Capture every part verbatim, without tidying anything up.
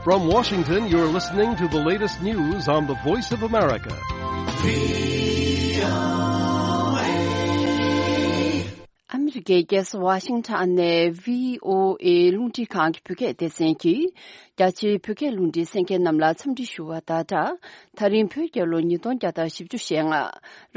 From Washington, you're listening to the latest news on the Voice of America. ཨ་མི་རི་ཀའི་རྒྱལ་ས་ཝ་ཤིང་ཊོན་ནས་བྷི་ཨོ་ཨེ་རླུང་འཕྲིན་ཁང་གི་བོད་སྐད་སྡེ་ཚན་གྱིས། རྒྱ་ཆེའི་བོད་སྐད་རླུང་འཕྲིན་གསན་མཁན་རྣམས་ལ་འཚམས་འདྲི་ཞུ་བ་དང་སྦྲགས། ད་རིང་བོད་རྒྱལ་ལོ་ཉིས་སྟོང་བརྒྱ་དང་བཞི་བཅུ་ཞེ་ལྔ།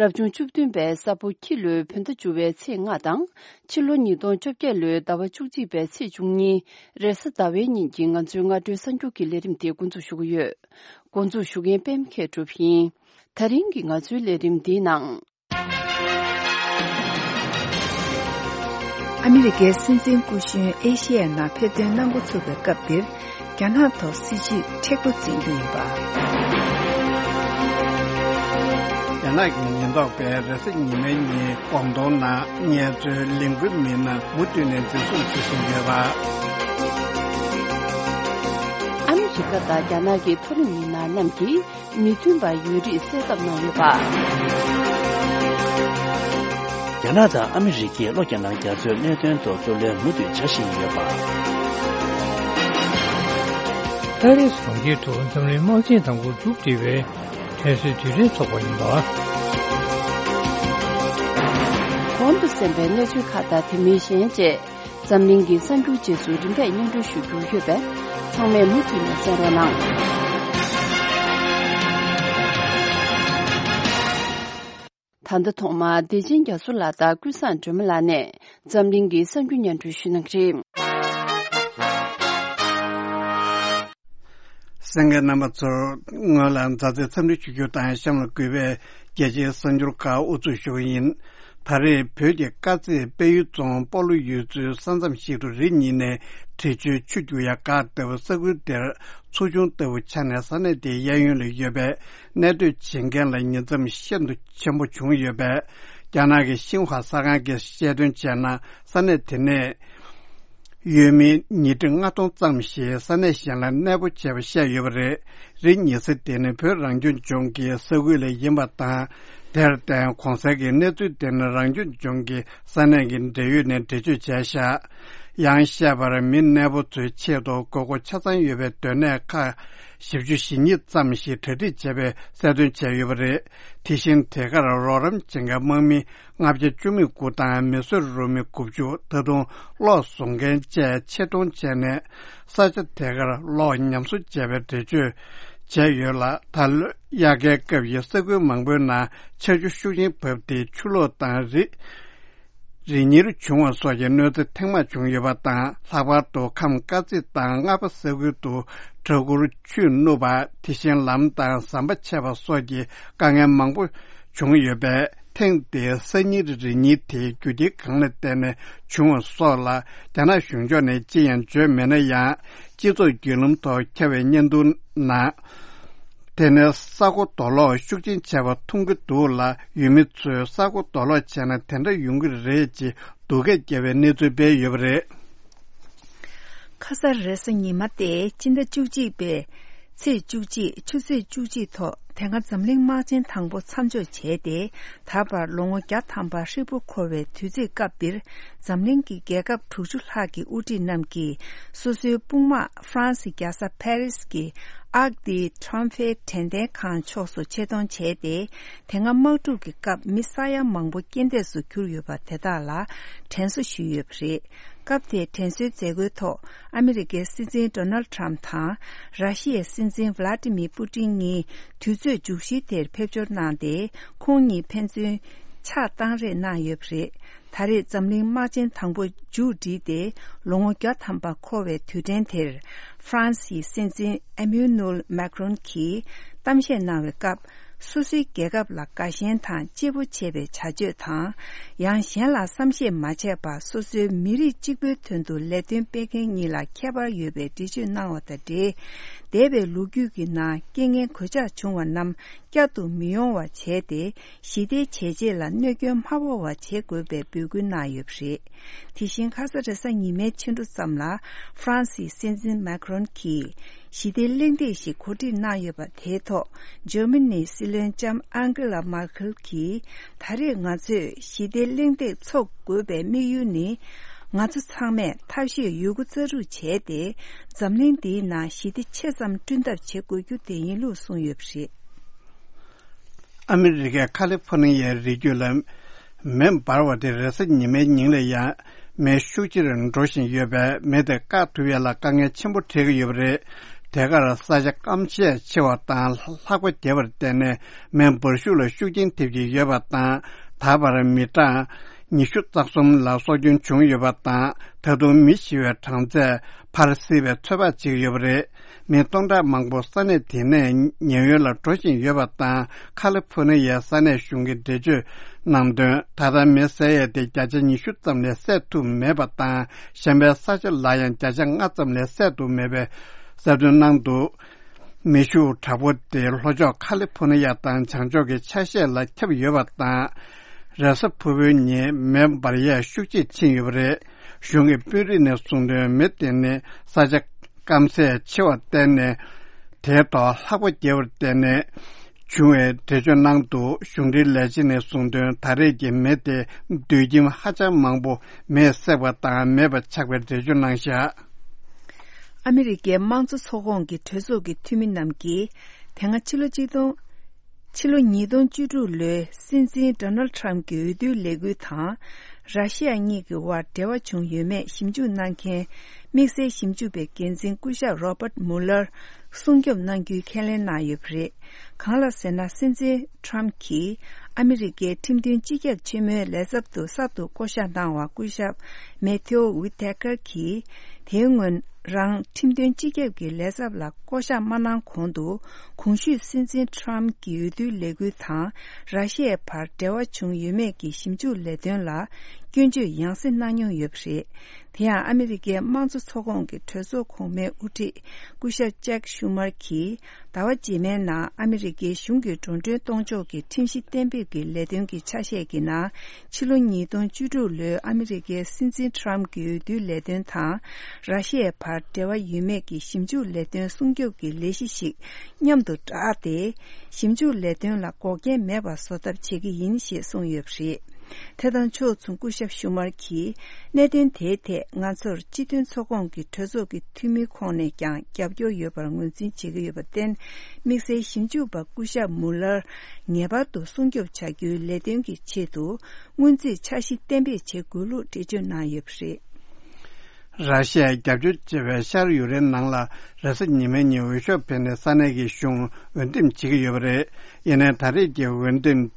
རབ་བྱུང་བཅུ་བདུན་པའི་ས་ཕོ་ཁྱི་ལོའི་བོད་ཟླ་བཅུ་པའི་ཚེས་ལྔ་དང་། ཕྱི་ལོ་ཉིས་སྟོང་བཅོ་བརྒྱད་ལོའི་ཟླ་བ་བཅུ་གཅིག་པའི་ཚེས་བཅུ་གཉིས། རེས་གཟའ་ཟླ་བའི་ཉིན་གྱི་ང་ཚོའི་སྔ་དྲོའི་གསར་འགྱུར་གྱི་ལས་རིམ་དེ་འགོ་འཛུགས་ཞུ་གི་ཡོད། འགོ་འཛུགས་ཞུ་མཁན་པད་མ་མཁས་གྲུབ་ཡིན། ད་རིང་གི་ང་ཚོའི་ལས་རིམ་འདིའི་ནང་། ཨ་མི་རི་ཀའི་སྲིད་འཛིན་སྐུ་གཞོན་ཨེ་ཤི་ཡའི་ནང་ཕེབས་ཐོན་གནང་འགོ་ཚུགས་པའི་སྐབས་འདིར། རྒྱ་ནག་ཐོག་སྲིད་ཇུས་མཁྲེགས་པོ་འཛིན་རྒྱུ་ཡིན་པ། རྒྱ་ནག་གི་ཉེན་རྟོག་པས་རེས་གཟའ་ཉི་མའི་ཉིན་ཀོང་ཏུང་ནང་ངལ་རྩོལ་ལས་འགུལ་མི་སྣ་མུ་མཐུད་ནས་འཛིན་བཟུང་བྱེད་བཞིན་ཡོད་པ། ཨ་མི་རི་ཀ་དང་རྒྱ་ནག་གི་མཐོ་རིམ་མི་སྣ་རྣམས་ཀྱིས། མི་མཐུན་པ་ཡོད་རིགས་གསལ་བསྒྲགས་གནང་ཡོད་པ། རྒྱ་ནག་དང་ཨ་མི་རི་ཀས་ལྷོ་རྒྱ་ནག་རྒྱ་མཚོའི་གནད་དོན་ཐོག་རྩོད་ལེན་མུ་མཐུད་བྱ་བཞིན་ཡོད་པ། ཏ་རིག་གྲོང་ཁྱེར་དུ་འཛམ་གླིང་དམག་ཆེན་དང་པོ་མཇུག་སྒྲིལ་བའི་དྲན་གསོའི་དུས་དྲན་འཚོགས་པ་ཡིན་པ། གོང་དུ་གསན་པའི་གནས་ཚུལ་ཁག་དང་དེ་མིན་གཞན་བཅས། འཛམ་གླིང་གི་གསར་འགྱུར་རྗེས་སུ་རིམ་པས་སྙན་སྒྲོན་ཞུ་རྒྱུ་ཡོད་པས། ཚང་མས་མུ་མཐུད་ནས་གསན་རོགས་གནང་། ད་ལྟ་ཐོག་མར་བདེ་ཆེན་རྒྱ་མཚོ་ལགས་དང་ཀུན་བཟང་སྒྲོལ་མ་ལགས་ནས་འཛམ་གླིང་གི་གསར་འགྱུར་སྙན་སྒྲོན་ཞུ་གནང་གི་རེད། གསན་མཁན་རྣམ་པ་ཚོར་སྔོན་ལ་མཛའ་བརྩེའི་འཚམས་འདྲི་ཞུ་རྒྱུ་དང་གཤམ་ལ་གུས་པས། རྒྱལ་སྤྱིའི་གསར་འགྱུར་ཁག་དབུ་འཛུགས་ཞུ་གི་ཡིན། ད་རེས་བོད་ཀྱི་དཀར་མཛེས་དཔལ་ཡུལ་རྫོང་སྤོ་ལོ་ཡུལ་ཚོའི་ས་མཚམས་ཤིག་ཏུ་རི་གཉིས་ནས་འབྲི་ཆུའི་ཆུ་རྒྱུག་ཡ་འགག་ལྟ་བུ་ས་ཁུལ་དེར་མཚོ་ཆུང་ལྟ་བུ་ཆགས་ནས་ས་གནས་དེའི་གཡས་གཡོན་ལ་ཡོད་པའི་གནས་སྡོད་བྱེད་མཁན་ལ་ཉེན་མཚམས་ཤིན་ཏུ་ཆེན་པོ་བྱུང་ཡོད་པས། རྒྱ་ནག་གི་ཤིན་ཧྭ་གསར་ཁང་གིས་བཤད་དོན་བྱས་ན། ས་གནས་དེ་ནས་ཡུལ་མི་ཉིས་ཁྲི་ལྔ་སྟོང་ཙམ་ཞིག་ས་གནས་གཞན་ལ་གནས་སྤོ་བྱས་པ་བཤད་ཡོད་པ་རེད། རི་གཉིས་ས་དེ་ནི་བོད་རང་སྐྱོང་ལྗོངས་ཀྱི་ས་ཁུལ་ལ་ཡིན་པ་དང་། དེར་བརྟེན་གོང་གསལ་གྱི་གནས་ཚུལ་དེ་ནི་རང་སྐྱོང་ལྗོངས་ཀྱི་ས་གནས་ཀྱི་འབྲེལ་ཡོད་ནས་འགྲེལ་བརྗོད་བྱས་བཞག་ཡང་བཤད་པར་མི་གནས་སྤོ་ཚོའི་ཆེད་དུ་དགོས་མཁོ་ཆ་ཚང་ཡོད་པའི་སྡོད་གནས་ཁག་བཞི་བཅུ་ཞེ་གཉིས་ཙམ་ཞིག་གྲ་སྒྲིག་བྱས་པའི་གསལ་སྟོན་བྱས་ཡོད་པ་རེད། དེ་བཞིན་དེ་གར་རོགས་རམ་བྱེད་མཁན་དམག་མི་ལྔ་བརྒྱ་བཅུ་མེད་དགུ་དང་མི་གསོད་རུ་མི་དགུ་བཅུ། ད་དུང་གློག་བཟོ་མཁན་བཅས་ཆེད་གཏོང་བྱས་ནས་ས་ཆ་དེ་གར་གློག་ཉམས་གསོ་བྱས་པའི་འགྲེལ་བརྗོད་བྱས་ཡོད་ལ། ད་ལོའི་དབྱར་ཁའི་སྐབས་ཀྱི་ས་ཁུལ་མང་པོའི་ནང་ཆར་ཆུ་ཤུགས་ཆེན་བབས་ཏེ་ཆུ་ལོག་དང་རི་རི་ཉིལ་བྱུང་བ་སོགས་ཀྱི་གནོད་འཚེ་ཐེངས་མང་བྱུང་ཡོད་པ་དང་། ལྷག་པར་དུ་ཁམས་དཀར་མཛེས་དང་རྔ་པ་ས་ཁུལ་དུ་སྦྲ་གུར་ཆུས་བསྣུབས་པ། དེ་བཞིན་ལམ་དང་ཟམ་པ་ཆད་པ་སོགས་ཀྱི་དཀའ་ངལ་མང་པོ་བྱུང་ཡོད་པས། ཐེངས་འདིའི་ས་ཉིལ་རི་ཉིལ་དེ་རྒྱུ་རྐྱེན་གང་ལ་བརྟེན་ནས་བྱུང་བ་སོགས་ལ་རྒྱ་ནག་གཞུང་ཕྱོགས་ནས་ཅི་ཡང་བརྗོད་མེད་ན་ཡང་། སྤྱི་ཚོགས་བརྒྱུད་ལམ་ཐོག་ཁྱབ་པའི་བརྙན་ཐུང་ནང་། དེ་ནས་ས་སྒོ་རྡོ་སློག་ཤུགས་ཆེན་བྱས་པ་མཐོང་གི་འདུག་ལ། ཡུལ་མི་ཚོས་ས་སྒོ་རྡོ་སློག་བྱས་ན་དེ་འདྲ་ཡོང་གི་རེད་ཅེས་སྡུག་སྐད་བརྒྱབ་པའི་གནས་ཚུལ་སྤེལ་ཡོད་པ་རེད། ཁ་ས་རེས་གཟའ་ཉི་མ་སྟེ་སྤྱི་ཟླ་བཅུ་གཅིག་པའི་ཚེས་བཅུ་གཅིག་ཆུ་ཚོད་བཅུ་གཅིག་ཐོག་དེ་སྔ་འཛམ་གླིང་དམག་ཆེན་དང་པོ་མཚམས་འཇོག་བྱས་ཏེ། ད་བར་ལོ་ངོ་བརྒྱ་ཐམ་པ་ཧྲིལ་པོ་འཁོར་བའི་དུས་ཚོད་སྐབས་འདིར། འཛམ་གླིང་གི་རྒྱལ་ཁབ་དྲུག་ཅུ་ལྷག་གི་དབུ་ཁྲིད་རྣམས་ཀྱིས་སོ་སོའི་དཔུང་དམག་ཧྥ་རན་སི་རྒྱལ་ས་ཕ་རི་སི་གི་Arc de Triomphe་དྲན་རྟེན་ཁང་ཕྱོགས་སུ་ཆེད་གཏོང་བྱས་ཏེ། དེ་སྔ་དམག་འཁྲུག་གི་སྐབས་མི་ས་ཡ་མང་པོ་རྐྱེན་འདས་སུ་གྱུར་ཡོད་པ་དེ་དག་ལ་དྲན་གསོ་ཞུས་ཡོད་པ་རེད། སྐབས་དེའི་དྲན་གསོའི་མཛད་སྒོའི་ཐོག་ཨ་མི་རི་ཀའི་སྲིད་འཛིན་ཌོ་ནལ་ཊམ་དང་ར་ཤི་ཡའི་སྲིད་འཛིན་ཝ་ལ་ཏི་མིར་པུ་ཏིན་གཉིས་དུས་ཚོད་མཇུག་བཞི་དེར་ཕེབས་འབྱོར་གནང་སྟེ། ཁོང་གཉིས་ཕན་ཚུན་ཕྱག་བཏང་རེས་གནང་ཡོད་པ་རེད། ད་རེས་འཛམ་གླིང་དམག་ཆེན་དང་པོ་མཇུག་བསྒྲིལ་ཏེ་ལོ་ངོ་བརྒྱ་ཐམ་པ་འཁོར་བའི་དུས་དྲན་དེར། ཧྥ་རན་སིའི་སྲིད་འཛིན་ཨེ་མེ་ནུ་ཨེལ་མེག་རོན་གྱིས་གཏམ་བཤད་གནང་བའི་སྐབས། སོ་སོའི་རྒྱལ་ཁབ་ལ་དགའ་ཞེན་དང་གཅེས་པོ་བྱེད་པའི་བྱ་སྤྱོད་དང་། ཡང་གཞན་ལ་བསམ་ཤེས་མ་བྱས་པར་སོ་སོའི་མི་རིགས་གཅིག་པུའི་དོན་དུ་ལས་དོན་སྤེལ་མཁན་གཉིས་ལ་ཁྱད་པར་ཡོད་པའི་འགྲེལ་བརྗོད་གནང་བ་དང་འབྲེལ། འདས་པའི་ལོ་རྒྱུས་ཀྱི་ནང་རྐྱེན་ངན་གོད་ཆག་བྱུང་བ་རྣམས་བསྐྱར་དུ་མི་ཡོང་བ་བྱས་ཏེ། ཞི་བདེའི་བྱས་རྗེས་ལ་གནོད་སྐྱོན་མ་ཕོག་པ་བྱེད་དགོས་པའི་འབོད་སྐུལ་གནང་ཡོད་པ་རེད། དེ་བཞིན་ཁ་ས་རེས་གཟའ་ཉི་མའི་ཕྱི་དྲོ་ཙམ་ལ་ཧྥ་རན་སིའི་སྲིད་འཛིན་མེག་རོན་གྱིས་ཞི་བདེ་གླེང་སྟེགས་ཤིག་གོ་སྒྲིག་གནང་ཡོད་པ་དེའི་ཐོག་འཇར་མ་ནིའི་སྲིད་བློན་ལྕམ་ཨན་གྷི་ལ་མར་ཁེལ་གྱིས། ད་རེས་ང་ཚོས་ཞི་བདེ་གླེང་སྟེགས་འཚོགས་དགོས་པའི་དམིགས་ཡུལ་ནི། ང་ཚོ་ཚང་མས་ཐབས་ཤེས་ཡོད་རྒུ་རྩལ་སྤྲུགས་བྱས་ཏེ། འཛམ་གླིང་འདིའི་ནང་ཞི་བདེ་ཆེ་ཙམ་བསྐྲུན་ཐབས་བྱེད་དགོས་རྒྱུ་དེ་ཡིན་ལུགས་གསུངས་ཡོད་པ་རེད། ཨ་མི་རི་ཀའི་ཁ་ལི་ཕོ་ནི་ཡའི་རི་རྒྱུད་ལ་མེ་འབར་བ་དེ་རེས་གཟའ་ཉི་མའི་ཉིན་ལ་ཡང་མེ་ཤུགས་ཆེར་འགྲོ་བཞིན་ཡོད་པས། མེ་དེ་བཀག་ཐུབ་ཡ་ལ་དཀའ་ངལ་ཆེན་པོ་འཕྲད་ཀྱི་ཡོད་པ་རེད། དེ་གར་ས་ཆ་སྐམ་ཤས་ཆེ་བ་དང་ལྷགས་པ་རྒྱས་པར་བརྟེན་ནས། མེ་འབར་ཤུགས་ལ་ཤུགས་རྐྱེན་ཐེབས་ཀྱི་ཡོད་པ་དང་། ད་བར་མི་གྲངས་ཉི་ཤུ་རྩ་གསུམ་ལ་སྲོག་སྐྱོན་བྱུང་ཡོད་པ་དང་། ད་དུང་མི་ཤི་བའི་གྲངས་ཚད་འཕར་སྲིད་པའི་ཚོད་དཔག་བྱེད་ཀྱི་ཡོད་པ་རེད། མི་སྟོང་ཕྲག་མང་པོ་ས་གནས་དེ་ནས་ཉེན་གཡོལ་ལ་འགྲོ་བཞིན་ཡོད་པ་དང་། ཁ་ལི་ཕོ་ནི་ཡའི་ས་གནས་གཞུང་གིས་འགྲེལ་བརྗོད་གནང་དོན། ད་ལྟ་མེ་བསད་ཡས་དེ་བརྒྱ་ཆ་ཉི་ཤུ་ཙམ་ལས་བསད་ཐུབ་མེད་པ་དང་། གཞན་པའི་ས་ཆ་ལ་ཡང་བརྒྱ་ཆ་ལྔ་ཙམ་ལས་བསད་ཐུབ་མེད་པའི་གསལ་སྟོན་གནང་འདུག་མེ་ཤུགས་དྲག་པོ་དེ་ལྷོ་ཕྱོགས་ཁ་ལི་ཕོ་ནི་ཡ་དང་བྱང་ཕྱོགས་ཀྱི་ཆ་ཤས་ལ་ཁྱབ་ཡོད་པ་དང་། རེས་གཟའ་ཕུར་བུའི་ཉིན་མེ་འབར་ཡས་ཤུགས་ཆེ་ཕྱིན་ཡོད་པ་རེད། གཞུང་གི་དཔོན་རིགས་ནས་གསུངས་དོན། མེ་དེ་ནི་ས་ཆ་སྐམ་ས་ཆེ་བར་བརྟེན་ནས། དེའི་ཐོག་ལྷགས་པ་རྒྱས་པར་བརྟེན་ནས་བྱུང་བའི་འགྲེལ་བརྗོད་གནང་འདུག་གཞུང་འབྲེལ་ལས་བྱེད་ནས་གསུངས་དོན། ད་རེས་ཀྱི་མེ་དེ་སྡོད་ཁྱིམ་ཧ་ཅང་མང་པོ་མེས་བསྲེགས་པ་དང་མེད་པ་ཆགས་པའི་འགྲེལ་བརྗོད་གནང་བཞག་ཨ་མི་རི་ཀའི་དམངས་གཙོ་ཚོགས་ཁོངས་ཀྱི་གྲོས་ཚོགས་ཀྱི་འཐུས་མི་རྣམས་ཀྱིས། དེ་སྔ་ཕྱི་ལོ་གཅིག་སྟོང་། ཕྱི་ལོ་ཉིས་སྟོང་བཅུ་དྲུག་ལོའི་སྲིད་འཛིན་ཌོ་ནལ་ཌི་ཊརམ་གྱི་འོས་བསྡུའི་ལས་འགུལ་དང་། ར་ཤི་ཡ་གཉིས་ཀྱི་དབར་འབྲེལ་བ་བྱུང་ཡོད་མེད་ཞིབ་འཇུག་གནང་མཁན། དམིགས་བསལ་ཞིབ་འཇུག་པའི་འགན་འཛིན་སྐུ་ཞབས་རོ་བར་ཊི་མུ་ལར་སྲུང་སྐྱོབ་གནང་རྒྱུའི་ཁས་ལེན་གནང་ཡོད་པ་རེད། གང་ལ་ཟེར་ན། སྲིད་འཛིན་ཊརམ་གྱིས་ཨ་མི་རི་ཀའི་ཁྲིམས་དོན་སྤྱི་ཁྱབ་ཆེན་མོའི་ལས་ཚབ་ཏུ་གསར་དུ་བསྐོ་གཞག་གནང་བ་སྐུ་ཞབས་མེ་ཐེའོ་ཝི་ཐེ་ཀར་གྱིས། དེའི་སྔོན་རང་ཁྲིམས་དོན་སྤྱི་ཁྱབ་ཀྱི་ལས་ཚབ་ལ་བསྐོ་གཞག་མ་གནང་གོང་དུ། གོང་ཞུས་སྲིད་འཛིན་ཊརམ་གྱི་འོས་བསྡུའི་ལས་འགུལ་དང་། ར་ཤི་ཡའི་བར་འབྲེལ་བ་བྱུང་ཡོད་མེད་ཀྱི་ཞིབ་འཇུག་ལས་དོན་ལ་སྐྱོན་བརྗོད་ཡང་སེ་གནང་མྱོང་ཡོད་པ་རེད། དེ་ཡང་ཨ་མི་རི་ཀའི་དམངས་གཙོ་ཚོགས་ཁོངས་ཀྱི་གྲོས་ཚོགས་གོང་མའི་དབུ་ཁྲིད་སྐུ་ཞབས་ཅེག་ཤུ་མར་གྱིས། ཟླ་བ་རྗེས་མའི་ནང་ཨ་མི་རི་ཀའི་གཞུང་གི་འགྲོ་གྲོན་གཏོང་ཕྱོགས་ཀྱི་ཁྲིམས་གཞི་གཏན་འབེབས་ཀྱི་ལས་དོན་གྱི་ཆ་ཤས་ཀྱི་ནང་། ཕྱི་ལོ་ཉིས་སྟོང་བཅུ་དྲུག་ལོའི་ཨ་མི་རི་ཀའི་སྲིད་འཛིན་ཊརམ་གྱི་འོས་བསྡུའི་ལས་དོན་དང་། ར་ཤི་ཡའི་བར་འབྲེལ་བ་ཡོད་མེད་ཀྱི་ཞིབ་འཇུག་ལས་དོན་སྲུང་སྐྱོབ་ཀྱི་ལས་གཞི་ཞིག་མཉམ་དུ་བསྒྲགས་ཏེ། ཞིབ་འཇུག་ལས་དོན་ལ་འགོག་རྐྱེན་མེད་པ་བཟོ་ཐབས་བྱེད་ཀྱི་ཡིན་ཞེས་གསུངས་ཡོད་པ་རེད། དེ་དང་ཕྱོགས་མཚུངས་སྐུ་ཞབས་ཤུ་མར་གྱིས། གནད་དོན་དེའི་ཐད་ང་ཚོར་སྤྱི་མཐུན་ཚོགས་ཁོངས་ཀྱི་གྲོས་ཚོགས་ཀྱི་འཐུས་མིའི་ཁོངས་ནས་ཀྱང་རྒྱབ་སྐྱོར་ཡོད་པར་ངོས་འཛིན་བྱེད་ཀྱི་ཡོད་པར་བརྟེན། དམིགས་བསལ་ཞིབ་འཇུག་པ་སྐུ་ཞབས་མུ་ལར་ངེས་པར་དུ་སྲུང་སྐྱོབ་བྱ་རྒྱུའི་ལས་དོན་གྱི་ཆེད་དུ། སྔོན་རྩིས་འཆར་གཞི་གཏན་འབེབས་བྱེད་དགོས་ལུགས་འགྲེལ་བརྗོད་གནང་ཡོད་པ་རེད། ར་ཤི་ཡས་རྒྱབ་སྐྱོར་བྱེད་པའི་ཤར་ཡུཀ་རེན་ནང་ལ་རེས་གཟའ་ཉི་མའི་ཉིན་འོས་ཤོག་འཕེན་ནས་ས་གནས་ཀྱི་གཞུང་འོས་འདེམས་བྱེད་ཀྱི་ཡོད་པ་རེད། ཡིན་ནའི་ད་རེས་ཀྱི་འོས་འདེམས་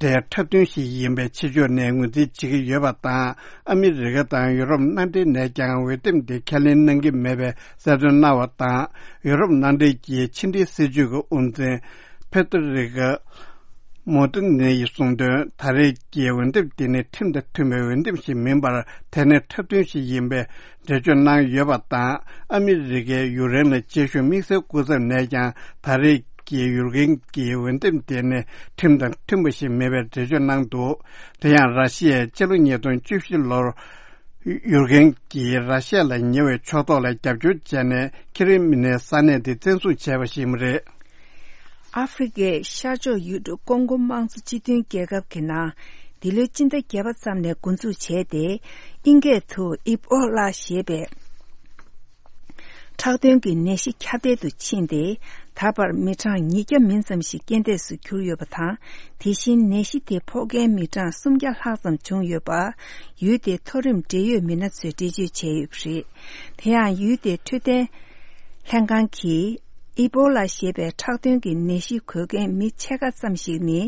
དེ་འཁྲབ་སྟོན་ཞིག་ཡིན་པའི་ཕྱི་ཕྱོགས་ནས་ངོས་འཛིན་བྱེད་ཀྱི་ཡོད་པ་དང་། ཨ་མི་རི་ཀ་དང་ཡུ་རོབ་མནའ་འབྲེལ་ནས་ཀྱང་འོས་འདེམས་དེ་ཁས་ལེན་གནང་གི་མེད་པའི་གསལ་སྟོན་གནང་བ་དང་། ཡུ་རོབ་མནའ་འབྲེལ་གྱི་ཕྱི་འབྲེལ་སྲིད་ཇུས་ཀྱི་དབུ་འཛིན་ཕེ་ཏེ་རི་ཀ་མོ་ཏི་ནེ་ཡིས་གསུངས་དོན། ད་རེས་ཀྱི་འོས་འདེམས་དེ་ནི་ཁྲིམས་དང་མཐུན་པའི་འོས་འདེམས་ཤིག་མིན་པར། དེ་ནི་འཁྲབ་སྟོན་ཞིག་ཡིན་པའི་འགྲེལ་བརྗོད་གནང་ཡོད་པ་དང་། ཨ་མི་རི་ཀས་ཡུཀ་རེན་ལ་སྤྱོད་ཤུགས་དམིགས་བསལ་བསྐུལ་ཚར་ནས་ཀྱང་། ད་རེས་ཀྱི་ཡུཀ་རེན་གྱི་འོས་འདེམས་དེ་ནི་ཁྲིམས་དང་མཐུན་པ་ཞིག་མེད་པའི་འགྲེལ་བརྗོད་གནང་འདུག་དེ་ཡང་ར་ཤི་ཡས་ཕྱི་ལོ་ཉིས་སྟོང་བཅུ་བཞི་ལོར་ཡུཀ་རེན་གྱིས་ར་ཤི་ཡ་ལ་ཉེ་བའི་ཕྱོགས་གཏོགས་ལ་རྒྱབ་སྐྱོར་བྱས་ནས། ཁི་རི་མི་ནའི་ས་གནས་དེ་བཙན་བཟུང་བྱས་པ་ཞིག་ཡིན་པ་རེད། ཨ་ཧྥེ་རི་ཁའི་ཤར་ཕྱོགས་ཡུལ་གྲུ་ཀོང་གོ་དམངས་གཙོ་སྤྱི་མཐུན་རྒྱལ་ཁབ་ཀྱི་ནང་། འདི་ལོའི་སྤྱི་ཟླ་བརྒྱད་པ་ཙམ་ནས་འགོ་འཛུགས་བྱས་ཏེ། ཨིན་སྐད་དུ་ཨི་པོ་ལ་ཞེས་པའི་ཁྲག་དོན་གྱི་ནད་གཞི་ཁྱབ་གདལ་དུ་ཕྱིན་ཏེ། ད་བར་མི་གྲངས་ཉིས་བརྒྱ་མིན་ཙམ་ཞིག་རྐྱེན་འདས་སུ་གྱུར་ཡོད་པ་དང་། དེ་བཞིན་ནད་གཞི་དེ་ཕོག་མཁན་མི་གྲངས་སུམ་བརྒྱ་ལྷག་ཙམ་བྱུང་ཡོད་པ། ཡུལ་དེའི་མཐོ་རིམ་འབྲེལ་ཡོད་མི་སྣ་ཚོས་འགྲེལ་བརྗོད་བྱས་ཡོད་པ་རེད། དེ་ཡང་ཡུལ་དེའི་འཕྲོད་བསྟེན་ལྷན་ཁང་གིས། ཨི་པོ་ལ་ཞེས་པའི་ཁྲག་དོན་གྱི་ནད་གཞི་འགོས་མཁན་མི་ཕྱེད་ཀ་ཙམ་ཞིག་ནི།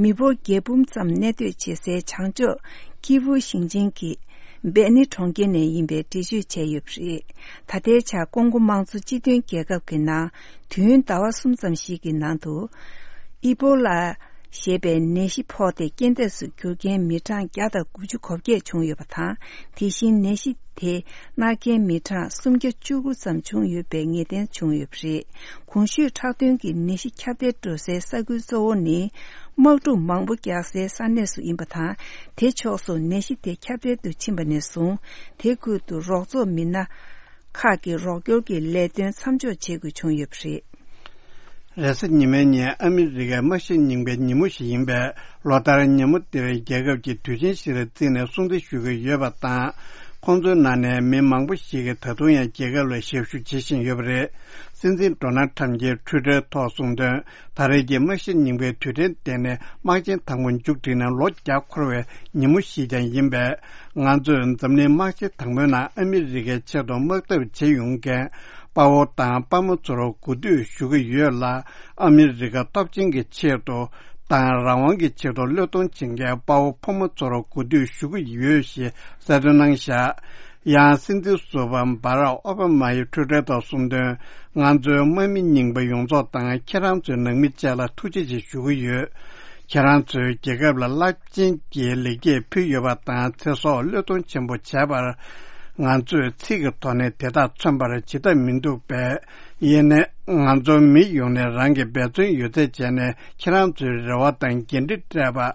མི་འབོར་བརྒྱད་འབུམ་ཙམ་གནས་སྡོད་བྱེད་སའི་བྱང་ཕྱོགས་ཀི་ཝུ་ཞིང་ཆེན་གྱི་སྦེ་ནི་གྲོང་ཁྱེར་ནས་ཡིན་པའི་འགྲེལ་བརྗོད་བྱས་ཡོད་པ་རེད། ད་ལྟའི་ཆར་ཀོང་གོ་དམངས་གཙོ་སྤྱི་མཐུན་རྒྱལ་ཁབ་ཀྱི་ནང་དུས་ཡུན་ཟླ་བ་གསུམ་ཙམ་ཞིག་གི་ནང་དུ། ཨི་པོ་ལ་ཞེས་པའི་ནད་གཞི་ཕོག་སྟེ་རྐྱེན་འདས་སུ་གྱུར་མཁན་མི་གྲངས་བརྒྱ་དང་དགུ་བཅུ་གོ་བརྒྱད་བྱུང་ཡོད་པ་དང་། དེ་བཞིན་ནད་གཞི་དེ་མནར་མཁན་མི་གྲངས་སུམ་བརྒྱ་བཅུ་དགུ་ཙམ་བྱུང་ཡོད་པའི་ངེས་གཏན་བྱུང་ཡོད་པ་རེད། གོང་ཞུས་ཁྲག་དོན་གྱི་ནད་གཞི་ཁྱབ་གདལ་འགྲོ་སའི་ས་ཁུལ་གཙོ་བོ་ནི། དམག་འཁྲུག་མང་པོ་རྒྱག་སའི་ས་གནས་སུ་ཡིན་པ་དང་། དེ་ཕྱོགས་སུ་ནད་གཞི་དེ་ཁྱབ་གདལ་དུ་ཕྱིན་པ་ནས་བཟུང་། དེ་ཁུལ་དུ་རོགས་ཚོགས་མི་སྣ་ཁག་གི་རོགས་སྐྱོར་གྱི་ལས་དོན་མཚམས་འཇོག་བྱེད་དགོས་བྱུང་ཡོད་པ་རེད། རེས་གཟའ་ཉི་མའི་ཉིན་ཨ་མི་རི་ཀའི་དམག་ཞི་རྙིང་པའི་ཉིན་མོ་ཞིག་ཡིན་པས། ལོ་ལྟར་ཉིན་མོ་འདིར་རྒྱལ་ཁབ་ཀྱི་དུས་ཆེན་ཞིག་ལ་བརྩིས་ནས་སྲུང་བརྩི་ཞུ་གི་ཡོད་པ་དང་། ཁོང་ཚོའི་ནང་ནས་མི་མང་པོ་ཞིག་གིས་ད་དུང་ཡང་རྒྱལ་ཁབ་ལ་ཞབས་ཞུ་བྱེད་བཞིན་ཡོད་པ་རེད། སྲིད་འཛིན་ཌོ་ནལ་ཁྲམ་གྱིས་ཊུའི་ཊར་ཐོག་གསུངས་དོན། ད་རེས་ཀྱི་དམག་ཞི་རྙིང་པའི་དུས་དྲན་དེ་ནི་དམག་ཆེན་དང་པོ་མཇུག་བསྒྲིལ་ནས་ལོ་བརྒྱ་འཁོར་བའི་ཉིན་མོ་ཞིག་ཀྱང་ཡིན་པས། ང་ཚོས་འཛམ་གླིང་དམག་ཆེན་དང་པོའི་ནང་ཨ་མི་རི་ཀའི་ཆེད་དུ་དམག་འཐབ་བྱེད་ཡོང་མཁན་དཔའ་བོ་དང་དཔའ་མོ་ཚོར་གུས་འདུད་ཞུ་གི་ཡོད་ལ། ཨ་མི་རི་ཀ་སྟོབས་ཆེན་གྱི་ཆེད་དུ་དང་རང་དབང་གི་ཆེད་དུ་བློས་གཏོང་བྱེད་མཁན་དཔའ་བོ་ཕོ་མོ་ཚོར་གུས་འདུད་ཞུ་གི་ཡོད་ཞེས་གསལ་སྟོན་གནང་བཞག་ཡང་སྲིད་འཛིན་ཟུར་པ་འབར་ཨོ་བྷ་མ་ཡིས་ཊུའི་ཊར་ཐོག་གསུངས་དོན། ང་ཚོའི་དམག་མི་རྙིང་པ་ཡོངས་རྫོགས་དང་ཁྱེད་རང་ཚོའི་ནང་མི་བཅས་ལ་ཐུགས་རྗེ་ཆེ་ཞུ་གི་ཡོད། ཁྱེད་རང་ཚོས་རྒྱལ་ཁབ་ལ་རླབས་ཆེན་གྱི་ལེགས་སྐྱེས་ཕུལ་ཡོད་པ་དང་། ཚེ་སྲོག་བློས་གཏོང་ཆེན་པོ་བྱས་པར། ང་ཚོས་ཚིག་གི་ཐོག་ནས་དེ་དག་མཚོན་པར་བྱེད་ཐབས་མི་འདུག་པས། ཡིན་ནའི་ང་ཚོ་མི་ཡོངས་ནས་རང་གི་འབད་བརྩོན་ཡོད་ཚད་བྱས་ནས་ཁྱེད་རང་ཚོའི་རེ་བ་དང་འགན་འཁྲི་སྤྲད་པ།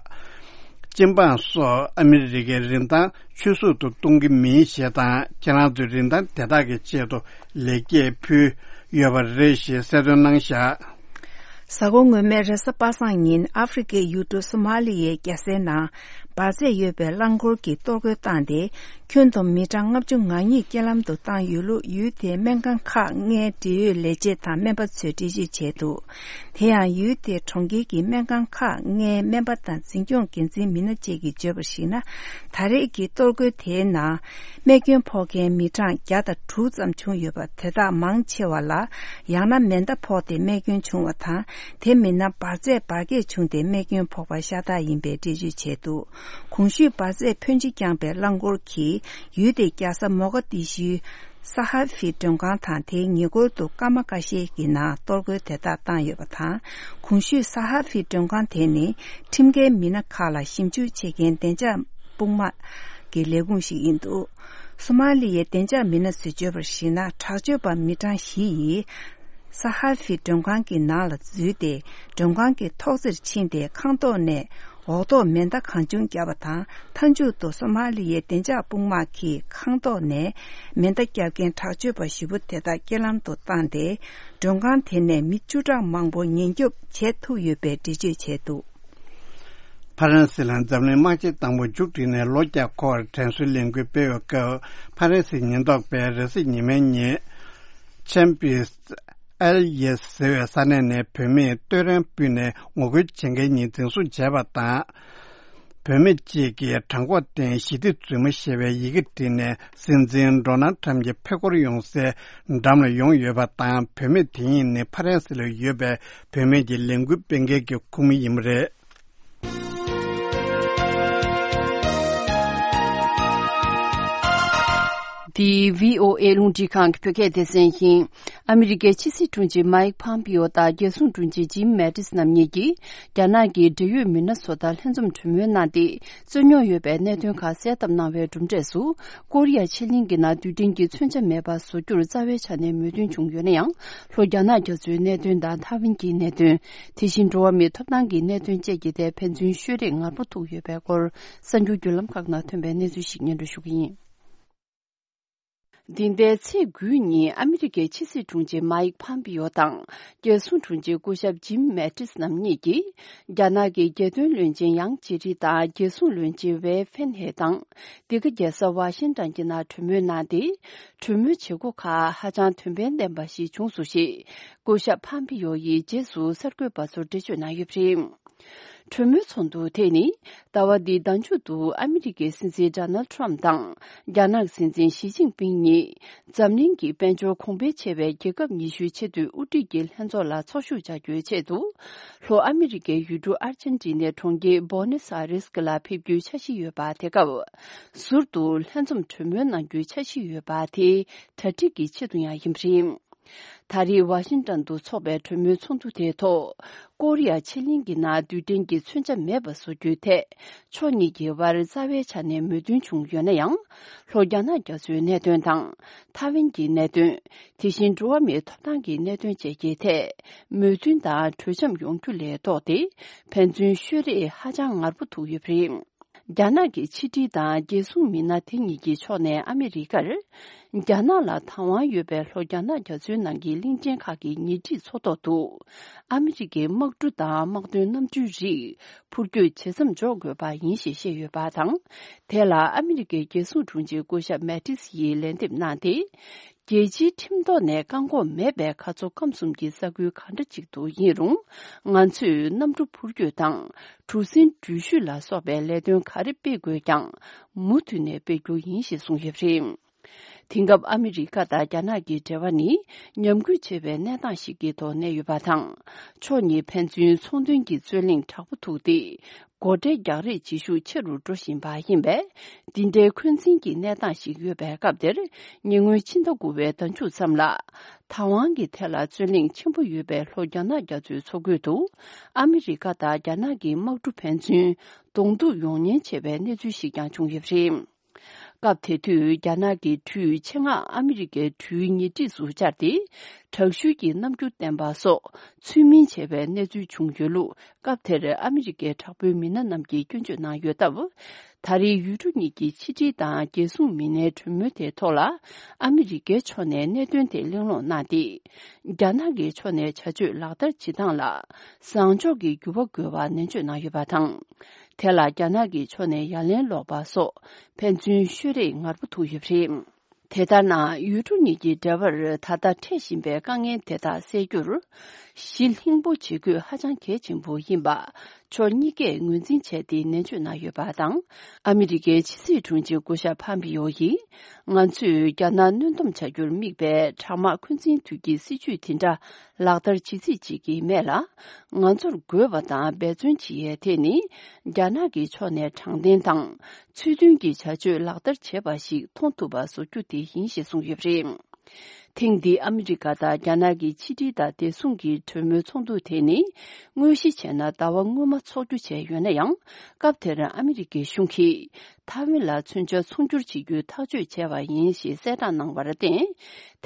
སྤྱི་འབངས་སོགས་ཨ་མི་རི་ཀའི་རིན་ཐང་ཆུད་ཟོས་སུ་གཏོང་གི་མིན་ཞེས་དང་། ཁྱེད་རང་ཚོའི་རིན་ཐང་དེ་དག་གི་ཆེད་དུ་ལེགས་སྐྱེས་ཕུལ་ཡོད་པ་རེད་ཞེས་གསལ་སྟོན་གནང་བཞག་གཟའ་འཁོར་སྔོན་མའི་རེས་གཟའ་པ་སངས་ཉིན་ཨ་ཧྥེ་རི་ཁའི་ཡུལ་གྲུ་སོ་མ་ལི་ཡའི་རྒྱལ་སའི་ནང་འབར་རྫས་ཡོད་པའི་རླངས་འཁོར་གྱིས་གཏོར་རྒོལ་བཏང་སྟེ། ཁྱོན་བསྡོམས་མི་གྲངས་ལྔ་བཅུ་ང་གཉིས་རྐྱེན་ལམ་དུ་བཏང་ཡོད་ལུགས་ཡུལ་དེའི་སྨན་ཁང་ཁག་ལྔའི་འབྲེལ་ཡོད་ལས་བྱེད་དང་སྨན་པ་ཚོས་འགྲེལ་བརྗོད་བྱས་འདུག་དེ་ཡང་ཡུལ་དེའི་གྲོང་ཁྱེར་གྱི་སྨན་ཁང་ཁག་ལྔའི་སྨན་པ་དང་འཛིན་སྐྱོང་འགན་འཛིན་མི་སྣ་བཅས་ཀྱིས་བརྗོད་པར་གཞིགས་ན། ད་རེས་ཀྱི་གཏོར་རྒོལ་དེའི་ནང་རྨས་སྐྱོན་ཕོག་མཁན་མི་གྲངས་བརྒྱ་དང་དྲུག་ཙམ་བྱུང་ཡོད་པ། དེ་དག་མང་ཆེ་བ་ལ་ཡང་ན་མེ་མདའ་ཕོག་སྟེ་རྨས་སྐྱོན་བྱུང་བ་དང་། དེ་མིན་ན་འབར་རྫས་འབར་གས་བྱུང་སྟེ་རྨས་སྐྱོན་ཕོག་པ་ཤ་སྟག་ཡིན་པའི་འགྲེལ་བརྗོད་བྱས་འདུག་གོང་ཞུས་འབར་རྫས་ཕོན་ཆེ་བརྐྱངས་པའི་རླངས་འཁོར་གྱིས་ཡུལ་དེའི་རྒྱལ་ས་མོ་ག་དི་ཤུའི་ས་ཧ་ཧྥི་མགྲོན་ཁང་དང་། དེའི་ཉེ་འཁོར་དུ་སྐར་མ་ཁ་ཤས་ཀྱི་ནང་གཏོར་རྒོལ་དེ་དག་བཏང་ཡོད་པ་དང་། གོང་ཞུས་ས་ཧ་ཧྥི་མགྲོན་ཁང་དེ་ནི་ཁྲིམས་འགལ་མི་སྣ་ཁག་ལ་ཞིབ་འཇུག་བྱེད་མཁན་བདེ་འཇགས་དཔུང་དམག་གི་ལས་ཁུངས་ཤིག་ཡིན་འདུག་སོ་མ་ལི་ཡའི་བདེ་འཇགས་མི་སྣ་ཚོས་བརྗོད་པར་གཞིགས་ན། དྲག་སྤྱོད་པ་མི་གྲངས་བཞི་ཡིས་ས་ཧ་ཧྥི་མགྲོན་ཁང་གི་ནང་ལ་འཛུལ་ཏེ། མགྲོན་ཁང་གི་ཐོག་རྩེར་ཕྱིན་ཏེ། ཁང་ཐོག་ནས་འོག་ཐོག་མེ་མདའ་གང་བྱུང་བརྒྱབ་པ་དང་། མཐའ་མཇུག་ཏུ་སོ་མ་ལི་ཡའི་བདེ་འཇགས་དཔུང་དམག་གིས་ཁང་ཐོག་ནས་མེ་མདའ་བརྒྱབ་མཁན་དྲག་སྤྱོད་པ་བཞི་པོ་དེ་དག་རྐྱེན་ལམ་དུ་བཏང་སྟེ། མགྲོན་ཁང་དེ་ནས་མི་བཅུ་ཕྲག་མང་པོ་ཉེན་སྐྱོབ་བྱེད་ཐུབ་ཡོད་པའི་འགྲེལ་བརྗོད་བྱས་འདུག་ཕ་རན་སི་ལ་འཛམ་གླིང་དམག་ཆེན་དང་པོ་མཇུག་བསྒྲིལ་ནས་ལོ་བརྒྱ་འཁོར་བར་དྲན་གསོའི་ལས་འགུལ་སྤེལ་བའི་སྐབས། ཕ་རན་སིའི་ཉེན་རྟོག་པས་རེས་གཟའ་ཉི་མའི་ཉིན་ཆན་པིས་ཨེལ་ཡེ་ཟེར་བའི་ས་གནས་ནས་བུད་མེད་བསྟོད་ར་ཕུལ་ནས་ངོ་རྒོལ་བྱེད་མཁན་གཉིས་འཛིན་བཟུང་བྱས་པ་དང་། བུད་མེད་གཅིག་གིས་བྲང་ཁོག་སྟེང་ཞི་བདེ་རྫུན་མ་ཞེས་པའི་ཡི་གེ་བྲིས་ནས། སྲིད་འཛིན་ཌོ་ནལ་ཁྲམ་གྱི་ཕེབས་སྐོར་ཡོང་སའི་འགྲམ་ལ་ཡོང་ཡོད་པ་དང་། བུད་མེད་དེ་གཉིས་ནི་ཕ་རན་སི་ལ་ཡོད་པའི་བུད་མེད་ཀྱི་ལས་འགུལ་སྤེལ་མཁན་གྱི་ཁོངས་མི་ཡིན་པ་རེད། འདི་བྷི་ཨོ་ཨེ་རླུང་འཕྲིན་ཁང་གི་བོད་སྐད་སྡེ་ཚན་ཡིན། ཨ་མི་རི་ཀའི་ཕྱི་སྲིད་དྲུང་ཆེ་མཱིག་ཕམ་པིའོ་དང་རྒྱལ་སྲུང་དྲུང་ཆེ་ཇིམ་མེ་ཏིས་རྣམ་གཉིས་ཀྱིས། རྒྱ་ནག་གི་འབྲེལ་ཡོད་མི་སྣ་ཚོ་དང་ལྷན་འཛོམས་གྲོས་མོལ་གནང་སྟེ། རྩོད་རྙོག་ཡོད་པའི་གནད་དོན་ཁག་སེལ་ཐབས་གནང་བའི་གྲུབ་འབྲས་སུ། ཀོ་རི་ཡ་ཕྱེད་གླིང་གི་ནང་རྡུལ་ཕྲན་གྱི་མཚོན་ཆ་མེད་པ་བཟོ་རྒྱུར་རྩ་བའི་ཆ་ནས་མོས་མཐུན་བྱུང་ཡོད་ན་ཡང་། ལྷོ་རྒྱ་ནག་རྒྱ་མཚོའི་གནད་དོན་དང་ཐའེ་ཝན་གྱི་གནད་དོན། དེ་བཞིན་འགྲོ་བ་མིའི་ཐོབ་ཐང་གི་གནད་དོན་བཅས་ཀྱི་ཐད་ཕན་ཚུན་ཤོད་རེས་ངར་པོ་ཐུག་ཡོད་པའི་སྐོར། གསར་འགྱུར་བརྒྱུད་ལམ་ཁག་ནང་ཐོན་པའི་གནས་ཚུལ་ཞིག་སྙན་སྒྲོན་ཞུ་གི་ཡིན། འདི་ཟླའི་ཚེས་དགུའི་ཉིན་ཨ་མི་རི་ཀའི་ཕྱི་སྲིད་དྲུང་ཆེ་མཱིག་ཕམ་པིའོ་དང་། རྒྱལ་སྲུང་དྲུང་ཆེ་སྐུ་ཞབས་ཇིམ་མེ་ཏིས་རྣམ་གཉིས་ཀྱིས། རྒྱ་ནག་གི་རྒྱལ་དོན་བློན་ཆེན་ཡང་ཅི་རི་དང་། རྒྱལ་སྲུང་བློན་ཆེན་ཝེ་ཧྥེན་ཧེ་དང་། འདི་ག་རྒྱལ་ས་ཝ་ཤིང་ཏོན་གྱི་ནང་གྲོས་མོལ་གནང་སྟེ། གྲོས་མོལ་བྱེད་སྒོ་ཁག་ཧ་ཅང་དོན་ཕན་ལྡན་པ་ཞིག་བྱུང་སོང་ཞེས། སྐུ་ཞབས་ཕམ་པིའོ་ཡིས་རྗེས་སུ་གསར་འགོད་པ་ཚོར་འགྲེལ་བརྗོད་གནང་ཡོད་པ་རེད། གྲོས་མོལ་ཚོགས་འདུ་དེ་ནི། ཟླ་བ་འདིའི་ཟླ་མཇུག་ཏུ་ཨ་མི་རི་ཀའི་སྲིད་འཛིན་ཌོ་ནལ་ཁྲམ་དང་། རྒྱ་ནག་སྲིད་འཛིན་ཞི་ཅིན་ཕིང་གཉིས། འཛམ་གླིང་གི་དཔལ་འབྱོར་གོང་འཕེལ་ཆེ་བའི་རྒྱལ་ཁབ་ཉི་ཤུའི་ཆེས་མཐོའི་དབུ་ཁྲིད་ཀྱི་ལྷན་ཚོགས་ལ་ཚོགས་ཞུགས་བྱ་རྒྱུའི་ཆེད་དུ། ལྷོ་ཨ་མི་རི་ཀའི་ཡུལ་གྲུ་ཨར་ཇན་ཏི་ནའི་གྲོང་ཁྱེར་བོ་ནེ་སི་ཨ་རེས་ལ་ཕེབས་རྒྱུའི་འཆར་གཞི་ཡོད་པ་དེ་སྐབས། ཟུར་དུ་ལྷན་འཛོམས་གྲོས་མོལ་གནང་རྒྱུའི་འཆར་གཞི་ཡོད་པ་དེའི་གྲ་སྒྲིག་གི་ཆེད་དུ་ཡང་ཡིན་པ་རེད། ད་རེས་ཝ་ཤིང་ཏོན་དུ་འཚོགས་པའི་གྲོས་མོལ་ཚོགས་འདུ་དེའི་ཐོག་ཀོ་རི་ཡ་ཕྱེད་གླིང་གི་ནང་རྡུལ་ཕྲན་གྱི་མཚོན་ཆ་མེད་པ་བཟོ་རྒྱུའི་ཐད། ཕྱོགས་གཉིས་ཀྱི་དབར་རྩ་བའི་ཆ་ནས་མོས་མཐུན་བྱུང་ཡོད་ན་ཡང་། ལྷོ་རྒྱ་ནག་རྒྱ་མཚོའི་གནད་དོན་དང་། ཐའེ་ཝན་གྱི་གནད་དོན། དེ་བཞིན་འགྲོ་བ་མིའི་ཐོབ་ཐང་གི་གནད་དོན་བཅས་ཀྱི་ཐད། མོས་མཐུན་དང་གྲོས་འཆམ་ཡོང་རྒྱུ་ལས་ལྡོག་སྟེ། ཕན་ཚུན་ཤོད་རེས་ཧ་ཅང་ངར་པོ་ཐུག་ཡོད་པ་རེད། རྒྱ་ནག་གི་ཕྱི་འབྲེལ་དང་རྒྱལ་སྲུང་མི་སྣ་དེ་གཉིས་ཀྱི་ཕྱོགས་ནས་ཨ་མི་རི་ཀར། རྒྱ་ནག་ལ་བདག་དབང་ཡོད་པའི་ལྷོ་རྒྱ་ནག་རྒྱ་མཚོའི་ནང་གི་གླིང་ཕྲན་ཁག་གི་ཉེ་འཁྲིས་མཚོ་ཐོག་ཏུ། ཨ་མི་རི་ཀའི་དམག་གྲུ་དང་དམག་དོན་གནམ་གྲུའི་རིགས་འཕུར་སྐྱོད་བྱེད་མཚམས་འཇོག་དགོས་པ་ཡིན་ཞེས་བཤད་ཡོད་པ་དང་། དེ་ལ་ཨ་མི་རི་ཀའི་རྒྱལ་སྲུང་དྲུང་ཆེ་སྐུ་ཞབས་མེ་ཏིས་ཡིས་ལན་འདེབས་གནང་སྟེ། རྒྱལ་སྤྱིའི་ཁྲིམས་ཐོག་ནས་བཀག་འགོག་མེད་པའི་གར་སོང་ཁམས་གསུམ་གྱི་ས་ཁུལ་ག་འདྲ་ཅིག་ཏུ་ཡིན་རུང་། ང་ཚོས་གནམ་གྲུ་འཕུར་སྐྱོད་དང་གྲུ་གཟིངས་འགྲུལ་བཞུད་ལ་སོགས་པའི་ལས་དོན་ག་རེ་སྤེལ་དགོས་ཀྱང་མུ་མཐུད་ནས་སྤེལ་རྒྱུ་ཡིན་ཞེས་གསུངས་ཡོད་པ་རེད། དེང་སྐབས་ཨ་མི་རི་ཀ་དང་རྒྱ་ནག་གི་འབྲེལ་བ་ནི་ཉམས་རྒུད་ཆེ་བའི་གནས་སྟངས་ཤིག་གི་ཐོག་གནས་ཡོད་པ་དང་། ཕྱོགས་གཉིས་ཕན་ཚུན་ཚོང་དོན་གྱི་རྩོད་གླེང་དྲག་པོ་ཐུག་སྟེ། སྒོ་ཁྲལ་རྒྱག་རེས་བྱེད་ཤུགས་ཆེ་རུ་འགྲོ་བཞིན་པ་ཡིན་པས། འདི་འདྲའི་འཁོན་འཛིན་གྱི་གནས་སྟངས་ཤིག་ཡོད་པའི་སྐབས་དེར། ཉེ་སྔོན་ཕྱི་ཟླ་དགུ་པའི་ཟླ་མཇུག་ཙམ་ལ། བདག་དབང་གི་ཐད་ལ་རྩོད་གླེང་ཆེན་པོ་ཡོད་པའི་ལྷོ་རྒྱ་ནག་རྒྱ་མཚོའི་མཚོ་ཁུལ་དུ། ཨ་མི་རི་ཀ་དང་རྒྱ་ནག་གི་དམག་གྲུ་ཕན་ཚུན་གདོང་ཐུག་ཡོང་ཉེན་ཆེ་བའི་གནས་ཚུལ་ཞིག་ཀྱང་བྱུང་ཡོད་པ་རེད། སྐབས་དེ་དུས་རྒྱ་ནག་གི་གྲུའི་ཆེད་མངགས་ཨ་མི་རི་ཀའི་གྲུའི་ཉེ་འཁྲིས་སུ་བཅར་ཏེ། དྲག་ཤུལ་གྱི་རྣམ་འགྱུར་བསྟན་པ་སོགས་ཚུལ་མིན་བྱས་པའི་གནས་ཚུལ་བྱུང་ཡོད་ལུགས། སྐབས་དེར་ཨ་མི་རི་ཀའི་དྲག་པོའི་མི་སྣ་རྣམས་ཀྱིས་སྐྱོན་བརྗོད་གནང་ཡོད་སྟབས། ད་རེས་ཡུལ་གྲུ་གཉིས་ཀྱི་ཕྱི་འབྲེལ་དང་རྒྱལ་སྲུང་མི་སྣའི་གྲོས་མོལ་དེའི་ཐོག་ལ། ཨ་མི་རི་ཀའི་ཕྱོགས་ནས་གནད་དོན་དེ་གླེང་སློང་གནང་སྟེ། རྒྱ་ནག་གི་ཕྱོགས་ནས་བྱ་སྤྱོད་ལག་བསྟར་བྱེད་སྟངས་ལ་བཟང་ཕྱོགས་ཀྱི་འགྱུར་བ་དགོས་པ་ནན་བརྗོད་གནང་ཡོད་པ་དང་། དེ་ལ་རྒྱ་ནག་གི་ཕྱོགས་ནས་ཡ་ལན་སློག་པ་སོགས་ཕན་ཚུན་ཤོད་རེས་ངར་པོ་ཐུག་ཡོད་པ་རེད། དེ་ལྟར་ན། ཡུལ་གྲུ་གཉིས་ཀྱི་འབྲེལ་བར་ད་ལྟ་འཕྲད་བཞིན་པའི་དཀའ་ངལ་དེ་དག་སེལ་རྒྱུར། གཞི་ལྷིང་པོ་བྱེད་དགོས་ཧ་ཅང་གལ་ཆེན་པོ་ཡིན་པ། ཕྱོགས་གཉིས་ཀས་ངོས་འཛིན་བྱས་ཏེ་ནན་བརྗོད་གནང་ཡོད་པ་དང་། ཨ་མི་རི་ཀའི་ཕྱི་སྲིད་དྲུང་ཆེ་སྐུ་ཞབས་ཕམ་པིའོ་ཡིས། ང་ཚོས་རྒྱ་ནག་གནོན་སྡོམ་བྱ་རྒྱུར་དམིགས་པའི་དྲག་དམག་འཁོན་འཛིན་དུས་ཀྱི་སྲིད་བྱུས་དེ་འདྲ་ལག་བསྟར་བྱེད་རྩིས་བྱེད་ཀྱི་མེད་ལ། ང་ཚོར་དགོས་པ་དང་འབད་བརྩོན་བྱེད་ཡས་དེ་ནི། རྒྱ་ནག་གི་ཕྱོགས་ནས་དྲང་བདེན་དང་། ཚུལ་མཐུན་གྱི་བྱ་སྤྱོད་ལག་བསྟར་བྱེད་པ་ཞིག་མཐོང་ཐུབ་པ་བཟོ་རྒྱུ་དེ་ཡིན་ཞེས་གསུངས་ཡོད་པ་རེད། ཐེངས་འདིའི་ཨ་མི་རི་ཀ་དང་རྒྱ་ནག་གི་ཕྱི་འབྲེལ་དང་བདེ་སྲུང་གི་གྲོས་མོལ་ཚོགས་འདུ་དེ་ནི། དངོས་གཞི་བྱས་ན་ཟླ་བ་སྔོན་མ་འཚོགས་རྒྱུ་བྱས་ཡོད་ན་ཡང་། སྐབས་དེར་ཨ་མི་རི་ཀའི་གཞུང་གིས། ཐའེ་ཝན་ལ་མཚོན་ཆ་ཚོང་སྒྱུར་བྱེད་རྒྱུའི་ཐག་གཅོད་བྱས་པ་ཡིན་ཞེས་གསལ་བསྒྲགས་གནང་བར་བརྟེན།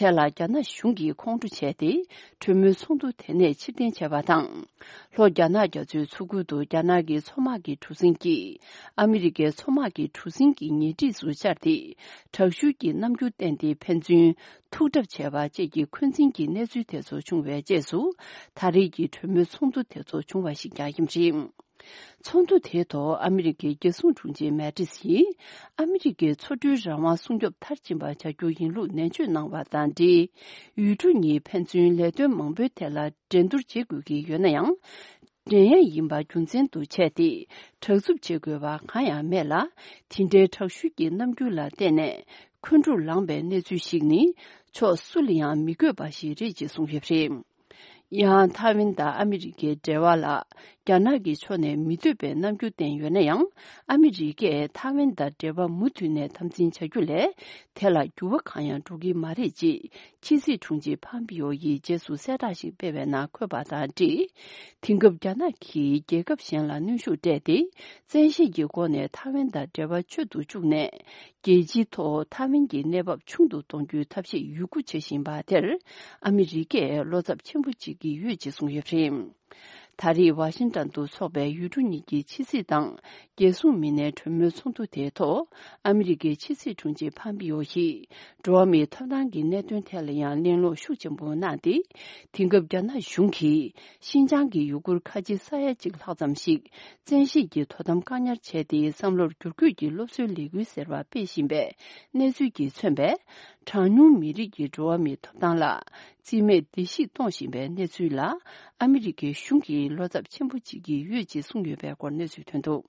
དེ་ལ་རྒྱ་ནག་གཞུང་གིས་ཁོང་ཁྲོ་བྱས་ཏེ། གྲོས་མོལ་ཚོགས་འདུ་དེ་ནས་ཕྱིར་འཐེན་བྱས་པ་དང་། ལྷོ་རྒྱ་ནག་རྒྱ་མཚོའི་མཚོ་ཁུལ་དུ་རྒྱ་ནག་གི་མཚོ་དམག་གི་གྲུ་གཟིངས་ཀྱིས། ཨ་མི་རི་ཀའི་མཚོ་དམག་གི་གྲུ་གཟིངས་ཀྱི་ཉེ་འཁྲིས་སུ་བཅར་ཏེ། དྲག་ཤུལ་གྱི་རྣམ་འགྱུར་བསྟན་ཏེ་ཕན་ཚུན་ཐུག་གྲབས་བྱས་པ་བཅས་ཀྱི་འཁོན་འཛིན་གྱི་གནས་ཚུལ་དེ་ཚོ་བྱུང་བའི་རྗེས་སུ། ད་རེས་ཀྱི་གྲོས་མོལ་ཚོགས་འདུ་དེ་ཚོ་བྱུང་བ་ཞིག་ཀྱང་ཡིན་པ་རེད། ཚོགས་འདུ་དེའི་ཐོག་ཨ་མི་རི་ཀའི་རྒྱལ་སྲུང་དྲུང་ཆེ་མེ་ཏིས་ཡིས། ཨ་མི་རི་ཀའི་མཚོ་གྲུའི་རང་དབང་སྲུང་སྐྱོབ་མཐར་ཕྱིན་པ་བྱ་རྒྱུ་ཡིན་ལུགས་ནན་བརྗོད་གནང་བ་དང་འབྲེལ། ཡུལ་གྲུ་གཉིས་ཕན་ཚུན་ལས་དོན་མང་པོའི་ཐད་ལ་འགྲན་བསྡུར་བྱེད་དགོས་ཀྱི་ཡོད་ན་ཡང་། འགྲན་ཡས་ཡིན་པ་རྒྱུ་མཚན་དུ་བྱས་ཏེ། དྲག་རྩུབ་བྱེད་དགོས་པ་གང་ཡང་མེད་ལ། དེ་འདྲའི་དྲག་ཤུལ་གྱི་རྣམ་འགྱུར་ལ་བརྟེན་ནས། འཁོན་འཁྲུག་ལངས་པའི་གནས་ཚུལ་ཞིག་ནི། ཕྱོགས་སུ་ལ་ཡང་མི་དགོས་པ་ཞིག་རེད་ཅེས་གསུངས་ཡོད་པ་རེད། ཡང་ཐའེ་ཝན་དང་ཨ་མི་རི་ཀའི་འབྲེལ་བ་ལ་རྒྱ་ནག་གི་ཕྱོགས་ནས་མི་འདོད་པའི་རྣམ་འགྱུར་བསྟན་ཡོད་ན་ཡང་། ཨ་མི་རི་ཀས་ཐའེ་ཝན་དང་འབྲེལ་བ་མུ་མཐུད་ནས་དམ་འཛིན་བྱ་རྒྱུ་ལས་དེ་ལ་འགྱུར་བ་གང་ཡང་འགྲོ་གི་མ་རེད་ཅེས་ཕྱི་སྲིད་དྲུང་ཆེ་ཕམ་པིའོ་ཡིས་རྗེས་སུ་གསལ་བསྒྲགས་ཤིག་སྤེལ་བའི་ནང་འཁོད་པ་དང་འབྲེལ། དེང་སྐབས་རྒྱ་ནག་གིས་རྒྱལ་ཁབ་གཞན་ལ་གནོན་ཤུགས་སྤྲད་དེ། བཙན་ཤེད་ཀྱི་སྒོ་ནས་ཐའེ་ཝན་དང་འབྲེལ་བ་གཅོད་དུ་བཅུག་ནས། རྒྱལ་སྤྱིའི་ཐོག་ཐའེ་ཝན་གྱི་གནས་བབ་ཆུང་དུ་གཏོང་རྒྱུའི་ཐབས་ཤེས་ཡོད་རྒུ་བྱེད་བཞིན་པ་དེར། ཨ་མི་རི་ཀས་བློ་འཚབ་ཆེན་པོ་བྱེད་ཀྱི་ཡོད་ཅེས་གསུངས་ཡོད་པ་རེད། ད་རེས་ཝ་ཤིང་ཏན་དུ་འཚོགས་པའི་ཡུལ་གྲུ་གཉིས་ཀྱི་ཕྱི་སྲིད་དང་རྒྱལ་སྲུང་མི་སྣའི་གྲོས་མོལ་ཚོགས་འདུ་དེའི་ཐོག་ཨ་མི་རི་ཀའི་ཕྱི་སྲིད་དྲུང་ཆེ་ཕམ་པིའོ་ཡིས། འགྲོ་བ་མིའི་ཐོབ་ཐང་གི་གནད་དོན་ཐད་ལ་ཡང་གླེང་སློང་ཤུགས་ཆེན་པོ་གནང་སྟེ། དེང་སྐབས་རྒྱ་ནག་གཞུང་གིས། ཤིན་ཅང་གི་ཡུ་གུར་ཁ་ཆེ་ས་ཡ་གཅིག་ལྷག་ཙམ་ཞིག་བཙན་ཤེད་ཀྱིས་དོ་དམ་བཀག་ཉར་བྱས་ཏེ། བསམ་བློར་བསྒྱུར་བཀོད་ཀྱི་སློབ་གསོའི་ལས་འགུལ་ཟེར་བ་སྤེལ་བཞིན་པའི་གནས་ཚུལ་གྱིས་མཚོན་པའི། གྲངས་ཉུང་མི་རིགས་ཀྱི་འགྲོ་བ་མིའི་ཐོབ་ཐང་ལ། རྩིས་མེད་བརྡལ་བཤིག་གཏོང་བཞིན་པའི་གནས་ཚུལ་ལ། ཨ་མི་རི་ཀའི་གཞུང་གིས་བློ་འཚབ་ཆེན་པོ་བྱེད་ཀྱི་ཡོད་ཅེས་གསུངས་ཡོད་པའི་སྐོར་གནས་ཚུལ་ཐོན་འདུག་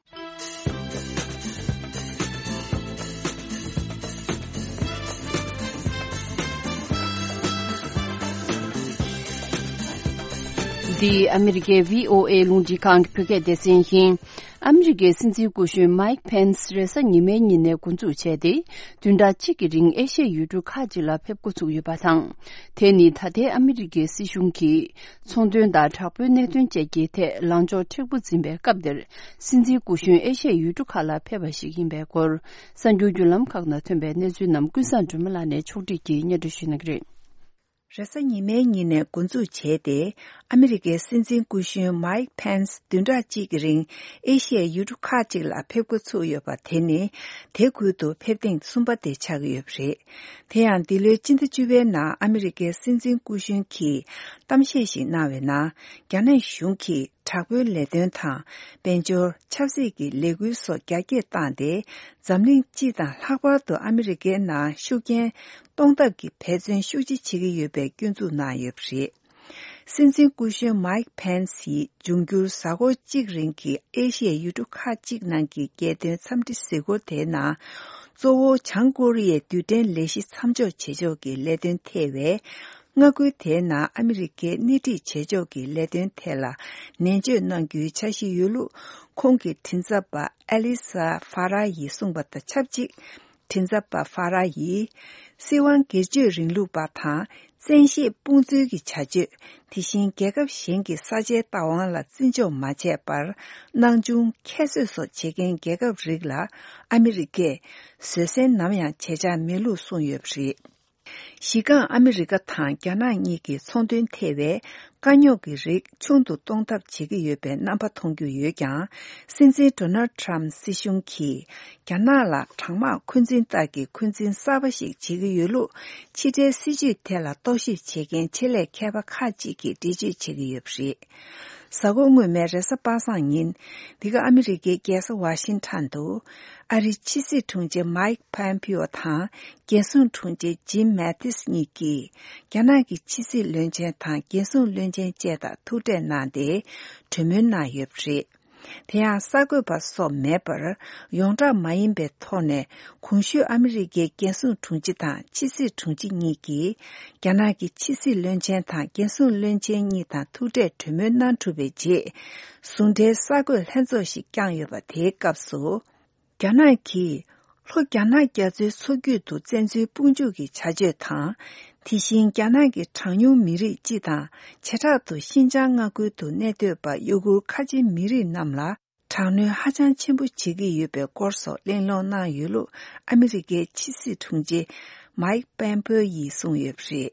འདི་ཨ་མི་རི་ཀའི་བྷི་ཨོ་ཨེ་རླུང་འཕྲིན་ཁང་གི་བོད་སྐད་སྡེ་ཚན་ཡིན། ཨ་མི་རི་ཀའི་སྲིད་འཛིན་སྐུ་གཞོན་མཱིག་ཕེན་སི་རེས་གཟའ་ཉི་མའི་ཉིན་ནས་འགོ་འཛུགས་བྱས་ཏེ། བདུན་ཕྲག་གཅིག་གི་རིང་ཨེ་ཤ་ཡའི་ཡུལ་གྲུ་ཁག་ཅིག་ལ་ཕེབས་འགོ་ཚུགས་ཡོད་པ་དང་། དེ་ནི་ད་ལྟའི་ཨ་མི་རི་ཀའི་སྲིད་གཞུང་གིས་ཚོང་དོན་དང་དྲག་པོའི་གནད་དོན་བཅས་ཀྱི་ཐད་ལངས་ཕྱོགས་མཁྲེགས་པོ་འཛིན་པའི་སྐབས་འདིར། སྲིད་འཛིན་སྐུ་གཞོན་ཨེ་ཤ་ཡའི་ཡུལ་གྲུ་ཁག་ལ་ཕེབས་པ་ཞིག་ཡིན་པའི་སྐོར། གསར་འགྱུར་བརྒྱུད་ལམ་ཁག་ནང་ཐོན་པའི་གནས་ཚུལ་རྣམས་ཀུན་བཟང་སྒྲོལ་མ་ལགས་ནས་ཕྱོགས་སྒྲིག་གིས་སྙན་སྒྲོན་ཞུ་གནང་གི་རེད། རེས་གཟའ་ཉི་མའི་ཉིན་ནས་འགོ་འཛུགས་བྱས་ཏེ། ཨ་མི་རི་ཀའི་སྲིད་འཛིན་སྐུ་གཞོན་མའིག་ཕེན་སི་བདུན་ཕྲག་གཅིག་གི་རིང་ཨེ་ཤི་ཡའི་ཡུལ་གྲུ་ཁག་ཅིག་ལ་ཕེབས་འགོ་ཚུགས་ཡོད་པ་དེ་ནི། དེ་ཁུལ་དུ་ཕེབས་ཐེངས་གསུམ་པ་དེ་ཆགས་ཀྱི་ཡོད་པ་རེད། དེ་ཡང་འདི་ལོའི་སྤྱི་ཟླ་བཅུ་པའི་ནང་ཨ་མི་རི་ཀའི་སྲིད་འཛིན་སྐུ་གཞོན་གྱིས་གཏམ་བཤད་ཞིག་གནང་བའི་ནང་། རྒྱ་ནག་གཞུང་གིས་དྲག་པོའི་ལས་དོན་དང་། དཔལ་འབྱོར། ཆབ་སྲིད་ཀྱི་ལས་འགུལ་སོགས་རྒྱ་སྐྱེད་བཏང་སྟེ། འཛམ་གླིང་སྤྱི་དང་ལྷག་པར་དུ་ཨ་མི་རི་ཀའི་ནང་ཤུགས་རྐྱེན་གཏོང་ཐབས་ཀྱི་འབད་བརྩོན་ཤུགས་ཆེ་བྱེད་ཀྱི་ཡོད་པའི་སྐྱོན་འཛུགས་གནང་ཡོད་པ་རེད། སྲིད་འཛིན་སྐུ་གཞོན་མའིག་ཕེན་སི་ཡིས་འབྱུང་འགྱུར་གཟའ་འཁོར་གཅིག་རིང་གི་ཨེ་ཤི་ཡའི་ཡུལ་གྲུ་ཁག་ཅིག་ནང་གི་རྒྱལ་དོན་འཚམས་འདྲི་གཟིགས་སྐོར་དེའི་ནང་། གཙོ་བོ་བྱང་ཀོ་རི་ཡའི་རྡུལ་ཕྲན་ལས་གཞི་མཚམས་འཇོག་བྱེད་ཕྱོགས་ཀྱི་ལས་དོན་ཐེ་བའི། མངའ་ཁུལ་དེའི་ནང་ཨ་མི་རི་ཀའི་སྣེ་ཁྲིད་བྱེད་ཕྱོགས་ཀྱི་ལས་དོན་ཐད་ལ་ནན་བརྗོད་གནང་རྒྱུའི་འཆར་གཞི་ཡོད་ལུགས་ཁོང་གི་མགྲིན་ཚབ་པ་ཨེ་ལི་ས་ཧྥ་ར་ཡིས་གསུངས་པ་དང་ཆབས་ཅིག་མགྲིན་ཚབ་པ་ཧྥ་ར་ཡིས། སྲིད་དབང་སྒེར་གཅོད་རིང་ལུགས་པ་དང་བཙན་ཤེད་དཔུང་འཛུལ་གྱི་བྱ་སྤྱོད། དེ་བཞིན་རྒྱལ་ཁབ་གཞན་གྱི་ས་ཆའི་བདག་དབང་ལ་བརྩི་འཇོག་མ་བྱས་པར། སྣང་ཆུང་ཁྱད་གསོད་སོགས་བྱེད་མཁན་རྒྱལ་ཁབ་རིགས་ལ་ཨ་མི་རི་ཀས་བཟོད་བསྲན་ནམ་ཡང་བྱེད་འཆར་མེད་ལུགས་གསུངས་ཡོད་པ་རེད། གཞི་རྐང་ཨ་མི་རི་ཀ་དང་རྒྱ་ནག་གཉིས་ཀྱི་ཚོང་དོན་ཐེ་བའི་དཀའ་རྙོག་གི་རིགས་ཆུང་དུ་གཏོང་ཐབས་བྱེད་ཀྱི་ཡོད་པའི་རྣམ་པ་མཐོང་རྒྱུ་ཡོད་ཀྱང་། སྲིད་འཛིན་ཌོ་ནལ་ཊམ་སྲིད་གཞུང་གིས་རྒྱ་ནག་ལ་གྲང་དམག་འཁོན་འཛིན་ལྟར་གྱི་འཁོན་འཛིན་གསར་པ་ཞིག་བྱེད་ཀྱི་ཡོད་ལུགས་ཕྱི་འབྲེལ་སྲིད་ཇུས་ཐད་ལ་རྟོག་ཞིབ་བྱེད་མཁན་ཆེད་ལས་མཁས་པ་ཁག་ཅིག་གིས་འགྲེལ་བརྗོད་བྱེད་ཀྱི་ཡོད་པ་རེད། གཟའ་འཁོར་སྔོན་མའི་རེས་གཟའ་པ་སངས་ཉིན། འདི་ག་ཨ་མི་རི་ཀའི་རྒྱལ་ས་ཝ་ཤིང་ཊོན་དུ། ཨ་རིའི་ཕྱི་སྲིད་དྲུང་ཆེ་མའིག་པོམ་པིའོ་དང་། རྒྱལ་སྲུང་དྲུང་ཆེ་ཇིམ་མེ་ཏིས་གཉིས་ཀྱིས། རྒྱ་ནག་གི་ཕྱི་སྲིད་བློན་ཆེན་དང་རྒྱལ་སྲུང་བློན་ཆེན་བཅས་དང་ཐུག་འཕྲད་གནང་སྟེ། གྲོས་མོལ་གནང་ཡོད་པ་རེད། དེ་ཡང་གསར་འགོད་པ་སོགས་མེད་པར། ཡོངས་གྲགས་མ་ཡིན་པའི་ཐོག་ནས། གོང་ཞུས་ཨ་མི་རི་ཀའི་རྒྱལ་སྲུང་དྲུང་ཆེ་དང་ཕྱི་སྲིད་དྲུང་ཆེ་གཉིས་ཀྱིས། རྒྱ་ནག་གི་ཕྱི་སྲིད་བློན་ཆེན་དང་རྒྱལ་སྲུང་བློན་ཆེན་གཉིས་དང་ཐུག་འཕྲད་གྲོས་མོལ་གནང་གྲུབ་པའི་རྗེས། ཟུང་འབྲེལ་གསར་འགོད་ལྷན་ཚོགས་ཤིག་བསྐྱངས་ཡོད་པ་དེའི་སྐབས་སུ། རྒྱ་ནག་གིས། ལྷོ་རྒྱ་ནག་རྒྱ་མཚོའི་མཚོ་རྒྱུད་དུ་བཙན་འཛུལ་དཔུང་འཇུག་གི་བྱ་སྤྱོད་དང་། དེ་བཞིན་རྒྱ་ནག་གི་གྲངས་ཉུང་མི་རིགས་སྤྱི་དང་། བྱེ་བྲག་ཏུ་ཤིན་ཅང་མངའ་ཁུལ་དུ་གནས་སྡོད་པ་ཡུ་གུར་ཁ་ཆེ་མི་རིགས་རྣམས་ལ། དྲག་གནོན་ཧ་ཅང་ཆེན་པོ་བྱེད་ཀྱི་ཡོད་པའི་སྐོར་སོགས་གླེང་སློང་གནང་ཡོད་ལུགས་ཨ་མི་རི་ཀའི་ཕྱི་སྲིད་དྲུང་ཆེ་མའིག་པོམ་པེའོ་ཡིས་གསུངས་ཡོད་པ་རེད།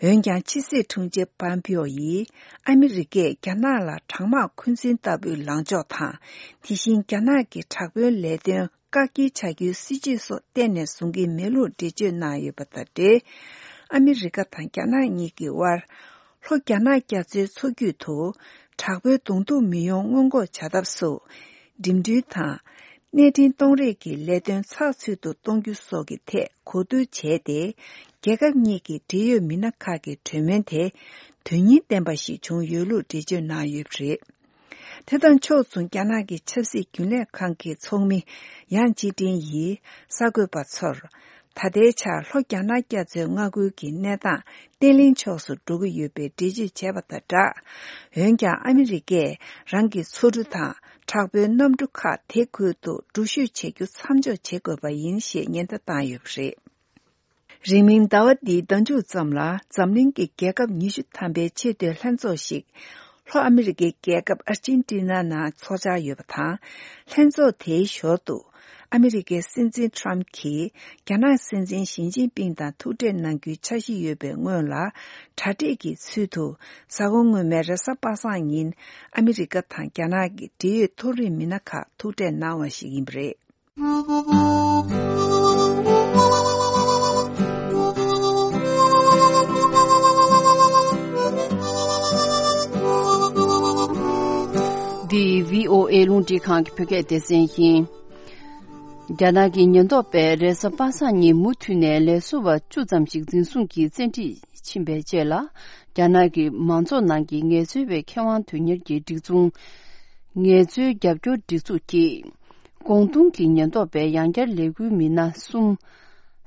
འོན་ཀྱང་ཕྱི་སྲིད་དྲུང་ཆེ་པོམ་པེའོ་ཡིས་ཨ་མི་རི་ཀས་རྒྱ་ནག་ལ་གྲང་དམག་འཁོན་འཛིན་ལྟ་བུའི་ལངས་ཕྱོགས་དང་། དེ་བཞིན་རྒྱ་ནག་གི་དྲག་པོའི་ལས་དོན་བཀག་སྐྱིལ་བྱ་རྒྱུའི་སྲིད་ཇུས་སོགས་གཏན་ནས་བཟུང་གི་མེད་ལུགས་འགྲེལ་བརྗོད་གནང་ཡོད་པ་དང་འབྲེལ། ཨ་མི་རི་ཀ་དང་རྒྱ་ནག་གཉིས་ཀྱི་དབར། ལྷོ་རྒྱ་ནག་རྒྱ་མཚོའི་མཚོ་རྒྱུད་དུ། དྲག་པོའི་གདོང་ཐུག་མི་ཡོང་སྔོན་འགོག་བྱ་ཐབས་སུ། འགྲིམ་འགྲུལ་དང་། གནས་འཕྲིན་གཏོང་རེས་ཀྱི་ལས་དོན་ཚགས་ཚུད་དུ་གཏོང་རྒྱུ་སོགས་ཀྱི་ཐད་གོ་བསྡུར་བྱས་ཏེ། རྒྱལ་ཁབ་གཉིས་ཀྱི་འབྲེལ་ཡོད་མི་སྣ་ཁག་གི་གྲོས་མོལ་དེ། དོན་སྙིང་ལྡན་པ་ཞིག་བྱུང་ཡོད་ལུགས་འགྲེལ་བརྗོད་གནང་ཡོད་པ་རེད། དེ་དང་ཕྱོགས་མཚུངས། རྒྱ་ནག་གི་ཆབ་སྲིད་རྒྱུན་ལས་ཁང་གི་ཚོགས་མི་ཡང་ཅི་ཀྲིན་ཡིས་གསར་འགོད་པ་ཚོར། ད་ལྟའི་ཆར་ལྷོ་རྒྱ་ནག་རྒྱ་མཚོའི་མངའ་ཁུལ་གྱི་གནས་སྟངས་བརྟན་ལྷིང་ཕྱོགས་སུ་འགྲོ་གི་ཡོད་པའི་འགྲེལ་བརྗོད་བྱས་པ་དང་སྦྲགས། འོན་ཀྱང་ཨ་མི་རི་ཀས་རང་གི་མཚོ་གྲུ་དང་དྲག་པོའི་གནམ་གྲུ་ཁག་དེ་ཁུལ་དུ་འགྲུལ་བཞུད་བྱེད་རྒྱུ་མཚམས་འཇོག་བྱེད་དགོས་པ་ཡིན་ཞེས་ཉེན་བརྡ་བཏང་ཡོད་པ་རེད། རིང་མིན་ཟླ་བ་འདིའི་ཟླ་མཇུག་ཙམ་ལ་འཛམ་གླིང་གི་རྒྱལ་ཁབ་ཉི་ཤུ་ཐམ་པའི་ཆེས་མཐོའི་ལྷན་ཚོགས་ཤིག་ལྷོ་ཨ་མི་རི་ཀའི་རྒྱལ་ཁབ་ཨར་ཅན་ཏི་ན་ནང་འཚོགས་འཆར་ཡོད་པ་དང་། ལྷན་ཚོགས་དེའི་ཞོར་དུ་ཨ་མི་རི་ཀའི་སྲིད་འཛིན་ཊམ་གྱིས་རྒྱ་ནག་སྲིད་འཛིན་ཞི་ཅིན་ཕིང་དང་ཐུག་འཕྲད་གནང་རྒྱུའི་འཆར་གཞི་ཡོད་པའི་སྔོན་ལ། གྲ་སྒྲིག་གི་ཚུལ་དུ་གཟའ་འཁོར་སྔོན་མའི་རེས་གཟའ་པ་སངས་ཉིན་ཨ་མི་རི་ཀ་དང་རྒྱ་ནག་གི་འབྲེལ་ཡོད་མཐོ་རིམ་མི་སྣ་ཁག་ཐུག་འཕྲད་གནང་བ་ཞིག་ཡིན་པ་རེད། འདི་བྷི་ཨོ་ཨེ་རླུང་འཕྲིན་ཁང་གི་བོད་སྐད་སྡེ་ཚན་ཡིན། རྒྱ་ནག་གི་ཉེན་རྟོག་པས་རེས་གཟའ་པ་སངས་ཉིན་མུ་མཐུད་ནས་ལས་བཟོ་བ་བཅུ་ཙམ་ཞིག་འཛིན་བཟུང་གིས་བཙན་ཁྲིད་ཕྱིན་པའི་རྗེས་ལ། རྒྱ་ནག་གི་མང་ཚོགས་ནང་གི་ངལ་རྩོལ་བའི་ཁེ་དབང་དོན་གཉེར་གྱི་སྒྲིག་འཛུགས། ངལ་རྩོལ་རྒྱབ་སྐྱོར་སྒྲིག་འཛུགས་ཀྱིས། ཀོང་ཏུང་གི་ཉེན་རྟོག་པས་ཡང་བསྐྱར་ལས་འགུལ་མི་སྣ་གསུམ།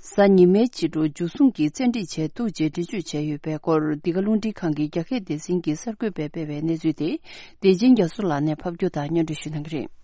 གཟའ་ཉི་མའི་ཕྱི་དྲོ་འཇུ་བཟུང་གིས་བཙན་ཁྲིད་བྱས་འདུག་ཅེས་འགྲེལ་བརྗོད་བྱས་ཡོད་པའི་སྐོར། འདི་ག་རླུང་འཕྲིན་ཁང་གི་རྒྱ་སྐད་སྡེ་ཚན་གྱི་གསར་འགོད་པས་སྤེལ་བའི་གནས་ཚུལ་དེ། བདེ་ཆེན་རྒྱ་མཚོ་ལགས་ནས་ཕབ་སྒྱུར་དང་སྙན་སྒྲོན་ཞུ་གནང་གི་རེད།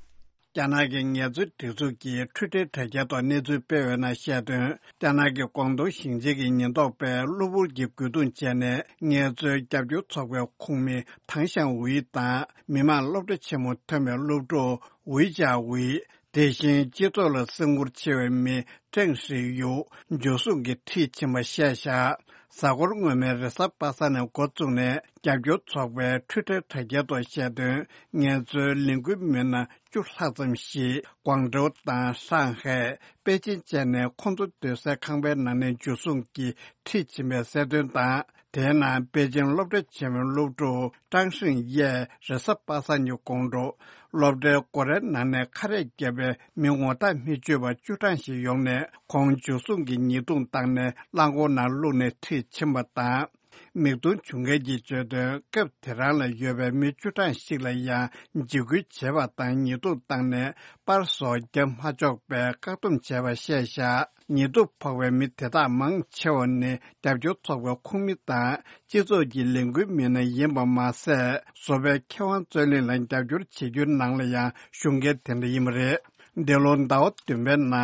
རྒྱ་ནག་གི་ངལ་རྩོལ་སྒྲིག་འཛུགས་ཀྱིས་འཕྲུལ་སྒྲིལ་དྲ་རྒྱའི་ཐོག་གནས་ཚུལ་སྤེལ་བའི་ནང་བཤད་དོན། རྒྱ་ནག་གི་ཀོང་ཏུང་ཞིང་ཆེན་གྱི་ཉེན་རྟོག་པས་གློ་བུར་གྱི་རྒོལ་རྡུང་བྱས་ནས། ངལ་རྩོལ་རྒྱབ་སྐྱོར་ཚོགས་པའི་ཁོངས་མི་ཐང་ཞང་ཝུའེ་དང་། མི་དམངས་སློབ་གྲྭ་ཆེན་མོ་ཐོན་པའི་སློབ་ཕྲུག་ཝུའེ་ཅཱ་ཝུའེ། དེ་བཞིན་སྤྱི་ཚོགས་ལ་སེམས་ཁུར་ཆེ་བའི་མི་ཀྲེང་ཧྲི་ཡུ། འཇུ་བཟུང་གིས་ཁྲིད་ཕྱིན་པ་བཤད་བཞག་གཟའ་འཁོར་སྔོན་མའི་རེས་གཟའ་པ་སངས་ནས་འགོ་བཙུགས་ནས། རྒྱབ་སྐྱོར་ཚོགས་པའི་འཕྲུལ་ཕྲན་དྲ་རྒྱའི་ཐོག་བཤད་དོན། ངལ་རྩོལ་ལས་འགུལ་མི་སྣ་བཅུ་ལྷག་ཙམ་ཞིག་ཀོང་ཀྲོའུ་དང་ཧྲང་ཧའེ། པེ་ཅིན་བཅས་ནས་ཁོང་ཚོ་སྡོད་སའི་ཁང་པའི་ནང་ནས་འཇུ་བཟུང་གིས་ཁྲིད་ཕྱིན་པའི་གསལ་སྟོན་དང་། དེའི་ནང་པེ་ཅིན་སློབ་གྲྭ་ཆེན་མོའི་སློབ་ཕྲུག་ཀྲང་ཧྲིང་ཡས་རེས་གཟའ་པ་སངས་ཉིན་དགོང་དྲོ། སློབ་གྲྭའི་སྒོ་རའི་ནང་ནས་ཁ་རས་བརྒྱབ་པའི་མི་ངོ་རྟགས་མི་ཆོད་པ་བཅུ་གྲངས་ཤིག་ཡོང་ནས། ཁོང་འཇུ་བཟུང་གིས་ཉེས་རྡུང་བཏང་ནས་རླངས་འཁོར་ནང་བླུགས་ནས་ཁྲིད་ཕྱིན་པ་དང་། མིག་མཐོང་བྱུང་མཁན་གྱིས་བརྗོད་དོན། སྐབས་དེ་རང་ལ་ཡོད་པའི་མི་བཅུ་གྲངས་ཤིག་ལ་ཡང་འཇིགས་སྐུལ་བྱས་པ་དང་། ཉེས་རྡུང་བཏང་ནས་པར་སོགས་བརྒྱབ་མ་ཆོག་པའི་བཀག་སྡོམ་བྱས་པ་བཤད་བཞག་ཉེས་རྡུང་ཕོག་པའི་མི་དེ་དག་མང་ཆེ་བ་ནི་རྒྱབ་སྐྱོར་ཚོགས་པའི་ཁོངས་མི་དང་། སྤྱི་ཚོགས་ཀྱི་ལས་འགུལ་མི་སྣ་ཡིན་པ་མ་ཟད། བཟོ་པའི་མཁས་དབང་རྩོད་གླེང་ལ་རྒྱབ་སྐྱོར་བྱེད་རྒྱུའི་ནང་ལ་ཡང་ཞུགས་མཁན་དེ་འདྲ་ཡིན་པ་རེད། འདི་ལོ་ཟླ་བ་བདུན་པའི་ནང་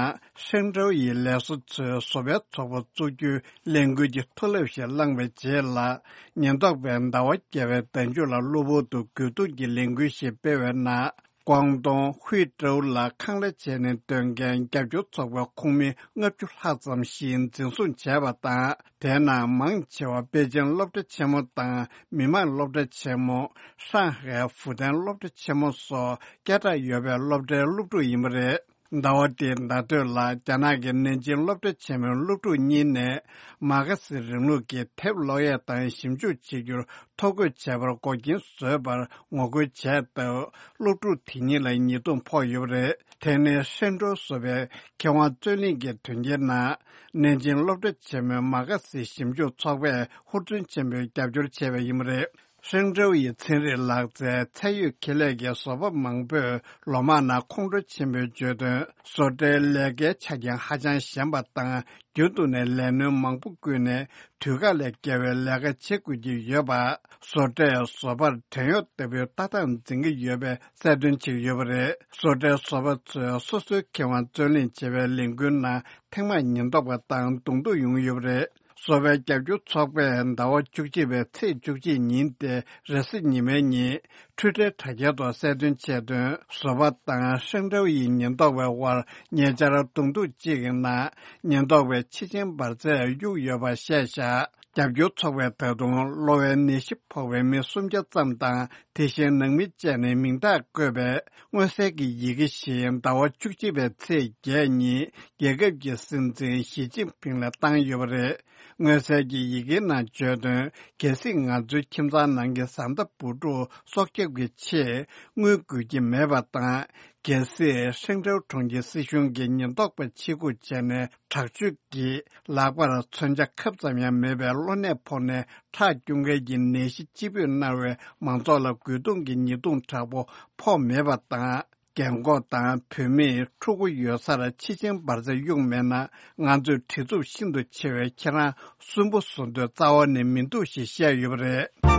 ཧྲེང་ཀྲོའུ་ཡི་ལས་བཟོ་ཚོས་བཟོ་པའི་ཚོགས་པ་བཙུགས་རྒྱུའི་ལས་འགུལ་གྱི་མཐོ་རླབས་ཤིག་བསླངས་པའི་རྗེས་ལ། ཉེན་རྟོག་པས་ཟླ་བ་བརྒྱད་པའི་ཟླ་མཇུག་ལ་གློ་བུར་དུ་རྒོལ་རྡུང་གི་ལས་འགུལ་ཞིག་སྤེལ་བའི་ནང་། ཀོང་ཏུང་ཧུའེ་ཀྲོའུ་ལ་ཁང་གླ་བྱས་ནས་སྡོད་མཁན་རྒྱབ་སྐྱོར་ཚོགས་པའི་ཁོངས་མི་ལྔ་བཅུ་ལྷག་ཙམ་ཞིག་འཛིན་བཟུང་བྱས་པ་དང་། དེའི་ནང་མང་ཆེ་བ་པེ་ཅིང་སློབ་གྲྭ་ཆེན་མོ་དང་མི་དམངས་སློབ་གྲྭ་ཆེན་མོ། ཧྲང་ཧའེ་ཧྥུ་ཏན་སློབ་གྲྭ་ཆེན་མོ་སོགས་སྐད་གྲགས་ཡོད་པའི་སློབ་གྲྭའི་སློབ་ཕྲུག་ཡིན་པ་རེད། ཟླ་བ་འདིའི་ཟླ་སྟོད་ལ་རྒྱ་ནག་གི་ནན་ཅིང་སློབ་གྲྭ་ཆེན་མོའི་སློབ་ཕྲུག་གཉིས་ནས་མ་ཁ་སི་རིང་ལུགས་ཀྱི་དེབ་ཀློག་ཡས་དང་ཞིབ་འཇུག་བྱེད་རྒྱུར་ཐོ་འགོད་བྱས་པར་འགོག་རྐྱེན་བཟོས་པར་ངོ་རྒོལ་བྱས་སྟབས། སློབ་ཕྲུག་དེ་གཉིས་ལ་ཉེས་རྡུང་ཕོག་ཡོད་པ་རེད། དེ་ནི་ཧྲེང་ཀྲོའུ་བཟོ་པའི་མཁས་དབང་རྩོད་གླེང་གི་དོན་རྐྱེན་ནང་། ནན་ཅིང་སློབ་གྲྭ་ཆེན་མོའི་མ་ཁ་སི་ཞིབ་འཇུག་ཚོགས་པས་ཧུར་བརྩོན་ཆེན་པོས་རྒྱབ་སྐྱོར་བྱས་པ་ཡིན་པ་རེད། ཧྲེང་ཀྲོའུ་ཡི་ཚན་རིག་ལག་རྩལ་ཚད་ཡོད་ཁེ་ལས་ཀྱི་བཟོ་པ་མང་པོས་ལོ་མང་ནང་ཁོང་ཁྲོ་ཆེན་པོས་བརྗོད་དོན། བཟོ་གྲྭའི་ལས་ཀའི་ཆ་རྐྱེན་ཧ་ཅང་ཞན་པ་དང་། རྒྱུན་དུ་ནས་ལས་སྣོན་མང་པོ་བསྐུལ་ནས་དུས་བཀག་ལས་བརྒལ་བའི་ལས་ཀ་བྱེད་དགོས་ཀྱི་ཡོད་པ། བཟོ་གྲྭས་བཟོ་པར་བྲན་གཡོག་ལྟ་བུའི་ལྟ་སྟངས་འཛིན་གྱི་ཡོད་པའི་གསལ་སྟོན་བྱེད་ཀྱི་ཡོད་པ་རེད། བཟོ་གྲྭའི་བཟོ་པ་ཚོས་སོ་སོའི་མཁས་དབང་རྩོད་གླེང་བྱེད་པའི་ལས་འགུལ་ནང་ཐེངས་མང་ཉེན་རྟོག་པ་དང་གདོང་ཐུག་ཡོང་གི་ཡོད་པ་རེད། བཟོ་པའི་རྒྱབ་སྐྱོར་ཚོགས་པས་ཟླ་བ་བཅུ་གཅིག་པའི་ཚེས་བཅུ་གཅིག་ཉིན་ཏེ་རེས་གཟའ་ཉི་མའི་ཉིན་འཕྲུལ་ཕྲན་དྲ་རྒྱའི་ཐོག་གསལ་སྟོན་བྱས་དོན། བཟོ་པ་དང་ཧྲེང་ཀྲོའུ་ཡི་ཉེན་རྟོག་པའི་དབར་ཉེ་ཆར་གདོང་ཐུག་ཅིག་གི་ནང་ཉེན་རྟོག་པས་ཕྱི་ཆེན་འབར་རྫས་གཡུགས་ཡོད་པ་བཤད་བཞག་རྒྱབ་སྐྱོར་ཚོགས་པས་ད་དུང་གློ་བའི་ནད་གཞི་ཕོག་པའི་མི་སུམ་བརྒྱ་ཙམ་དང་། དེ་བཞིན་ནང་མི་བཅས་ནས་མིང་རྟགས་བཀོད་པའི་མངོན་གསལ་གྱི་ཡི་གེ་ཞིག་ཟླ་བ་བཅུ་གཅིག་པའི་ཚེས་བརྒྱད་ཉིན་རྒྱལ་ཁབ་ཀྱི་སྲིད་འཛིན་ཞི་ཅིན་ཕིང་ལ་བཏང་ཡོད་པ་རེད། མངོན་གསལ་གྱི་ཡི་གེའི་ནང་བརྗོད་དོན། གལ་སྲིད་ང་ཚོའི་ཁྱིམ་ཚང་ནང་གི་བཟའ་ཟླ་བུ་ཕྲུག་སྲོག་སྐྱབས་ཀྱི་ཆེད་དངུལ་དགོས་ཀྱི་མེད་པ་དང་། གལ་སྲིད་ཧྲེང་ཀྲོའུ་གྲོང་ཁྱེར་སྲིད་གཞུང་གིས་ཉེན་རྟོག་པ་ཆེད་འགུག་བྱས་ནས་དྲག་སྤྱོད་ཀྱིས་ལག་པར་མཚོན་ཆ་ཁབ་ཙམ་ཡང་མེད་པའི་གློ་ནད་ཕོག་ནས་ཁྲག་སྐྱུག་མཁན་གྱི་ནད་གཞི་ལྕི་སྤོས་མནར་བའི་མང་ཚོགས་ལ་རྒོལ་རྡུང་གི་ཉེས་རྡུང་དྲག་པོ་ཕོག་མེད་པ་དང་། རྒན་འཁོགས་དང་བུད་མེད་ཕྲུ་གུ་ཡོད་སར་ཕྱི་ཆེན་འབར་རྫས་གཡུགས་མེད་ན། ང་ཚོས་བྲེལ་འཚུབ་ཤིན་ཏུ་ཆེ་བས་ཁྱེད་རང་སུན་པོ་བཟོ་འདོད་རྩ་བ་ནས་མི་འདུག་ཞེས་བཤད་ཡོད་པ་རེད།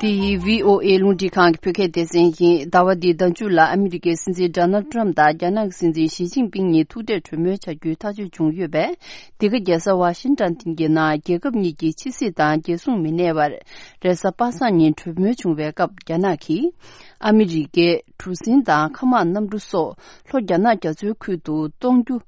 འདི་ཡི་བྷི་ཨོ་ཨེ་རླུང་འཕྲིན་ཁང་གི་བོད་སྐད་སྡེ་ཚན་ཡིན། ཟླ་བ་འདིའི་ཟླ་མཇུག་ལ་ཨ་མི་རི་ཀའི་སྲིད་འཛིན་ཌོ་ནལ་ཊམ་དང་རྒྱ་ནག་གི་སྲིད་འཛིན་ཞི་ཅིན་ཕིང་གཉིས་ཐུག་འཕྲད་གྲོས་མོལ་བྱ་རྒྱུའི་ཐག་གཅོད་བྱུང་ཡོད་པས། འདི་ག་རྒྱལ་ས་ཝ་ཤིང་ཊོན་གྱི་ནང་རྒྱལ་ཁབ་གཉིས་ཀྱི་ཕྱི་སྲིད་དང་རྒྱལ་སྲུང་མི་སྣའི་བར་རེས་གཟའ་པ་སངས་ཉིན་གྲོས་མོལ་བྱུང་བའི་སྐབས། རྒྱ་ནག་གིས་ཨ་མི་རི་ཀའི་གྲུ་གཟིངས་དང་མཁའ་དམག་གནམ་གྲུ་སོགས་ལྷོ་རྒྱ་ནག་རྒྱ་མཚོའི་ཁུལ་དུ་གཏོང་རྒྱུ་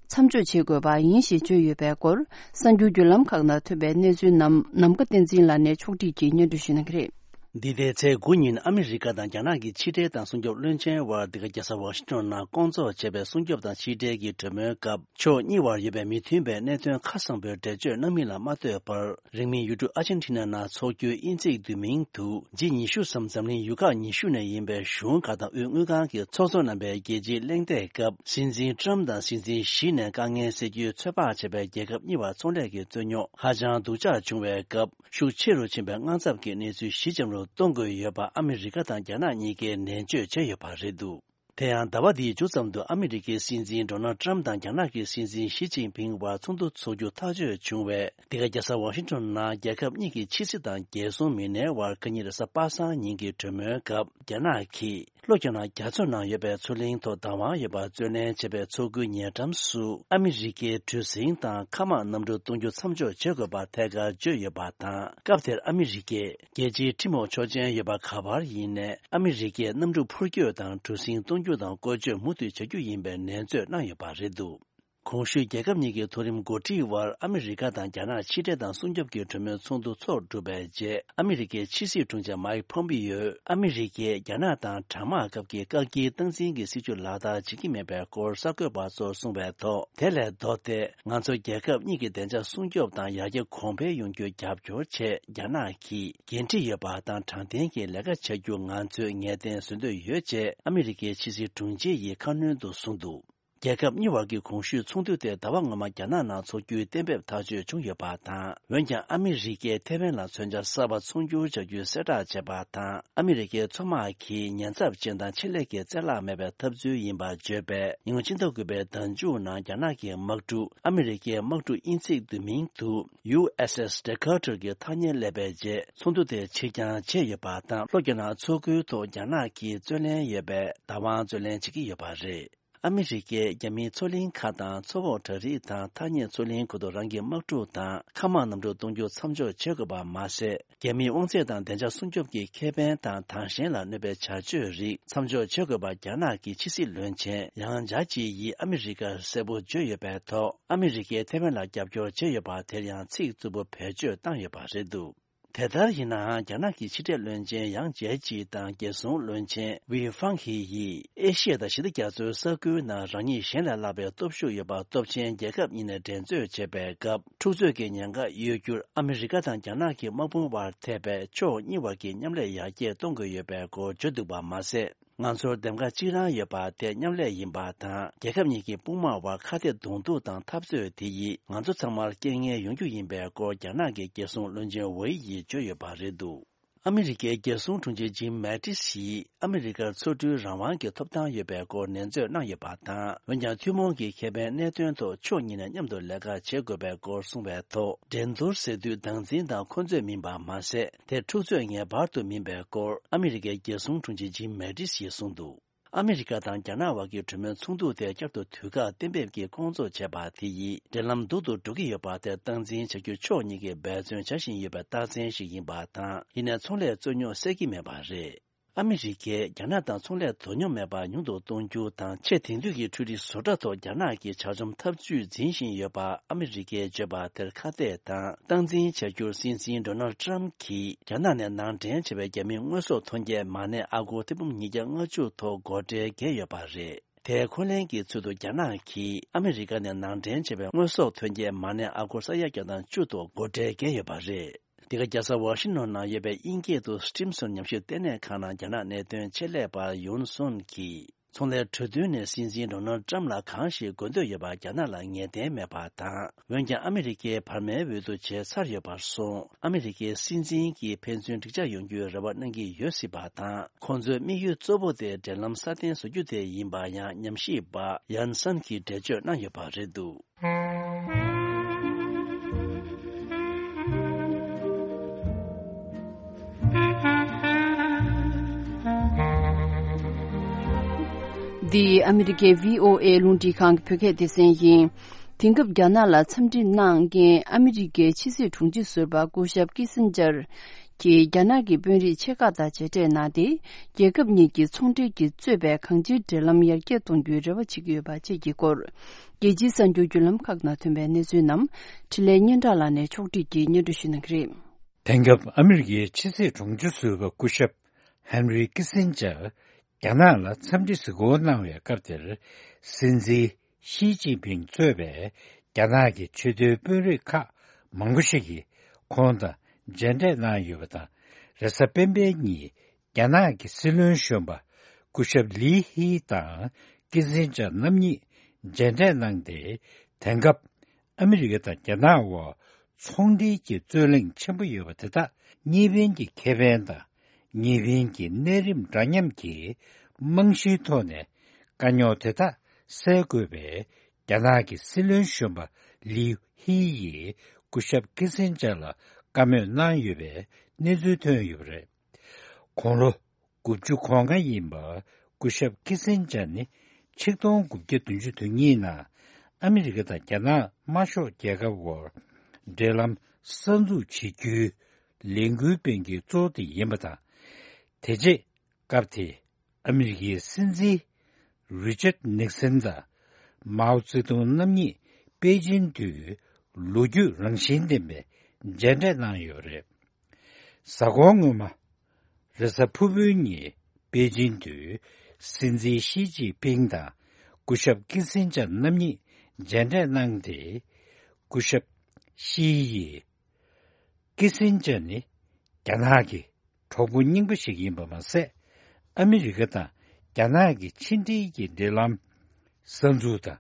མཚམས་འཇོག་བྱེད་དགོས་པ་ཡིན་ཞེས་བརྗོད་ཡོད་པའི་སྐོར། གསར་འགྱུར་བརྒྱུད་ལམ་ཁག་ནང་ཐོན་པའི་གནས་ཚུལ་རྣམས་ནམ་མཁའ་བསྟན་འཛིན་ལགས་ནས་ཕྱོགས་སྒྲིག་གིས་སྙན་སྒྲོན་ཞུ་གནང་གི་རེད། འདི་ཟླའི་ཚེས་དགུ་ཉིན་ཨ་མི་རི་ཀ་དང་རྒྱ་ནག་གི་ཕྱི་འབྲེལ་དང་སྲུང་སྐྱོབ་བློན་ཆེན་དབར་འདི་ག་རྒྱལ་ས་ཝ་ཤིང་ཊོན་ནང་བསྐོང་ཚོགས་བྱས་པའི་སྲུང་སྐྱོབ་དང་ཕྱི་འབྲེལ་གྱི་གྲོས་མོལ་སྐབས། ཕྱོགས་གཉིས་བར་ཡོད་པའི་མི་མཐུན་པའི་གནད་དོན་ཁ་གསལ་པོའི་འགྲེལ་བརྗོད་གནང་མིན་ལ་མ་ལྟོས་པར། རིང་མིན་ཡུལ་གྲུ་ཨར་ཇེན་ཊི་ན་ནང་འཚོགས་རྒྱུའི་དབྱིན་ཇིའི་བསྡུས་མིང་དུ་ཇི་ཉི་ཤུ་སམ་འཛམ་གླིང་ཡུལ་ཁག་ཉི་ཤུ་ནས་ཡིན་པའི་གཞུང་ཁག་དང་དབུས་དངུལ་ཁང་གིས་ཚོགས་གཙོ་རྣམ་པའི་རྒྱལ་སྤྱིའི་གླེང་སྟེགས་སྐབས། སྲིད་འཛིན་ཊམ་དང་སྲིད་འཛིན་ཞི་ནས་དཀའ་ངལ་སེལ་རྒྱུའི་ཚོད་དཔག་བྱས་པའི་རྒྱལ་ཁབ་གཉིས་བར་ཚོང་ལས་ཀྱི་རྩོད་རྙོག་ཧ་ཅང་སྡུག་ཅག་བྱུང་བའི་སྐབས། ཤུགས་ཆེ་རུ་ཕྱིན་པའི་དངངས་འཚབ་ཀྱི་གནས་ཚུལ་ཞི་འཇམ་རུ་གཏོང་དགོས་ཡོད་པ་ཨ་མི་རི་ཀ་དང་རྒྱ་ནག་གཉིས་ཀས་ནན་བརྗོད་བྱས་ཡོད་པ་རེད་འདུག་དེ་ཡང་ཟླ་བ་འདིའི་མཇུག་ཙམ་དུ་ཨ་མི་རི་ཀའི་སྲིད་འཛིན་ཌོ་ནལ་ཊམ་དང་རྒྱ་ནག་གི་སྲིད་འཛིན་ཞི་ཅིན་ཕིང་བར་ཚོགས་འདུ་འཚོགས་རྒྱུ་ཐག་གཅོད་བྱུང་བས། འདི་ག་རྒྱལ་ས་ཝ་ཤིང་ཊོན་ནང་རྒྱལ་ཁབ་གཉིས་ཀྱི་ཕྱི་སྲིད་དང་རྒྱལ་སྲུང་མི་སྣའི་དབར་ཁ་ཉིན་རེས་གཟའ་པ་སངས་ཉིན་གྱི་གྲོས་མོལ་སྐབས། རྒྱ་ནག་གིས་ ལྷོ་རྒྱ་ནག་རྒྱ་མཚོ་ནང་ཡོད་པའི་མཚོ་གླིང་ཐོག་བདག་དབང་ཡོད་པར་བརྩོན་ལེན་བྱེད་པའི་མཚོ་ཁུལ་ཉེ་འགྲམ་སུ་ཨ་མི་རི་ཀའི་གྲུ་གཟིངས་དང་མཁའ་དམག་གནམ་གྲུ་གཏོང་རྒྱུ་མཚམས་འཇོག་བྱེད་དགོས་པ་ཐད་ཀར་བརྗོད་ཡོད་པ་དང་། སྐབས་དེར་ཨ་མི་རི་ཀས་རྒྱལ་སྤྱིའི་ཁྲིམས་འོག་ཆོག་མཆན་ཡོད་པ་ག་བར་ཡིན་ནའི་ཨ་མི་རི་ཀས་གནམ་གྲུ་འཕུར་སྐྱོད་དང་གྲུ་གཟིངས་གཏོང་རྒྱུ་དང་བཀོལ་སྤྱོད་མུ་མཐུད་བྱ་རྒྱུ་ཡིན་པའི་ནན་བརྗོད་གནང་ཡོད་པ་རེད་འདུག་གོང་ཞུས་རྒྱལ་ཁབ་གཉིས་ཀྱི་མཐོ་རིམ་འགོ་ཁྲིད་དབར་ཨ་མི་རི་ཀ་དང་རྒྱ་ནག་ཕྱི་འབྲེལ་དང་སྲུང་སྐྱོབ་ཀྱི་གྲོས་མོལ་ཚོགས་འདུ་ཚོགས་གྲུབ་པའི་རྗེས། ཨ་མི་རི་ཀའི་ཕྱི་སྲིད་དྲུང་ཆེ་མཱིག་ཕོམ་པིའོས་ཨ་མི་རི་ཀས་རྒྱ་ནག་དང་གྲང་དམག་སྐབས་ཀྱི་བཀག་སྐྱིལ་སྟངས་འཛིན་གྱི་སྲིད་བྱུས་ལག་བསྟར་བྱེད་ཀྱི་མེད་པའི་སྐོར་གསར་འགོད་པ་ཚོར་གསུངས་པའི་ཐོག་དེ་ལས་ལྡོག་སྟེ། ང་ཚོ་རྒྱལ་ཁབ་གཉིས་ཀྱི་བདེ་འཇགས་སྲུང་སྐྱོབ་དང་ཡར་རྒྱས་གོང་འཕེལ་ཡོང་རྒྱུར་རྒྱབ་སྐྱོར་ཆེད་རྒྱ་ནག་གིས་འགན་འཁྲི་ཡོད་པ་དང་དྲང་བདེན་གྱི་ལས་ཀ་བྱ་རྒྱུ་ང་ཚོས་ངེས་གཏན་བཟོ་འདོད་ཡོད་ཅེས་ཨ་མི་རི་ཀའི་ཕྱི་སྲིད་དྲུང་ཆེ་ཡིས་ཁ་སྣོན་དུ་གསུངས་འདུག་རྒྱལ་ཁབ་གཉིས་བར་གྱི་གོང་ཞུས་ཚོགས་འདུ་དེ་ཟླ་བ་སྔོན་མ་རྒྱ་ནག་ནང་འཚོགས་རྒྱུའི་གཏན་འབེབས་ཐག་གཅོད་བྱུང་ཡོད་པ་དང་། འོན་ཀྱང་ཨ་མི་རི་ཀས་ཐེ་ཝན་ལ་མཚོན་ཆ་གསར་པ་ཚོང་སྒྱུར་བྱ་རྒྱུའི་གསལ་བསྒྲགས་བྱས་པ་དང་། ཨ་མི་རི་ཀའི་མཚོ་དམག་གིས་ཉེན་ཚབས་ཅན་དང་ཆེད་ལས་ཀྱི་རྩལ་བརླག་མེད་པའི་ཐབས་ཚུལ་ཡིན་པར་བརྗོད་པས། ཉིས་སྟོང་ཉི་ཤུ་རྩ་དགུ་པའི་ཟླ་མཇུག་ནང་རྒྱ་ནག་གི་དམག་གྲུ་ཨ་མི་རི་ཀའི་དམག་གྲུ་དབྱིན་ཚིག་བསྡུས་མིང་དུ་ཡུ་ཨེས་ཨེས་Decatur གྱི་ཐག་ཉེར་སླེབས་པའི་རྗེས་ཚོགས་འདུ་དེ་ཕྱིར་འགྱངས་བྱས་ཡོད་པ་དང་། ལྷོ་རྒྱ་ནག་མཚོ་ཁུལ་ཐོག་རྒྱ་ནག་གིས་རྩོད་ལེན་ཡོད་པའི་བདག་དབང་རྩོད་ལེན་བྱེད་ཀྱི་ཡོད་པ་རེད། ཨ་མི་རི་ཀས་རྒྱ་མིའི་མཚོ་གླིང་ཁག་དང་མཚོ་འོག་བྲག་རི་དང་ཐག་ཉེ་མཚོ་གླིང་ཁུལ་དུ་རང་གི་དམག་གྲུ་དང་མཁའ་དམག་གནམ་གྲུ་གཏོང་རྒྱུ་མཚམས་འཇོག་བྱེད་དགོས་པ་མ་ཟད། རྒྱ་མིའི་དབང་ཚད་དང་བདེ་འཇགས་སྲུང་སྐྱོབ་ཀྱི་ཁེ་ཕན་དང་དྭངས་ཤེལ་ལ་གནོད་པའི་བྱ་སྤྱོད་རིགས་མཚམས་འཇོག་བྱེད་དགོས་པ་རྒྱ་ནག་གི་ཕྱི་སྲིད་བློན་ཆེན་ཡང་ཇཱ་ཅི་ཡིས་ཨ་མི་རི་ཀར་གསལ་པོ་བརྗོད་ཡོད་པའི་ཐོག་ཨ་མི་རི་ཀས་ཐེ་ཝན་ལ་རྒྱབ་སྐྱོར་བྱས་ཡོད་པ་དེར་ཡང་ཚིག་རྩུབ་པོ་བེད་སྤྱོད་བཏང་ཡོད་པ་རེད་འདུག་དེ་ལྟར་ཡིན་ནའང་། རྒྱ་ནག་གི་ཕྱི་འབྲེལ་བློན་ཆེན་ཡང་ཇེ་ཅི་དང་རྒྱལ་སྲུང་བློན་ཆེན་ཝི་ཧྥང་ཧི་ཡིས་ཨེ་ཤི་ཡ་དང་ཞི་བདེ་རྒྱ་མཚོའི་ས་ཁུལ་ནང་རང་ཉིད་གཞན་ལས་ལྷག་པའི་སྟོབས་ཤུགས་ཡོད་པ་སྟོབས་ཆེན་རྒྱལ་ཁབ་གཉིས་ནས་འགྲན་རྩོད་བྱེད་པའི་སྐབས། འཁྲུག་རྩོད་ཀྱི་ཉེན་ཁ་ཡོད་རྒྱུར་ཨ་མི་རི་ཀ་དང་རྒྱ་ནག་གི་དམག་དཔུང་དབར་ཐེབས་པའི་ཕྱོགས་གཉིས་བར་གྱི་མཉམ་ལས་ཡར་རྒྱས་གཏོང་དགོས་ཡོད་པའི་སྐོར་བརྗོད་འདུག་པ་མ་ཟད། ང་ཚོར་འདེམས་ཀ་གཅིག་རང་ཡོད་པ་དེ་མཉམ་ལས་ཡིན་པ་དང་། རྒྱལ་ཁབ་གཉིས་ཀྱི་དཔུང་དམག་དབར་ཁ་གཏད་གདོང་ཐུག་དང་འཐབ་རྩོད་དེ་ཡིས་ང་ཚོ་ཚང་མར་རྐྱེན་ངན་ཡོང་རྒྱུ་ཡིན་པའི་སྐོར་རྒྱ་ནག་གི་རྒྱལ་སྲུང་བློན་ཆེན་ཝེ་ཡིས་བརྗོད་ཡོད་པ་རེད་འདུག་ཨ་མི་རི་ཀའི་རྒྱལ་སྲུང་དྲུང་ཆེ་ཇིམ་མེ་ཏིས་ཡིས་ཨ་མི་རི་ཀར་མཚོ་གྲུའི་རང་དབང་གི་ཐོབ་ཐང་ཡོད་པའི་སྐོར་ནན་བརྗོད་གནང་ཡོད་པ་དང་། འོན་ཀྱང་། ཐུན་མོང་གི་ཁེ་ཕན་གནད་དོན་ཐོག་ཕྱོགས་གཉིས་ནས་མཉམ་དུ་ལས་ཀ་བྱེད་དགོས་པའི་སྐོར་གསུངས་པའི་ཐོག་འགྲན་བསྡུར་ཟེར་དུས་བདག་འཛིན་དང་འཁོན་རྩོད་མིན་པ་མ་ཟད། དེ་འཁྲུག་རྩོད་ངེས་པར་དུ་མིན་པའི་སྐོར་ཨ་མི་རི་ཀའི་རྒྱལ་སྲུང་དྲུང་ཆེ་ཇིམ་མེ་ཏིས་ཡིས་གསུངས་འདུག་ཨ་མི་རི་ཀ་དང་རྒྱ་ནག་བར་གྱི་གྲོས་མོལ་ཚོགས་འདུ་དེ་བསྐྱར་དུ་དུས་བཀག་གཏན་འབེབས་ཀྱིས་སྐོང་ཚོགས་བྱས་པ་དེ་ཡིས་འབྲེལ་ལམ་སྡུག་ཏུ་འགྲོ་གི་ཡོད་པ་དེ་སྟངས་འཛིན་བྱ་རྒྱུ་ཕྱོགས་གཉིས་ཀས་འབད་བརྩོན་བྱ་བཞིན་ཡོད་པའི་རྟགས་མཚན་ཞིག་ཡིན་པ་དང་། ཡིན་ནའི་ཚོང་ལས་རྩོད་རྙོག་སེལ་གྱི་མེད་པ་རེད། ཨ་མི་རི་ཀས་རྒྱ་ནག་དང་ཚོང་ལས་དོ་སྙོམས་མེད་པ་ཉུང་དུ་གཏོང་རྒྱུ་དང་། ཆེས་དེང་དུས་ཀྱི་འཕྲུལ་རིག་བཟོ་གྲྭ་ཐོག་རྒྱ་ནག་གི་ཇག་བཅོམ་ཐབས་ཇུས་འཛིན་བཞིན་ཡོད་པ་ཨ་མི་རི་ཀས་བརྗོད་པ་དེར་ཁ་གཏད་དང་སྟངས་འཛིན་བྱ་རྒྱུར་སྲིད་འཛིན་ཌོ་ནལ་ཊམ་གྱིས་རྒྱ་ནག་ནས་ནང་འདྲེན་བྱས་པའི་རྒྱ་མིའི་དངོས་ཟོག་ཐོན་སྐྱེད་མ་གནས་ཨ་སྒོར་ཐེར་འབུམ་ཉིས་བརྒྱ་ལྔ་བཅུ་ཐོག་སྒོ་ཁྲལ་འགེལ་ཡོད་པ་རེད། དེའི་འཁོན་ལན་གྱི་ཚུལ་དུ་རྒྱ་ནག་གིས་ཨ་མི་རི་ཀ་ནས་ནང་འདྲེན་བྱས་པའི་དངོས་ཟོག་ཐོན་སྐྱེད་མ་གནས་ཨ་སྒོར་ས་ཡ་བརྒྱ་དང་བཅུ་ཐོག་སྒོ་ཁྲལ་འགེལ་ཡོད་པ་རེད། འདི་ག་རྒྱལ་ས་ཝ་ཤིང་ཊོན་ནང་ཡོད་པའི་དབྱིན་སྐད་དུ་སི་ཊིམ་སོན་ཉམས་ཞིབ་ལྟེ་གནས་ཁང་ནང་རྒྱ་ནག་གནད་དོན་ཆེད་ལས་པ་ཡུན་སོན་གྱིས། ཚོང་ལས་གྲོས་མཐུན་ནས་སྲིད་འཛིན་ཌོ་ནལ་ཊམ་ལ་གང་ཞིག་དགོས་འདོད་ཡོད་པ་རྒྱ་ནག་ལ་ངེས་གཏན་མེད་པ་དང་། འོན་ཀྱང་ཨ་མི་རི་ཀས་བར་མའི་འོས་བསྡུ་བྱས་ཚར་ཡོད་པར་སོང་། ཨ་མི་རི་ཀའི་སྲིད་འཛིན་གྱིས་ཕན་ཚུན་འགྲིག་འཇགས་ཡོང་རྒྱུའི་རེ་བ་གནང་གི་ཡོད་སྲིད་པ་དང་། ཁོང་ཚོའི་དམིགས་ཡུལ་གཙོ་བོ་དེ་འབྲེལ་ལམ་སྲ་བརྟན་བཟོ་རྒྱུ་དེ་ཡིན་པ་ཡང་ཉམས་ཞིབ་པ་ཡན་སན་གྱིས་འགྲེལ་བརྗོད་གནང་ཡོད་པ་རེད་འདུག་འདི་ཨ་མི་རི་ཀའི་བྷི་ཨོ་ཨེ་རླུང་འཕྲིན་ཁང་གི་བོད་སྐད་སྡེ་ཚན་ཡིན། དེང་སྐབས་རྒྱ་ནག་ལ་འཚམས་འདྲི་གནང་མཁན་ཨ་མི་རི་ཀའི་ཕྱི་སྲིད་དྲུང་ཆེ་ཟུར་པ་སྐུ་ཞབས་ཀི་སིན་ཇར་གྱིས་རྒྱ་ནག་གི་དཔོན་རིགས་ཆེ་ཁག་དང་མཇལ་འཕྲད་གནང་སྟེ། རྒྱལ་ཁབ་གཉིས་ཀྱི་ཚོང་འབྲེལ་གྱིས་གཙོས་པའི་གང་ཅིའི་འབྲེལ་ལམ་ཡར་རྒྱས་གཏོང་རྒྱུའི་རེ་བ་བྱེད་ཀྱི་ཡོད་པ་བཅས་ཀྱི་སྐོར། རྒྱལ་སྤྱིའི་གསར་འགྱུར་བརྒྱུད་ལམ་ཁག་ནང་ཐོན་པའི་གནས་ཚུལ་རྣམས་འཕྲིན་ལས་སྙན་གྲགས་ལགས་ནས་ཕྱོགས་བསྒྲིགས་ཀྱིས་སྙན་སྒྲོན་ཞུ་གནང་གི་རེད། དེང་སྐབས་ཨ་མི་རི་ཀའི་ཕྱི་སྲིད་དྲུང་ཆེ་ཟུར་པ་སྐུ་ཞབས་ཧན་རི་ཀི་སིན་ཇར་རྒྱ་ནག་ལ་འཚམས་འདྲི་གཟིགས་སྐོར་གནང་བའི་སྐབས་དེར། སྲིད་འཛིན་ཞི་ཅིན་ཕིང་གཙོས་པའི་རྒྱ་ནག་གི་ཆེས་མཐོའི་དཔོན་རིགས་ཁག་མང་པོ་ཞིག་གིས་ཁོང་དང་མཇལ་འཕྲད་གནང་ཡོད་པ་དང་། རེས་གཟའ་སྤེན་པའི་ཉིན་རྒྱ་ནག་གི་སྲིད་བློན་གཞོན་པ་སྐུ་ཞབས་ལི་ཧི་དང་ཀི་སིན་ཇར་རྣམ་གཉིས་མཇལ་འཕྲད་གནང་སྟེ། དེང་སྐབས་ཨ་མི་རི་ཀ་དང་རྒྱ་ནག་དབར་ཚོང་འབྲེལ་གྱི་རྩོད་གླེང་ཆེན་པོ་ཡོད་པ་དེ་དག་གཉིས་ཕན་གྱི་ཁེ་ཕན་དང་། གཉིས་ཕན་གྱི་གནས་རིམ་འདྲ་མཉམ་གྱི་རྨང་གཞིའི་ཐོག་ནས་དཀའ་རྙོག་དེ་དག་སེལ་དགོས་པའི་རྒྱ་ནག་གི་སྲིད་བློན་གཞོན་པ་ལིའུ་ཧི་ཡིས་སྐུ་ཞབས་ཀི་སིན་ཇར་ལ་བཀའ་མོལ་གནང་ཡོད་པའི་གནས་ཚུལ་ཐོན་ཡོད་པ་རེད། དགུང་ལོ་དགུ་བཅུ་གོ་ལྔ་ཡིན་པ་ སྐུ་ཞབས་ཀི་སིན་ཇར་ནི་ཆིག་སྟོང་དགུ་བརྒྱ་བདུན་ཅུ་དོན་གཉིས་ནང་ཨ་མི་རི་ཀ་དང་རྒྱ་ནག་དམར་ཤོག་རྒྱལ་ཁབ་དབར་འབྲེལ་ལམ་གསར་འཛུགས་བྱེད་རྒྱུའི་ལས་འགུལ་སྤེལ་མཁན་གཙོ་བོ་དེ་ཡིན་པ་དང་། དེ་རྗེས་སྐབས་དེའི་ཨ་མི་རི་ཀའི་སྲིད་འཛིན་རི་ཅར་ནིག་སན་དང་མའོ་ཙེ་ཏུང་རྣམ་གཉིས་པེ་ཅིན་དུ་ལོ་རྒྱུས་རང་བཞིན་ལྡན་པའི་མཇལ་འཕྲད་གནང་ཡོད་རེད། གཟའ་འཁོར་སྔོན་མ། རེས་གཟའ་ཕུར་བུའི་ཉིན་པེ་ཅིན་དུ་སྲིད་འཛིན་ཞི་ཅིན་ཕིང་དང་སྐུ་ཞབས་ཀི་སིན་ཇར་རྣམ་གཉིས་མཇལ་འཕྲད་གནང་སྟེ། སྐུ་ཞབས་ཞི་ཡིས། ཀི་སིན་ཇར་ནི་རྒྱ་ནག་གི་གྲོགས་པོ་རྙིང་པ་ཞིག་ཡིན་པ་མ་ཟད། ཨ་མི་རི་ཀ་དང་རྒྱ་ནག་གི་ཕྱི་འབྲེལ་གྱི་འབྲེལ་ལམ་གསར་འཛུགས་དང་།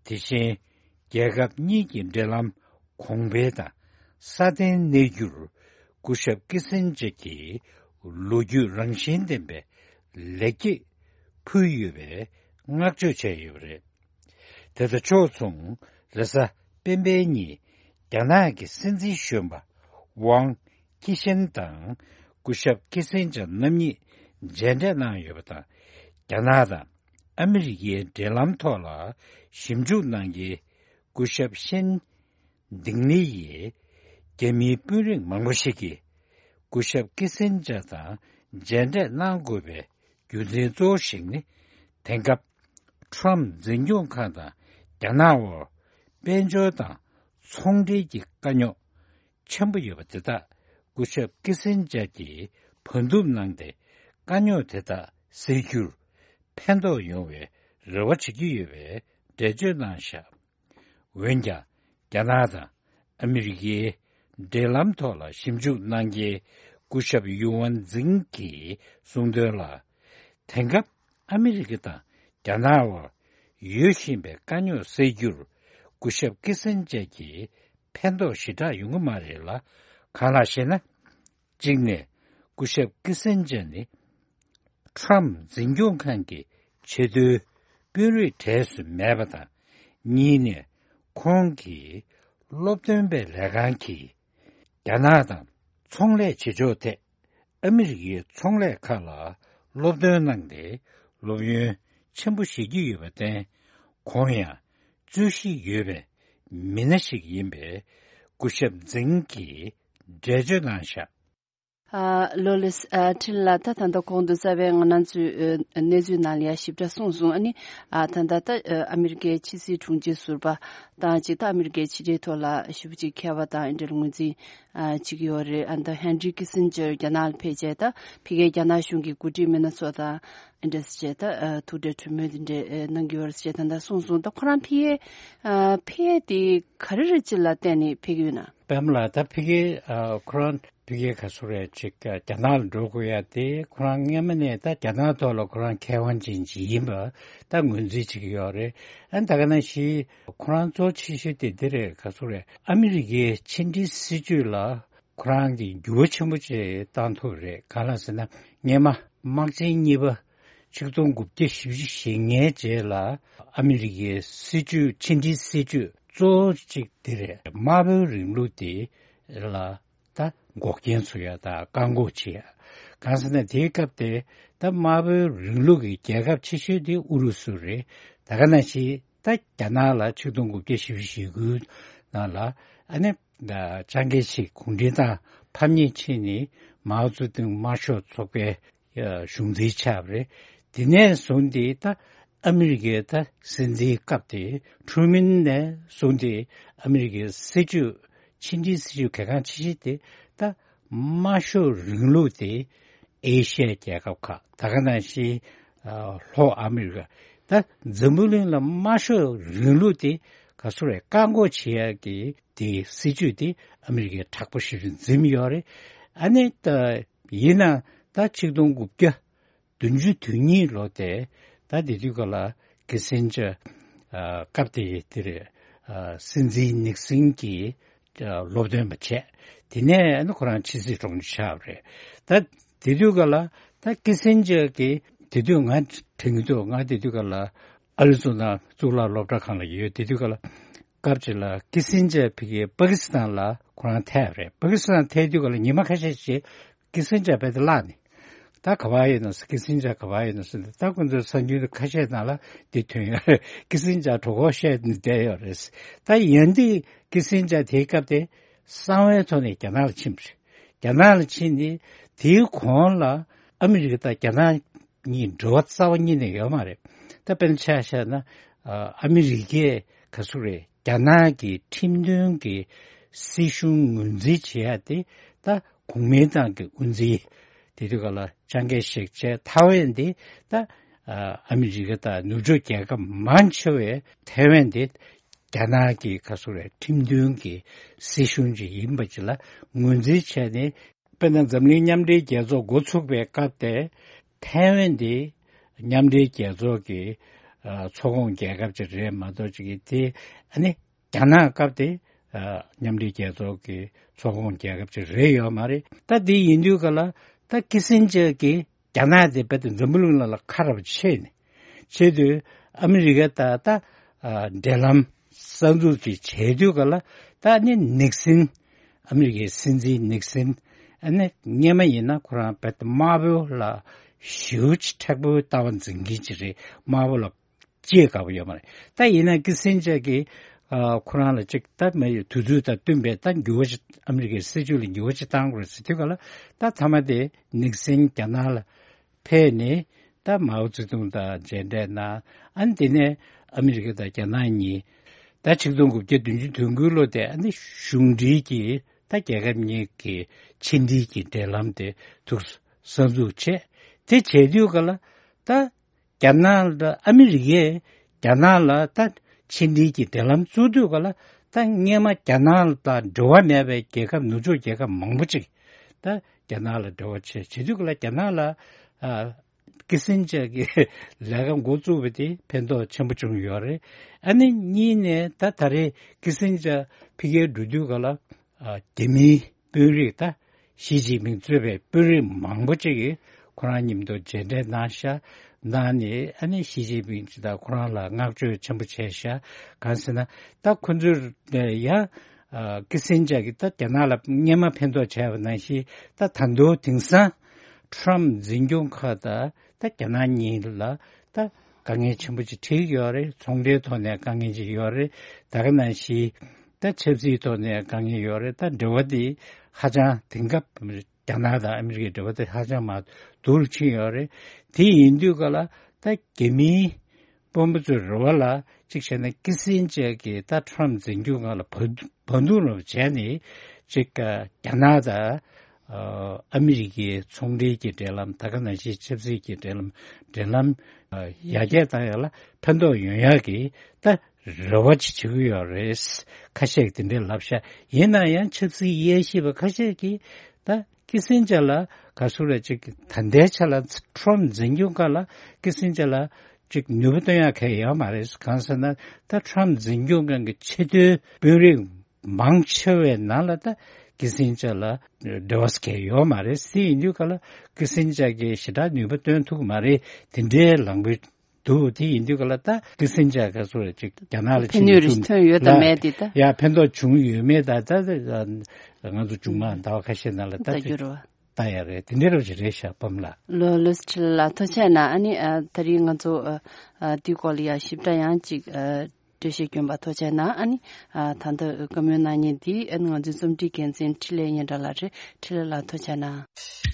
དེ་བཞིན་རྒྱལ་ཁབ་གཉིས་ཀྱི་འབྲེལ་ལམ་གོང་འཕེལ་དང་སྲ་བརྟན་གནས་རྒྱུར་སྐུ་ཞབས་ཀི་སིན་ཇར་གྱིས་ལོ་རྒྱུས་རང་བཞིན་ལྡན་པའི་ལེགས་སྐྱེས་ཕུལ་ཡོད་པའི་བསྔགས་བརྗོད་བྱས་ཡོད་པ་རེད། དེ་དང་ཕྱོགས་མཚུངས། རེས་གཟའ་སྤེན་པའི་ཉིན་རྒྱ་ནག་གི་སྲིད་འཛིན་གཞོན་པ་ཝང་ཁི་ཤན་དང་སྐུ་ཞབས་ཀི་སིན་ཇར་རྣམ་གཉིས་མཇལ་འཕྲད་གནང་ཡོད་པ་དང་། རྒྱ་ནག་དང་ཨ་མི་རི་ཀའི་འབྲེལ་ལམ་ཐོག་ལ་ཞིབ་འཇུག་གནང་མཁན་སྐུ་ཞབས་ཤན་ཏིང་ལི་ཡིས། རྒྱ་མིའི་དཔོན་རིགས་མང་པོ་ཞིག་གིས་སྐུ་ཞབས་ཀི་སིན་ཇར་དང་མཇལ་འཕྲད་གནང་དགོས་པའི་རྒྱུ་མཚན་གཙོ་བོ་ཞིག་ནི། དེང་སྐབས་ཁྲོམ་འཛིན་སྐྱོང་ཁང་དང་རྒྱ་ནག་དབར་དཔལ་འབྱོར་དང་ཚོང་འབྲེལ་གྱི་དཀའ་རྙོག་ཆེན་པོ་ཡོད་པ་དེ་དག་སྐུ་ཞབས་ཀི་སིན་ཇར་གྱིས་བར་འདུམ་གནང་སྟེ། དཀའ་རྙོག་དེ་དག་སེལ་རྒྱུར་ཕན་ཐོགས་ཡོང་བའི་རེ་བ་བྱེད་ཀྱི་ཡོད་པའི་འགྲེལ་བརྗོད་གནང་བཞག་འོན་ཀྱང་། རྒྱ་ནག་དང་ཨ་མི་རི་ཀའི་འབྲེལ་ལམ་ཐོག་ལ་ཞིབ་འཇུག་གནང་མཁན་སྐུ་ཞབས་ཡུའུ་ཝན་ཛིང་གིས་གསུངས་དོན་ལ། དེང་སྐབས་ཨ་མི་རི་ཀ་དང་རྒྱ་ནག་དབར་ཡོད་བཞིན་པའི་དཀའ་རྙོག་སེལ་རྒྱུར་སྐུ་ཞབས་ཀི་སན་ཇར་གྱིས་ཕན་ཐོགས་ཞེ་དྲག་ཡོང་གི་མ་རེད་ལ། གང་ལགས་ཤེ་ན། གཅིག་ནས། སྐུ་ཞབས་ཀི་སན་ཇར་ནི་ཁྲོམ་འཛིན་སྐྱོང་ཁང་གི་ཆེས་མཐོའི་དཔོན་རིགས་གྲས་སུ་མེད་པ་དང་། གཉིས་ནས། ཁོང་གིས་སློབ་སྟོན་པའི་ལས་ཁང་གིས་རྒྱ་ནག་དང་ཚོང་ལས་བྱེད་ཕྱོགས་ཐད་ཨ་མི་རི་ཀའི་ཚོང་ལས་ཁག་ལ་སློབ་སྟོན་གནང་སྟེ་སློབ་ཡོན་ཆེན་པོ་བཞེས་ཀྱི་ཡོད་པར་བརྟེན། ཁོང་ཡང་རྩོད་གཞི་ཡོད་པའི་མི་སྣ་ཞིག་ཡིན་པའི་སྐུ་ཞབས་ཛིང་གིས་འགྲེལ་བརྗོད་གནང་བཞག་ཨ། ལོ་ལེགས། ཨ། འཕྲིན་ལ། ད་ད་ལྟ་གོང་དུ་རྩ་བའི་ང་རང་ཚོའི་ཨ་གནས་ཚུལ་ནང་ལ་ཡང་ཞིབ་ཕྲ་གསུངས་སོང་། ཨ་ནི། ཨ། ད་ལྟ་ད་ཨ་ཨ་མི་རི་ཀའི་ཕྱི་སྲིད་དྲུང་ཆེ་ཟུར་པ་དང་གཅིག་ད་ཨ་མི་རི་ཀའི་ཕྱི་འབྲེལ་ཐོག་ལ་ཞེ་པོ་ཅིག་མཁས་པ་དང་འདི་འདྲ་ལ་ངོས་འཛིན་ཨ་བྱེད་ཀྱི་ཡོད་རེད། ཨ་ད་ཧན་རི་ཀི་སིན་ཇར་རྒྱ་ནག་ལ་ཕེབས་བྱས་ད་ཕ་གིའི་རྒྱ་ནག་གཞུང་གི་འགོ་ཁྲིད་མི་སྣ་ཚོ་དང་འདི་འདྲ་བྱས་ད་ཨ་ཐུག་འཕྲད་གྲོས་མོལ་འདི་འདྲ་ཨ་གནང་གི་ཡོད་རེད་ཅེས་ད་ལྟ་གསུངས་སོང་། ད་ཁོ་རང་ཕ་གིའི་ཨ་ཕ་གིའི་དེ་ག་རེ་རེད་ཅེས་ལ་བརྟེན་ནས་ཕེབས་ཀྱི་ཡོད་ན། པད་མ་ལགས། ད་ཕ་གིའི་ཨ་ཁོ་རང་ཕ་གིའི་ག་ཚོད་རེད་ཅིག་རྒྱ་ནག་ལ་འགྲོ་དགོས་ཡ་དེ་ཁོ་རང་སྔོན་མ་ནས་ད་རྒྱ་ནག་ཐོག་ལ་ཁོ་རང་མཁས་དབང་ཅན་ཅིག་ཡིན་པ་ད་ངོས་འཛིན་བྱེད་ཀྱི་ཡོད་རེད། ཨ་ད་ག་ནང་བཞིན་ཁོ་རང་གཙོ་ཆེ་ཤོས་དེ་འདི་རེད། ག་ཚོད་རེད། ཨ་མི་རི་ཀའི་ཕྱི་འབྲེལ་སྲིད་ཇུས་ལ་ཁོ་རང་གིས་འགྱུར་བ་ཆེན་པོ་ཅིག་བཏང་ཐུབ་རེད། གང་ལགས་ཟེར་ན་སྔོན་མ་དམག་ཆེན་གཉིས་པ་ཆིག་སྟོང་དགུ་བརྒྱ་བཞི་བཅུ་ཞེ་ལྔའི་རྗེས་ལ་ཨ་མི་རི་ཀའི་སྲིད་ཇུས་ཕྱི་འབྲེལ་སྲིད་ཇུས་གཙོ་བོ་གཅིག་དེ་རེད། དམར་པོའི་རིང་ལུགས་དེ་ལ་ད་འགོག་རྐྱེན་བཟོ་ཡ་དང་བཀག་འགོག་བྱེད་ཡ། གང་ཟེར་ན་དེའི་སྐབས་དེ་ད་དམར་པོའི་རིང་ལུགས་ཀྱི་རྒྱལ་ཁབ་ཆེ་ཤོས་དེ་ཨུ་རུ་སུ་རེད། ད་ག་ནང་བཞིན་ད་རྒྱ་ནག་ལ་ཆིག་སྟོང་དགུ་བརྒྱ་བཞི་བཅུ་ཞེ་དགུའི་ནང་ལ་ཨ་ནི་ཅང་ཀེ་ཤིག་གུང་ཁྲན་ཏང་ཕམ་ཉེས་ཕྱིན་ནས་མའོ་ཙེ་ཏུང་དམར་ཤོག་ཚོགས་པའི་གཞུང་འཛིན་ཆགས་པ་རེད། དེ་ནས་བཟུང་སྟེ་ད་ཨ་མི་རི་ཀའི་ད་སྲིད་འཛིན་སྐབས་དེ་ཁྲུ་མིན་ནས་བཟུང་སྟེ་ཨ་མི་རི་ཀའི་སྲིད་ཇུས་ཕྱི་འབྲེལ་སྲིད་ཇུས་གལ་འགངས་ཆེ་ཤོས་དེ་ད་དམར་ཤོག་རིང་ལུགས་དེ་ཨེ་ཤི་ཡའི་རྒྱལ་ཁབ་ཁག་ད་ག་ནང་བཞིན་ལྷོ་ཨ་མི་རི་ཀ་ད་འཛམ་བུ་གླིང་ལ་དམར་ཤོག་རིང་ལུགས་དེ་ག་ཚོད་རེད་བཀག་འགོག་བྱེད་ཡ་གི་དེ་སྲིད་ཇུས་དེ་ཨ་མི་རི་ཀས་དྲག་པོ་ཞེ་པོ་འཛིན་ཡོད་རེད། ཨ་ནི་ད་ཡིན་ན་ད་ཆིག་སྟོང་དགུ་བརྒྱ་བདུན་ཅུ་དོན་གཉིས་ལོ་དེ་ད་དེ་དུས་ག་ལ་ཀི་སིན་ཇར་སྐབས་དེ་དེ་རེད། སྲིད་འཛིན་ནིག་སིན་གྱིས་སློབ་སྟོན་པ་བྱས། དེ་ནས་ཨ་ནི་ཁོ་རང་ཕྱི་སྲིད་དྲུང་ཆེ་ཆགས་པ་རེད། ད་དེ་དུས་ག་ལ་ད་ཀི་སིན་ཇར་གྱིས་དེ་དུས་ང་དྲན་གྱི་འདུག་ང་དེ་དུས་ག་ལ་ཨ་རི་ཛོ་ན་གཙུག་ལག་སློབ་གྲྭ་ཁང་ལ་ཡོད། དེ་དུས་ག་ལ་སྐབས་ཅིག་ལ་ཀི་སིན་ཇར་ཕ་གིའི་པ་ཀི་སི་ཐན་ལ་ཁོ་རང་ཐད་པ་རེད། པ་ཀི་སི་ཐན་ཐད་དུས་ག་ལ་ཉི་མ་ཁ་ཤས་ཤིག་ཀི་སིན་ཇར་རྦད་དེ་བརླག་ནས་ ད་ག་བ་ཡིན་ནོ་ཟེར། ཀི་སིན་ཇར་ག་བ་ཡིན་ནོ་ཟེར། ད་ཁོ་ཚོའི་གསར་འགྱུར་ཁ་ཤས་ནང་ལ་འདི་ཐོན་ཡོད་རེད། ཀི་སིན་ཇར་གྲོད་ཁོག་བཤལ་ནས་བསྡད་ཡོད་རེད། ད་ཡིན་དུས་ཀི་སིན་ཇར་དེའི་སྐབས་དེ་གསང་བའི་ཐོག་ནས་རྒྱ་ནག་ལ་ཕྱིན་པ་རེད། རྒྱ་ནག་ལ་ཕྱིན་ནས་དེའི་གོང་ལ་ཨ་མི་རི་ཀ་དང་རྒྱ་ནག་གཉིས་འབྲེལ་བ་རྩ་བ་ཉིད་ནས་ཡོད་མ་རེད། ད་དཔེར་ན་ཆ་བཞག་ན། ཨ་མི་རི་ཀས་ག་ཚོད་རེད། རྒྱ་ནག་གི་ཁྲིམས་མཐུན་གྱི་སྲིད་གཞུང་ངོས་འཛིན་བྱེད་ཡ་དེ་ད་གོང་མའི་ཏང་གི་དབུ་འཛིན། དེ་དུས་སྐབས་ལ་ཅང་ཀེ་ཤེག་བྱས། ཐའེ་ཝན་དེ་ད་ཨ་མི་རི་ཀ་དང་ནུབ་ཕྱོགས་རྒྱལ་ཁབ་མང་ཆེ་བས་ཐའེ་ཝན་དེ་རྒྱ་ནག་གི་ག་ཚོད་རེད། ཁྲིམས་མཐུན་གྱི་སྲིད་གཞུང་ཅིག་ཡིན་པ་ཅིག་ལ་ངོས་འཛིན་བྱས་ནས། དཔེར་ན་འཛམ་གླིང་མཉམ་འབྲེལ་རྒྱལ་ཚོགས་འགོ་ཚུགས་པའི་སྐབས་དེ་ཐའེ་ཝན་དེ་མཉམ་འབྲེལ་རྒྱལ་ཚོགས་ཀྱི་ཨ་ཚོགས་ཁོངས་རྒྱལ་ཁབ་ཅིག་རེད་མ་གཏོགས་ཅིག་གི་དེ་ཨ་ནི་རྒྱ་ནག་སྐབས་དེ་ཨ་མཉམ་འབྲེལ་རྒྱལ་ཚོགས་ཀྱི་ཚོགས་ཁོངས་རྒྱལ་ཁབ་ཅིག་རེད་ཡོད་མ་རེད། ད་དེ་ཡིན་དུས་ག་ལ་ད་ཀི་སིན་ཇར་གྱིས་རྒྱ་ནག་དེ་རྦད་དེ་འཛམ་བུ་གླིང་ནང་ལ་ཁ་ར་བ་ཕྱེ་ནས་བྱེད་དུས། ཨ་མི་རི་ཀ་དང་ད་ཨ་འབྲེལ་ལམ་གསར་འཛུགས་ཅིག་བྱེད་དུས་ག་ལ་ད་ནི་ནིག་སིན། ཨ་མི་རི་ཀའི་སྲིད་འཛིན་ནིག་སིན། ཨ་ནི་སྔོན་མ་ཡིན་ན་ཁོ་རང་རྦད་དེ་དམར་པོ་ལ་ཞེ་པོ་ཅིག་མཁྲེགས་པོའི་ལྟ་བ་འཛིན་མཁན་ཅིག་རེད། དམར་པོ་ལ་ཅེས་དགའ་པོ་ཡོད་མ་རེད། ད་ཡིན་ན་ཀི་སིན་ཇར་གྱིས་ཨ་ཁོ་རང་ལ་ཅིག་ད་མ་ཡོད་དུས་ཚོད་དང་བསྟུན་པའི་ད་འགྱུར་བ་ཅིག་ཨ་མི་རི་ཀའི་སྲིད་བྱུས་ལ་འགྱུར་བ་ཅིག་བཏང་དགོས་རེད་ཟེར་དུས་ག་ལ། ད་མཐའ་མ་དེ་ནིག་སིན་རྒྱ་ནག་ལ་ཕེབས་ནས་ད་མའོ་ཙེ་ཏུང་དང་མཇལ་འཕྲད་གནང་། ཨ་ནི་དེ་ནས་ཨ་མི་རི་ཀ་དང་རྒྱ་ནག་གཉིས་ད་ཆིག་སྟོང་དགུ་བརྒྱ་བདུན་ཅུ་དོན་དགུ་ལོ་དེ་ཨ་ནི་གཞུང་འབྲེལ་གྱི་ད་རྒྱལ་ཁབ་གཉིས་ཀྱི་ཕྱི་འབྲེལ་གྱི་འབྲེལ་ལམ་དེ་ཐུགས་གསར་འཛུགས་བྱས། དེ་བྱས་དུས་ག་ལ་ད་རྒྱ་ནག་དང་ཨ་མི་རི་ཀས་རྒྱ་ནག་ལ་ད་ཕྱི་འབྲེལ་གྱི་འབྲེལ་ལམ་བཙུགས་དུས་ག་ལ། ད་སྔོན་མ་རྒྱ་ནག་དང་འབྲེལ་བ་མེད་པའི་རྒྱལ་ཁབ་ནུབ་ཕྱོགས་རྒྱལ་ཁབ་མང་པོ་ཅིག་ད་རྒྱ་ནག་ལ་འབྲེལ་བ་བྱས། བྱེད་དུས་ག་ལ་རྒྱ་ནག་ལ་ཨ་ཀི་སིན་ཇར་གྱི་ལས་ཀ་འགོ་བཙུགས་པ་དེ་ཕན་ཐོགས་ཆེན་པོ་བྱུང་ཡོད་རེད། ཨ་ནི་གཉིས་ནས་ད་ད་རེས་ཀི་སིན་ཇར་ཕ་གིར་འགྲོ་དུས་ག་ལ། ཨ་རྒྱ་མིའི་དཔོན་རིགས་ད་ཞི་ཅིན་ཕིང་གཙོས་པའི་དཔོན་རིགས་མང་པོ་ཅིག་གིས་ཁོ་རང་མཉམ་དུ་མཇལ་འཕྲད་གནང་ཤག་གནང་ནས་ཨ་ནི་ཞི་ཅིན་ཕིང་ཅིག་དང་ཁོ་རང་ལ་བསྔགས་བརྗོད་ཆེན་པོ་བྱས་ཤག་གང་ཟེར་ན་ད་ཁོ་ཚོས་ཡང་ཀི་སིན་ཇར་གྱིས་ད་རྒྱ་ནག་ལ་སྔོན་མ་ཕན་ཐོགས་བྱས་པ་ནང་བཞིན། ད་ད་དུང་དེང་སང་ཊམ་འཛིན་སྐྱོང་ཁག་དང་ད་རྒྱ་ནག་གཉིས་ལ་ད་དཀའ་ངལ་ཆེན་པོ་ཅིག་འཕྲད་ཡོད་རེད། ཚོང་འབྲེལ་ཐོག་ནས་དཀའ་ངལ་ཅིག་ཡོད་རེད། ད་ག་ནང་བཞིན་ད་ཆབ་སྲིད་ཐོག་ནས་དཀའ་ངལ་ཡོད་རེད། ད་འབྲེལ་བ་དེ་ཧ་ཅང་དེང་སྐབས་རྒྱ་ནག་དང་ཨ་མི་རི་ཀའི་འབྲེལ་བ་དེ་ཧ་ཅང་མར་སྡུག་རུ་ཕྱིན་ཡོད་རེད། དེ་ཡིན་དུས་ག་ལ་ད་རྒྱ་མིའི་དཔོན་པོ་ཚོའི་རེ་བ་ལ་གཅིག་བྱས་ན་ཀི་སིན་ཇར་གྱིས་ད་ཊམ་འཛིན་སྐྱོང་ཁང་ལ་བར་བར་འདུམ་རོགས་བྱས་ནས་གཅིག་རྒྱ་ནག་དང་ཨ་མི་རི་ཀའི་ཚོང་འབྲེལ་གྱི་འབྲེལ་ལམ། ད་ག་ནང་བཞིན་ཆབ་སྲིད་ཀྱི་འབྲེལ་ལམ་འབྲེལ་ལམ་ཡར་རྒྱས་བཏང་ཡག་ལ་ཕན་ཐོགས་ཡོང་ཡག་གི་ད་རེ་བ་ཅིག་བྱེད་ཀྱི་ཡོད་རེད། ཁ་ཤས་ཀྱིས་དེ་འདྲས་ལབ་ཤག་ཡིན་ན་ཡང་ཆབ་སྲིད་དབྱེ་ཞིབ་པ་ཁ་ཤས་ཀྱིས་ད་ཀི་སིན་ཇར་ལ་ག་ཚོད་རེད་ཅིག་ད་ལྟའི་ཆ་ལ་ཊམ་འཛིན་སྐྱོང་སྐབས་ལ་ཀི་སིན་ཇར་ལ་ཅིག་ནུས་པ་བཏོན་ཡག་གང་ཡང་ཡོད་མ་རེད། གང་ཟེར་ན་ད་ཊམ་འཛིན་སྐྱོང་ཁང་གི་ཆེས་མཐོའི་དཔོན་རིགས་མང་ཆེ་བའི་ནང་ལ་ད་ཀི་སིན་ཇར་ལ་འབྲེལ་བ་གང་ཡང་ཡོད་མ་རེད། དེ་ཡིན་དུས་ག་ལ་ཀི་སིན་ཇར་གྱིས་ཞེ་དྲག་ནུས་པ་བཏོན་ཐུབ་ཀྱི་མ་རེད། དེ་འདྲའི་ལངས་ཀྱི་འདུག་དེ་ཡིན་དུས་ག་ལ་ད་ཀི་སིན་ཇར་ག་ཚོད་ཅིག་རྒྱ་ནག་ལ་ཕན་ནུས་རེ་ཐོན་ཡོད་དམ་མེད་དེ་ད། ཡ་ཕན་ཐོགས་བྱུང་ཡོད་མེད་ད་ད་ང་ཚོ་མཇུག་མ་ཟླ་བ་ཁ་ཤས་ནང་ལ་ད་ད་འགྱུར་བ། ད་ཡ་རེད། དེ་འདྲ་རོ་ཞིག་རེད་ཤག་པམ་ལགས། ལོ་ལོ་སི་ཁྲི་ལ་ཐུགས་རྗེ་གནང་། ཨ་ནི་ཨ་ད་རིང་ང་ཚོ་ཨ་ཨ་དེའི་སྐོར་ལ་ཡ་ཞིབ་ཕྲ་ཡང་ཅིག་ཨ་འགྲེལ་བཤད་བསྐྱོན་པ་ཐུགས་རྗེ་གནང་། ཨ་ནི་ཨ་ད་ལྟ་བཀའ་མོལ་གནང་མཁན་འདི་ཨ་ནི་ང་ཚོའི་རྩོམ་སྒྲིག་འགན་འཛིན་འཕྲིན་ལས་སྙན་གྲགས་ལགས་རེད། འཕྲིན་ལས་ལགས་ཐུགས་རྗེ་གནང་།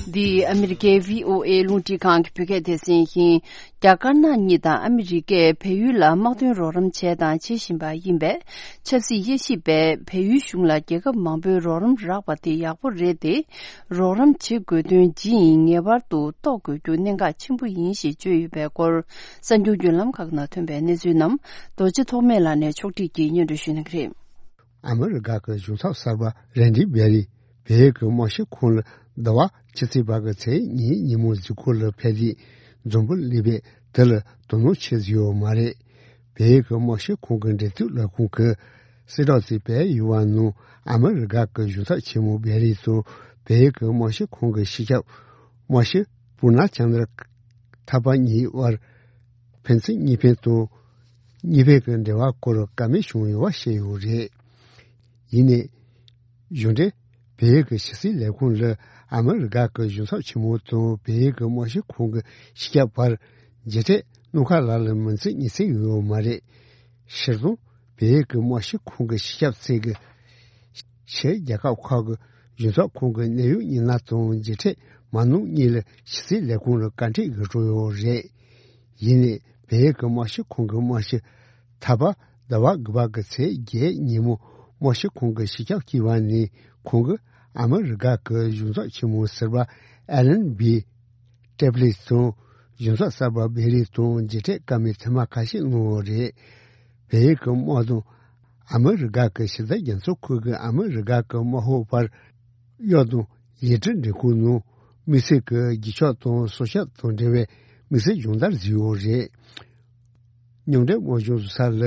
འདི་ཨ་མི་རི་ཀའི་བྷི་ཨོ་ཨེ་རླུང་འཕྲིན་ཁང་གི་བོད་སྐད་སྡེ་ཚན་ཡིན། རྒྱ་དཀར་ནག་གཉིས་དང་ཨ་མི་རི་ཀས་བལ་ཡུལ་ལ་དམག་དོན་རོགས་རམ་བྱས་དང་བྱེད་བཞིན་པ་ཡིན་པས། ཆབ་སྲིད་དབྱེ་ཞིབ་པས་བལ་ཡུལ་གཞུང་ལ་རྒྱལ་ཁབ་མང་པོའི་རོགས་རམ་རག་པ་དེ་ཡག་པོ་རེད་དེ། རོགས་རམ་བྱེད་དགོས་དོན་ཇི་ཡིན་ངེས་པར་དུ་རྟོགས་དགོས་རྒྱུ་གནད་འགག་ཆེན་པོ་ཡིན་ཞེས་བརྗོད་ཡོད་པའི་སྐོར། གསར་འགྱུར་བརྒྱུད་ལམ་ཁག་ནང་ཐོན་པའི་གནས་ཚུལ་རྣམས་རྡོ་རྗེ་ཐོགས་མེད་ལགས་ནས་ཕྱོགས་སྒྲིག་གིས་སྙན་སྒྲོན་ཞུ་གནང་གི་རེད། ཨ་མི་རི་ཀ་གི་གཞུང་ཚབ་གསར་པ་རན་ཌི་བྷེ་རི་བལ་ཡུལ་གྱི་དམག་སྤྱི་ཁོངས་ལ་ཟླ་བ་ཕྱི་ཚེས་པ་གི་ཚེས་གཉིས་ཉིན་མོ་གཟིགས་སྐོར་ལ་ཕེབས་ཏེ་འཛོམས་པ་སླེབས་པས་དེ་ལ་དོ་སྣང་ཆེ་ཟིག་ཡོད་མ་རེད། བལ་ཡུལ་གྱི་དམག་སྤྱི་ཁོངས་ཀྱི་འབྲེལ་མཐུད་ལས་ཁུངས་ཀྱིས་གསལ་བསྒྲགས་ཤིག་སྤེལ་ཡོད་པ་ནང་ཨ་མི་རི་ཀ་གི་གཞུང་ཚབ་ཆེན་མོ་བྷེ་རི་དང་བལ་ཡུལ་གྱི་དམག་སྤྱི་ཁོངས་ཀྱི་སྤྱི་ཁྱབ་དམག་སྤྱི་སྤུ་ན་ཅན་དར་ཐར་པ་གཉིས་དབར་ཕན་ཚུན་གཉིས་ཕན་དང་། གཉིས་ཕན་གྱི་འབྲེལ་བ་སྐོར་བཀའ་མོལ་བྱུང་ཡོད་པ་བཤད་ཡོད་རེད། ཡིན་ནའི། གཞུང་འབྲེལ་བལ་ཡུལ་གྱི་ཕྱི་སྲིད་ལས་ཁུངས་ལ་ཨ་མི་རི་ཀ་གི་གཞུང་ཚབ་ཆེན་མོ་དང་བལ་ཡུལ་གྱི་དམག་སྤྱི་ཁོངས་ཀྱི་སྤྱི་ཁྱབ་བར་མཇལ་འཕྲད་གནང་ཁ་ལ་ལ་མིན་ཚེ་གཉིས་ཚེ་ཡོད་ཡོད་མ་རེད། ཕྱིར་ཚོང་བལ་ཡུལ་གྱི་དམག་སྤྱི་ཁོངས་ཀྱི་སྤྱི་ཁྱབ་ཚེ་གི་ཕྱིར་རྒྱལ་ཁབ་ཁག་གི་གཞུང་ཚབ་ཁོངས་ཀྱི་གནད་ཡོད་མི་སྣ་དང་མཇལ་འཕྲད་མ་གནང་གཉིས་ལ་ཕྱི་སྲིད་ལས་ཁུངས་ལ་བཀའ་འཁྲོལ་ཡོད་འགྲོ་ཡོད་རེད། ཡིན་ནའི་བལ་ཡུལ་གྱི་དམག་སྤྱི་ཁོངས་ཀྱི་དམག་སྤྱི་ཐ་པ་ཟླ་བ་དགུ་པ་གི་ཚེས་བརྒྱད་ཉིན་མོ་དམག་སྤྱི་ཁོངས་ཀྱི་སྤྱི་ཁྱབ་བསྐོས་པ་ནས་ཁོང་གིས་ཨ་མི་རི་ཀ་གི་གཞུང་ཚབ་ཆེན་མོ་ཟུར་པ་ཨེ་ལན་བི་ཏེབ་ལིས་དང་གཞུང་ཚབ་གསར་པ་བེ་རི་དང་མཇལ་འཕྲད་བཀའ་མོལ་ཐེངས་མ་ཁ་ཤས་གནང་ཡོད་རེད། བལ་ཡུལ་གྱི་དམག་དང་ཨ་མི་རི་ཀ་གི་ཕྱི་འབྲེལ་རྒྱལ་ཚོགས་ཁུལ་གྱི་ཨ་མི་རི་ཀ་གི་དམག་ཧོག་བར་གཡོག་དང་ཡིག་འབྲེལ་འབྲེལ་ཁུལ་ནང་དམིགས་བསལ་གྱི་རྒྱུག་ཤོག་དང་སྲོག་ཆགས་དང་འབྲེལ་བའི་དམིགས་བསལ་སྦྱོང་བརྡར་བཟོས་ཡོད་རེད། མཉམ་འབྲེལ་དམག་སྦྱོང་བཟོ་ས་ལ་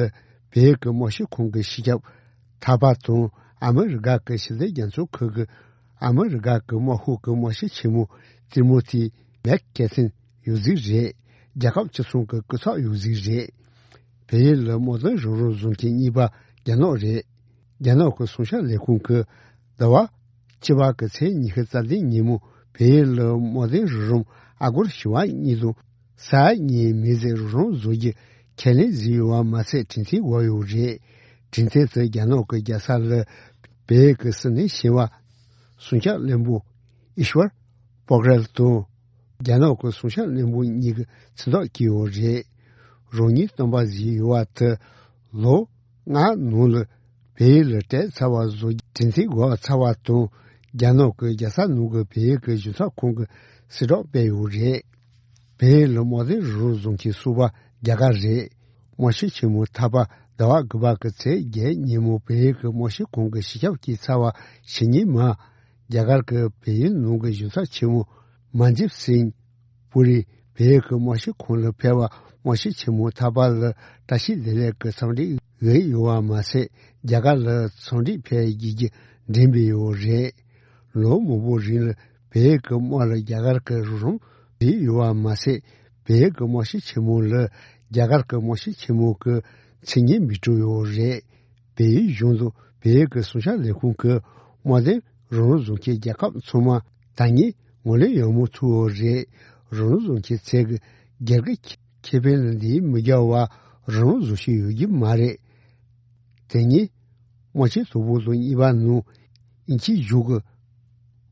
བལ་ཡུལ་གྱི་དམག་སྤྱི་ཁོངས་ཀྱི་སྤྱི་ཁྱབ་ཐ་པ་དང་ཨ་མི་རི་ཀ་གི་ཕྱི་འབྲེལ་རྒྱལ་ཚོགས་ཁུལ་གྱི་ཨ་མི་རི་ཀ་གི་དམག་ཧོག་གི་དམག་སྤྱི་ཆེན་མོ་ཏི་མོ་ཐི་མེག་ཀེ་ཐིན་ཡོད་རྩིས་རེད། རྒྱལ་ཁབ་གཅིག་མཚུངས་ཀྱི་སྐུ་ཚབ་ཡོད་རྩིས་རེད། བལ་ཡུལ་ལ་དམག་དོན་རོགས་རམ་བཟོ་མཁན་གཉིས་པ་རྒྱ་ནག་རེད། རྒྱ་ནག་གི་སྲུང་སྐྱོབ་ལས་ཁུངས་ཀྱིས་ཟླ་བ་བཅུ་པ་གི་ཚེས་ཉི་ཤུ་རྩ་བདུན་ཉིན་མོ་བལ་ཡུལ་ལ་དམག་དོན་རོགས་རམ་ཨ་སྒོར་བཞི་བ་གཉིས་དང་ས་ཡ་གཉིས་མི་ཚད་རོགས་རམ་བཟོ་རྒྱུ་ཁས་ལེན་བཟོས་ཡོད་པ་མ་ཚད་གྲོས་མཐུན་འོག་ཡོད་རེད། གྲོས་མཐུན་དེ་རྒྱ་ནག་གི་རྒྱལ་ས་ལ་བལ་ཡུལ་གྱི་སྲིད་བློན་ཆེ་བ་སྲུང་སྐྱོབ་བློན་པོ་ཨིཤ་བར་པོག་རལ་དང་རྒྱ་ནག་གི་སྲུང་སྐྱོབ་བློན་པོ་གཉིས་ཀྱི་མཚན་ཐོག་བསྐོས་ཡོད་རེད། རང་ཉིད་སྟོན་པ་བཟོས་ཡོད་པ་དེ་ལོ་ལྔ་ནང་ལ་བལ་ཡུལ་ལ་གྲལ་ཚ་བ་བཟོ་རྒྱུ་གྲོས་མཐུན་འོག་ཚར་བ་དང་རྒྱ་ནག་གི་རྒྱལ་ས་ནང་གི་བལ་ཡུལ་གྱི་གཞུང་ཚབ་ཁང་གི་གསལ་བསྒྲགས་སྤེལ་ཡོད་རེད། བལ་ཡུལ་ལ་དམག་དོན་རོགས་རམ་བཟོ་མཁན་གསུམ་པ་རྒྱ་གར་རེད། དམག་སྤྱི་ཆེན་མོ་ཐ་པ་ཟླ་བ་དགུ་པ་གི་ཚེས་བརྒྱད་ཉིན་མོ་བལ་ཡུལ་གྱི་དམག་སྤྱི་ཁང་གི་སྤྱི་ཁྱབ་བསྐོས་ཚར་བ་ཕྱི་ཉིན་མ། རྒྱ་གར་གྱི་བལ་ཡུལ་ནང་གི་གཞུང་ཚབ་ཆེན་མོ་མན་ཇིབ་སིང་པུ་རི་བལ་ཡུལ་གྱི་དམག་སྤྱི་ཁང་ལ་ཕེབས་པ་དམག་སྤྱི་ཆེན་མོ་ཐ་པ་ལ་བཀྲ་ཤིས་བདེ་ལེགས་ཀྱི་འཚམས་འདྲི་ཡོད་ཡོད་པ་མ་ཟད་རྒྱ་གར་ལ་འཚམས་འདྲི་ཕེབས་རྒྱུ་གྱི་འགྲེམས་སྤེལ་ཡོད་རེད། ལོ་མང་པོ་རིང་ལ་བལ་ཡུལ་གྱི་དམག་ལ་རྒྱ་གར་གྱི་རོགས་རམ་བྱས་ཡོད་པ་མ་ཟད། བལ་ཡུལ་གྱི་དམག་སྤྱི་ཆེན་མོ་ལ་རྒྱ་གར་གྱི་དམག་སྤྱི་ཆེན་མོ་གི་མཚན་སྙན་འབུལ་གྲབས་ཡོད་རེད། བལ་ཡུལ་གཞུང་དང་བལ་ཡུལ་གྱི་སྲུང་སྐྱོབ་ལས་ཁུངས་ཀྱི་དམག་དོན་རོགས་རམ་བཟོ་མཁན་རྒྱལ་ཁབ་ཚང་མ་ད་ངས་ངོས་ལེན་ཡག་མོ་ཐུབ་ཡོད་རེད། རོགས་རམ་བཟོ་མཁན་ཚོས་ཀྱི་སྒེར་གྱི་ཁེ་ཕན་ལ་འདིའི་མི་རྒྱ་བ་རོགས་རམ་བཟོ་བཞིན་ཡོད་ཀྱི་མ་རེད། དེ་ཉིན། དམག་ཆེན་དང་པོ་དང་གཉིས་པ་ནང་དབྱིན་ཇིའི་གཞུང་གིས་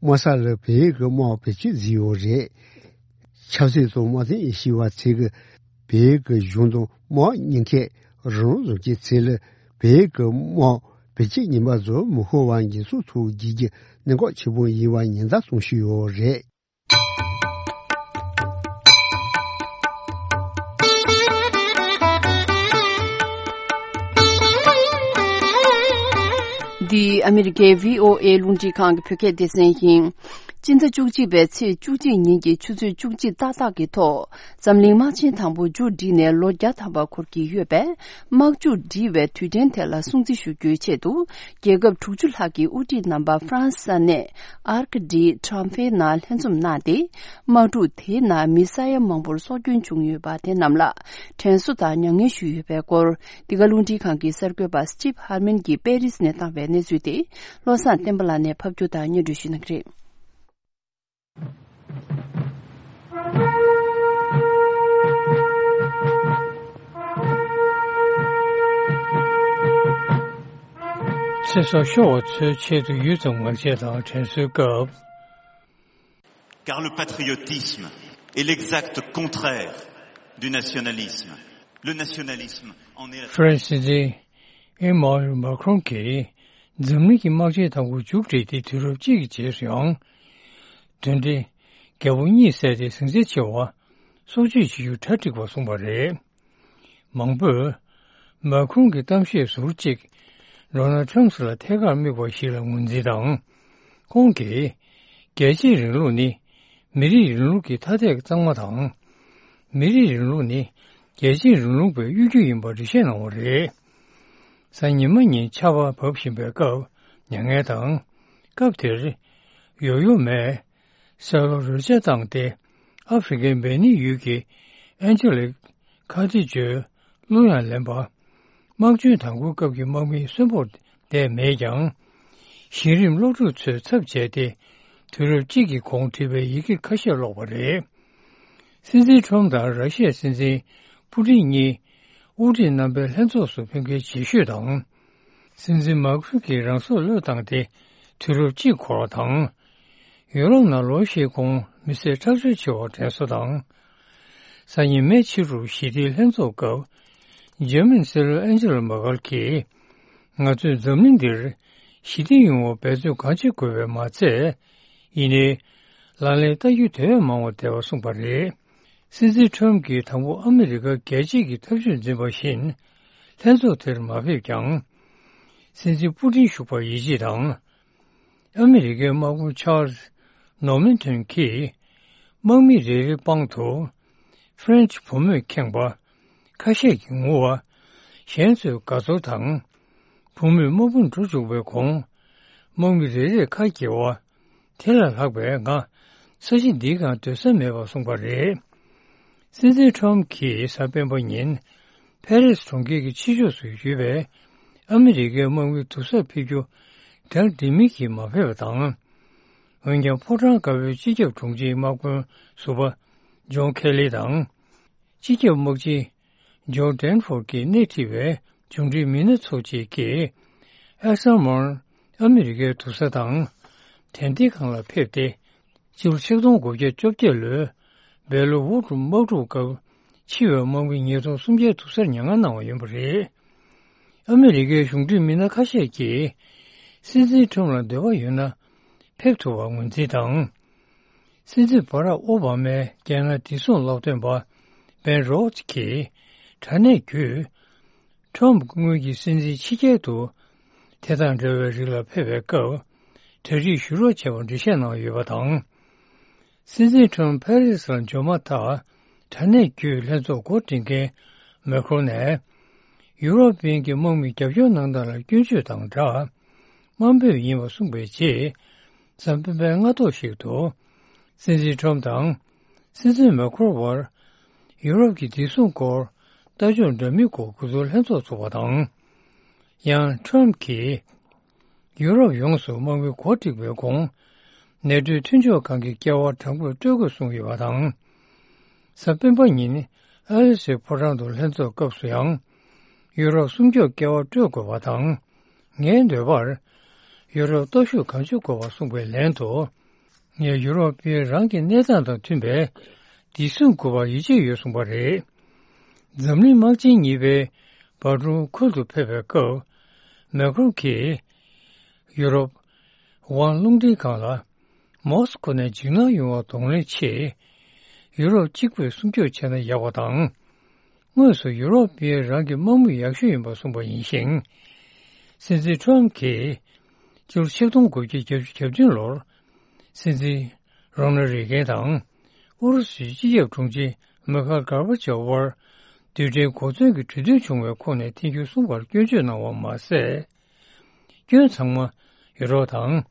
དམག་ས་ལ་བལ་ཡུལ་གྱི་དམག་བེད་སྤྱོད་བཟོས་ཡོད་རེད། ཆབ་སྲིད་དང་དམག་དོན་དབྱེ་ཞིབ་པ་ཚོས་ཀྱི་བལ་ཡུལ་གྱི་གཞུང་དང་དམག་གཉིས་ཀས་རང་དབང་བཟོ་རྒྱུའི་ཚུལ་ལ་བལ་ཡུལ་གྱི་དམག་བེད་སྤྱོད་ངན་པ་བཟོ་མི་ཤོར་བ་འགན་སྲུང་ཐུབ་རྒྱུ་གྱི་གནད་འགག་ཆེན་པོ་ཡིན་པ་ཉེན་བརྡ་གཏོང་བཞིན་ཡོད་རེད། འདི་ཨ་མི་རི་ཀའི་བྷི་ཨོ་ཨེ་རླུང་འཕྲིན་ཁང་གི་བོད་སྐད་སྡེ་ཚན་ཡིན། སྤྱི་ཟླ་བཅུ་གཅིག་པའི་ཚེས་བཅུ་གཅིག་ཉིན་གྱི་ཆུ་ཚོད་བཅུ་གཅིག་ཏག་ཏག་གི་ཐོག་འཛམ་གླིང་དམག་ཆེན་དང་པོ་མཇུག་བསྒྲིལ་ནས་ལོ་བརྒྱ་ཐམ་པ་འཁོར་གྱི་ཡོད་པས། དམག་མཇུག་སྒྲིལ་བའི་དུས་དྲན་དེ་ལ་སྲུང་བརྩི་ཞུ་རྒྱུའི་ཆེད་དུ། རྒྱལ་ཁབ་དྲུག་ཅུ་ལྷག་གི་དབུ་ཁྲིད་རྣམ་པ་ཧྥ་རན་སི་ས་གནས་Arc de Triomphe་ནང་ལྷན་འཛོམས་གནང་སྟེ། དམག་འཁྲུག་དེའི་ནང་མི་ས་ཡ་མང་པོར་སྲོག་སྐྱོན་བྱུང་ཡོད་པ་དེ་རྣམས་ལ་དྲན་གསོ་དང་མྱ་ངན་ཞུས་ཡོད་པའི་སྐོར། འདི་ག་རླུང་འཕྲིན་ཁང་གི་གསར་འགོད་པ་Steve Harmon་གྱིས་པེ་རིས་ནས་བཏང་བའི་གནས་ཚུལ་དེ་བློ་བཟང་བསྟན་པ་ལགས་ནས་ཕབ་སྒྱུར་དང་སྙན་སྒྲོན་ཞུ་གནང་གི་རེད། ཚེ་སྲོག་ཤོར་བ་ཚོའི་ཆེད་དུ་ཡུད་ཙམ་ངག་བཅད་དང་དྲན་གསོའི་སྐབས། Car le patriotisme est l'exact contraire du nationalisme. Le nationalisme en est la ཧྥ་རན་སི་སྲིད་འཛིན་ཨེ་མ་ནུ་ཨེལ་མཱ་ཁྲོན་གྱིས་འཛམ་གླིང་གི་དམག་ཆེན་དང་པོ་མཇུག་བསྒྲིལ་ཏེ་དུས་རབས་གཅིག་གི་རྗེས་སུ་ཡང་། དོན་འདི་རྒྱལ་པོ་གཉིད་སད་དེ་ཟིང་ཆ་ཆེ་བ་སྲོག་གཅོད་བྱེད་རྒྱུ་གྲ་འགྲིག་པ་གསུངས་པ་རེད། མང་པོས་མཱ་ཁྲོན་གྱི་གཏམ་བཤད་ཟུར་གཅིག་ཌོ་ནལ་ཊམ་ལ་ཐད་ཀར་དམིགས་པ་ཞིག་ལ་ངོས་འཛིན་དང་། ཁོང་གིས་རྒྱལ་གཅེས་རིང་ལུགས་ནི་མི་རིགས་རིང་ལུགས་ཀྱི་ཐ་དད་གཙང་མ་དང་། མི་རིགས་རིང་ལུགས་ནི་རྒྱལ་གཅེས་རིང་ལུགས་པའི་གཡོ་སྒྱུ་ཡིན་པར་འགྲེལ་བཤད་གནང་བ་རེད། གཟའ་ཉི་མ་ཉིན་ཆར་པ་བབས་བཞིན་པའི་སྐབས་མྱ་ངན་དང་། སྐབས་དེར་ཡོ་ཡོ་མས་སེ་ལོ་རོལ་ཆ་བཏང་སྟེ་ཨ་ཧྥེ་རི་ཁའི་སྦེ་ནིན་ཡུལ་གྱི་ཨན་ཇེ་ལིག་ཁ་ཏི་ཇོའི་ གླུ་ཡང་ལེན་པ། དམག་བྱོན་དང་པོའི་སྐབས་ཀྱི་དམག་མི་གསོན་པོར་བསྡད་མེད་ཀྱང་། གཞི་རིམ་སློབ་ཕྲུག་ཚོའི་ཚབ་བྱས་ཏེ། དུས་རབས་གཅིག་གི་གོང་བྲིས་པའི་ཡི་གེ་ཁ་ཤས་ཀློག་པ་རེད། སྲིད་འཛིན་ཁྲོམ་དང་ར་ཤི་ཡའི་སྲིད་འཛིན་པུ་ཏིན་གཉིས་དབུ་ཁྲིད་རྣམ་པའི་ལྷན་ཚོགས་སུ་ཕེབས་མཁན་རྗེས་ཤོས་དང་། སྲིད་འཛིན་མཱ་ཁུན་གྱིས་རང་སྲོག་བློས་བཏང་སྟེ་དུས་རབས་གཅིག་འཁོར་བ་དང་། ཡུ་རོབ་ནང་ལོ་ཤས་གོང་མི་སེར་ཁྲག་སྦྱོར་ཆེ་བ་དྲན་གསོ་དང་། སང་ཉིན་མེ་ཕྱི་དྲོར་ཞི་བདེའི་ལྷན་ཚོགས་སྐབས། འཇར་མན་སྲིད་བློན་ཨན་ཇེ་ལ་མེར་ཀེལ་གྱིས། ང་ཚོས་འཛམ་གླིང་འདིར་ཞི་བདེ་ཡོང་བར་འབད་བརྩོན་གང་ཆེ་དགོས་པས་མ་ཚད། ཡིན་ནའི། ལག་ལེན་བསྟར་རྒྱུ་དེ་བས་མང་བ་བསྡད་པ་གསུངས་པ་རེད། སྲིད་འཛིན་ཁྲོམ་གྱིས་དང་པོ་ཨ་མི་རི་ཀ་རྒྱལ་གཅེས་ཀྱི་ཐབས་ཇུས་འཛིན་པ་བཞིན། ལྷན་ཚོགས་དེར་མ་ཕེབས་ཀྱང་། སྲིད་འཛིན་པུ་ཏིན་བཞུགས་པར་ཡིད་ཆེས་དང་། ཨ་མི་རི་ཀའི་དམག་དཔོན་ཆཱལ་ནོར་མན་ཐོན་གྱིས། དམག་མི་རེ་རེའི་པང་དུ། ཧྥ་རན་ཆི་བུ་མོས་ཁེངས་པ། ཁ་ཤས་ཀྱིས་ངུ་བ། གཞན་ཚོས་དགའ་ཚོར་དང་། བུ་མོས་དམག་དཔོན་འགྲོ་བཅུག་པའི་གོང་། དམག་མི་རེ་རེས་ཁ་འགྱེལ་བ། དེ་ལས་ལྷག་པའི་ང་ས་གཞི་འདིའི་སྒང་སྡོད་ས་མེད་པར་གསུངས་པ་རེད། སྲིད་འཛིན་ཁྲོམ་གྱིས་གཟའ་སྤེན་པ་ཉིན་ཕ་རི་སི་གྲོང་ཁྱེར་གྱི་ཕྱི་ཕྱོགས་སུ་ཡོད་པའི་ཨ་མི་རི་ཀའི་དམག་མི་སྡུག་སར་ཕེབས་རྒྱུ་གྲལ་འགྲིག་མིན་གྱིས་མ་ཕེབས་པ་དང་། འོན་ཀྱང་ཕོ་བྲང་དཀར་པོའི་སྤྱི་ཁྱབ་དྲུང་ཆེའི་དམག་དཔོན་ཟུར་པ་ཇོན་ཁེ་ལི་དང་། སྤྱི་ཁྱབ་དམག་སྤྱི་ཇོ་ཌེན་ཧྥོར་གྱིས་སྣེ་ཁྲིད་པའི་གཞུང་འབྲེལ་མི་སྣ་ཚོ་གཅིག་གིས། ཨེ་སམ་མོར་ཨ་མི་རི་ཀའི་སྡུག་ས་དང་། དན་ཏིག་སྒང་ལ་ཕེབས་ཏེ། སྤྱི་ལོ་ཆིག་སྟོང་དགུ་བརྒྱ་བཅོ་བརྒྱད་ལོའི་བལ་ལོ་ཝུ་ཀྲུག་དམག་འཁྲུག་སྐབས་འཆི་བའི་དམག་མི་ཉིས་སྟོང་སུམ་བརྒྱ་སྡུག་སར་མྱ་ངན་གནང་བ་ཡིན་པ་རེད། ཨ་མི་རི་ཀའི་གཞུང་འབྲེལ་མི་སྣ་ཁ་ཤས་ཀྱིས། སྲིད་འཛིན་ཁྲོམ་ལ་འདོད་པ་ཡོད་ན། ཕེབས་ཐུབ་པར་ངོས་འཛིན་དང་། སྲིད་འཛིན་བྷ་རག་ཨོ་བྷ་མའི་རྒྱལ་ནང་བདེ་སྲུང་སློབ་སྟོན་པ་བན་རོ་ཙི་གིས་དྲ་གནས་བརྒྱུད། ཁྲོམ་སྔོན་གྱི་སྲིད་འཛིན་ཕྱི་རྒྱལ་དུ་དེ་དང་འདྲ་བའི་རིགས་ལ་ཕེབས་པའི་སྐབས་གྲ་སྒྲིག་ཞུ་རོགས་བྱས་པར་འགྲེལ་བཤད་གནང་ཡོད་པ་དང་། སྲིད་འཛིན་ཁྲོམ་ཕ་རི་སི་ལ་འབྱོར་མ་ཐག་དྲ་གནས་བརྒྱུད་ལྷན་ཚོགས་འགོ་འདྲེན་མཁན་མེ་ཁྲོན་ནས། ཡུ་རོབ་པའི་གི་དམག་མི་རྒྱབ་སྐྱོར་གནང་སྟངས་ལ་སྐྱོན་བརྗོད་དང་སྦྲགས། དམའ་འབེབས་ཡིན་པ་གསུངས་པའི་རྗེས། གཟའ་སྤེན་པའི་སྔ་ཐོག་ཞིག་ཏུ། སྲིད་འཛིན་ཁྲོམ་དང་། སྲིད་འཛིན་མེ་ཁྲོན་བར། ཡུ་རོབ་ཀྱི་བདེ་སྲུང་སྐོར། ལྟ་ཕྱོགས་འདྲ་མིན་སྐོར་གོ་བསྡུར་ལྷན་ཚོགས་ཚོགས་པ་དང་། ཡང་ཁྲོམ་གྱིས། ཡུ་རོབ་ཡོངས་སུ་དམག་མི་འགོ་ཁྲིད་པའི་གོང་། ནེ་ཊོའི་མཐུན་ཕྱོགས་ཁང་གི་ཀེ་བ་དྲང་པོར་སྤྲོད་དགོས་གསུངས་ཡོད་པ་དང་། གཟའ་སྤེན་པ་ཉིན་ཨ་ལེ་སི་ཕོ་བྲང་དུ་ལྷན་ཚོགས་སྐབས་སུ་ཡང་། ཡུ་རོབ་སྲུང་སྐྱོབ་ཀེ་བ་སྤྲོད་དགོས་པ་དང་། ངའི་འདོད་པར། ཡུ་རོབ་སྟོབས་ཤུགས་གང་ཅི་དགོས་པ་གསུངས་པའི་ལན་དུ། ངས་ཡུ་རོབ་པས་རང་གི་གནས་སྟངས་དང་མཐུན་པའི་བདེ་སྲུང་དགོས་པར་ཡིད་ཆེས་ཡོད་གསུངས་པ་རེད། འཛམ་གླིང་དམག་ཆེན་གཉིས་པའི་བར་དུ་ཁུལ་དུ་ཕེབས་པའི་སྐབས། མེ་ཁྲོན་གྱིས། ཡུ་རོབ། ཝང་རླུང་འཕྲིན་ཁང་ལ། མོ་སི་ཁོ་ནས་འཇིགས་སྣང་ཡོང་བར་གདོང་ལེན་ཆེད། ཡུ་རོབ་གཅིག་པུས་སྲུང་སྐྱོབ་བྱས་ན་ཡག་པ་དང་། དངོས་སུ་ཡུ་རོབ་པས་རང་གི་དམག་མི་ཡག་ཤོས་ཡིན་པ་གསུངས་པ་ཡིན་ཞིང་། སྲིད་འཛིན་ཁྲོམ་གྱིས། སྤྱི་ལོ་ཆིག་སྟོང་དགུ་བརྒྱ་བརྒྱད་ཅུ་གྱ་བདུན་ལོར། སྲིད་འཛིན་རོ་ན་རེ་གན་དང་། ཨུ་རུ་སུའི་སྤྱི་ཁྱབ་དྲུང་ཆེ་མི་ཁ་གར་བ་ཅོབ་དབར། རྡུལ་ཕྲན་གོ་མཚོན་གྱི་གྲོས་མཐུན་བྱུང་བའི་ཁོངས་ནས་ཐེ་ཇུས་གསུམ་པར་སྐྱོན་བརྗོད་གནང་བ་མ་ཟད། སྐྱོན་ཚང་མ་ཡུ་རོབ་དང་།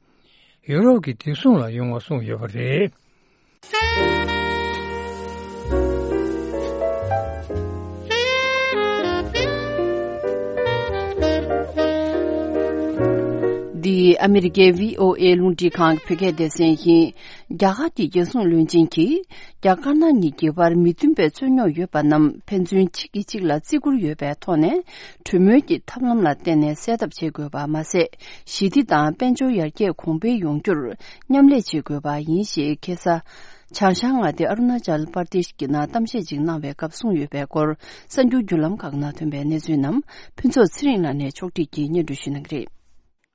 ཡུ་རོབ་ཀྱི་བདེ་སྲུང་ལ་ཡོང་བ་གསུངས་ཡོད་པ་རེད། འདི་ཨ་མི་རི་ཀའི་བྷི་ཨོ་ཨེ་རླུང་འཕྲིན་ཁང་གི་བོད་སྐད་སྡེ་ཚན་ཡིན། རྒྱ་གར་གྱི་རྒྱལ་སྲུང་བློན་ཆེན་གྱིས། རྒྱ་དཀར་ནག་གཉིས་ཀྱི་བར་མི་མཐུན་པའི་རྩོད་རྙོག་ཡོད་པ་རྣམས་ཕན་ཚུན་གཅིག་གིས་གཅིག་ལ་བརྩི་བཀུར་ཡོད་པའི་ཐོག་ནས། གྲོས་མོལ་གྱི་ཐབས་ལམ་ལ་བརྟེན་ནས་སེལ་ཐབས་བྱེད་དགོས་པ་མ་ཟད། ཞི་བདེ་དང་དཔལ་འབྱོར་ཡར་རྒྱས་གོང་འཕེལ་ཡོང་རྒྱུར་མཉམ་ལས་བྱེད་དགོས་པ་ཡིན་ཞེས་ཁ་སང་། བྱང་ཤར་མངའ་སྡེ་ཨ་རུ་ན་ཅལ་པར་དེཤ་གྱི་ནང་གཏམ་བཤད་ཅིག་གནང་བའི་སྐབས་གསུངས་ཡོད་པའི་སྐོར། གསར་འགྱུར་བརྒྱུད་ལམ་ཁག་ནང་ཐོན་པའི་གནས་ཚུལ་རྣམས་ཕུན་ཚོགས་ཚེ་རིང་ལགས་ནས་ཕྱོགས་སྒྲིག་གིས་སྙན་སྒྲོན་ཞུ་གནང་གི་རེད།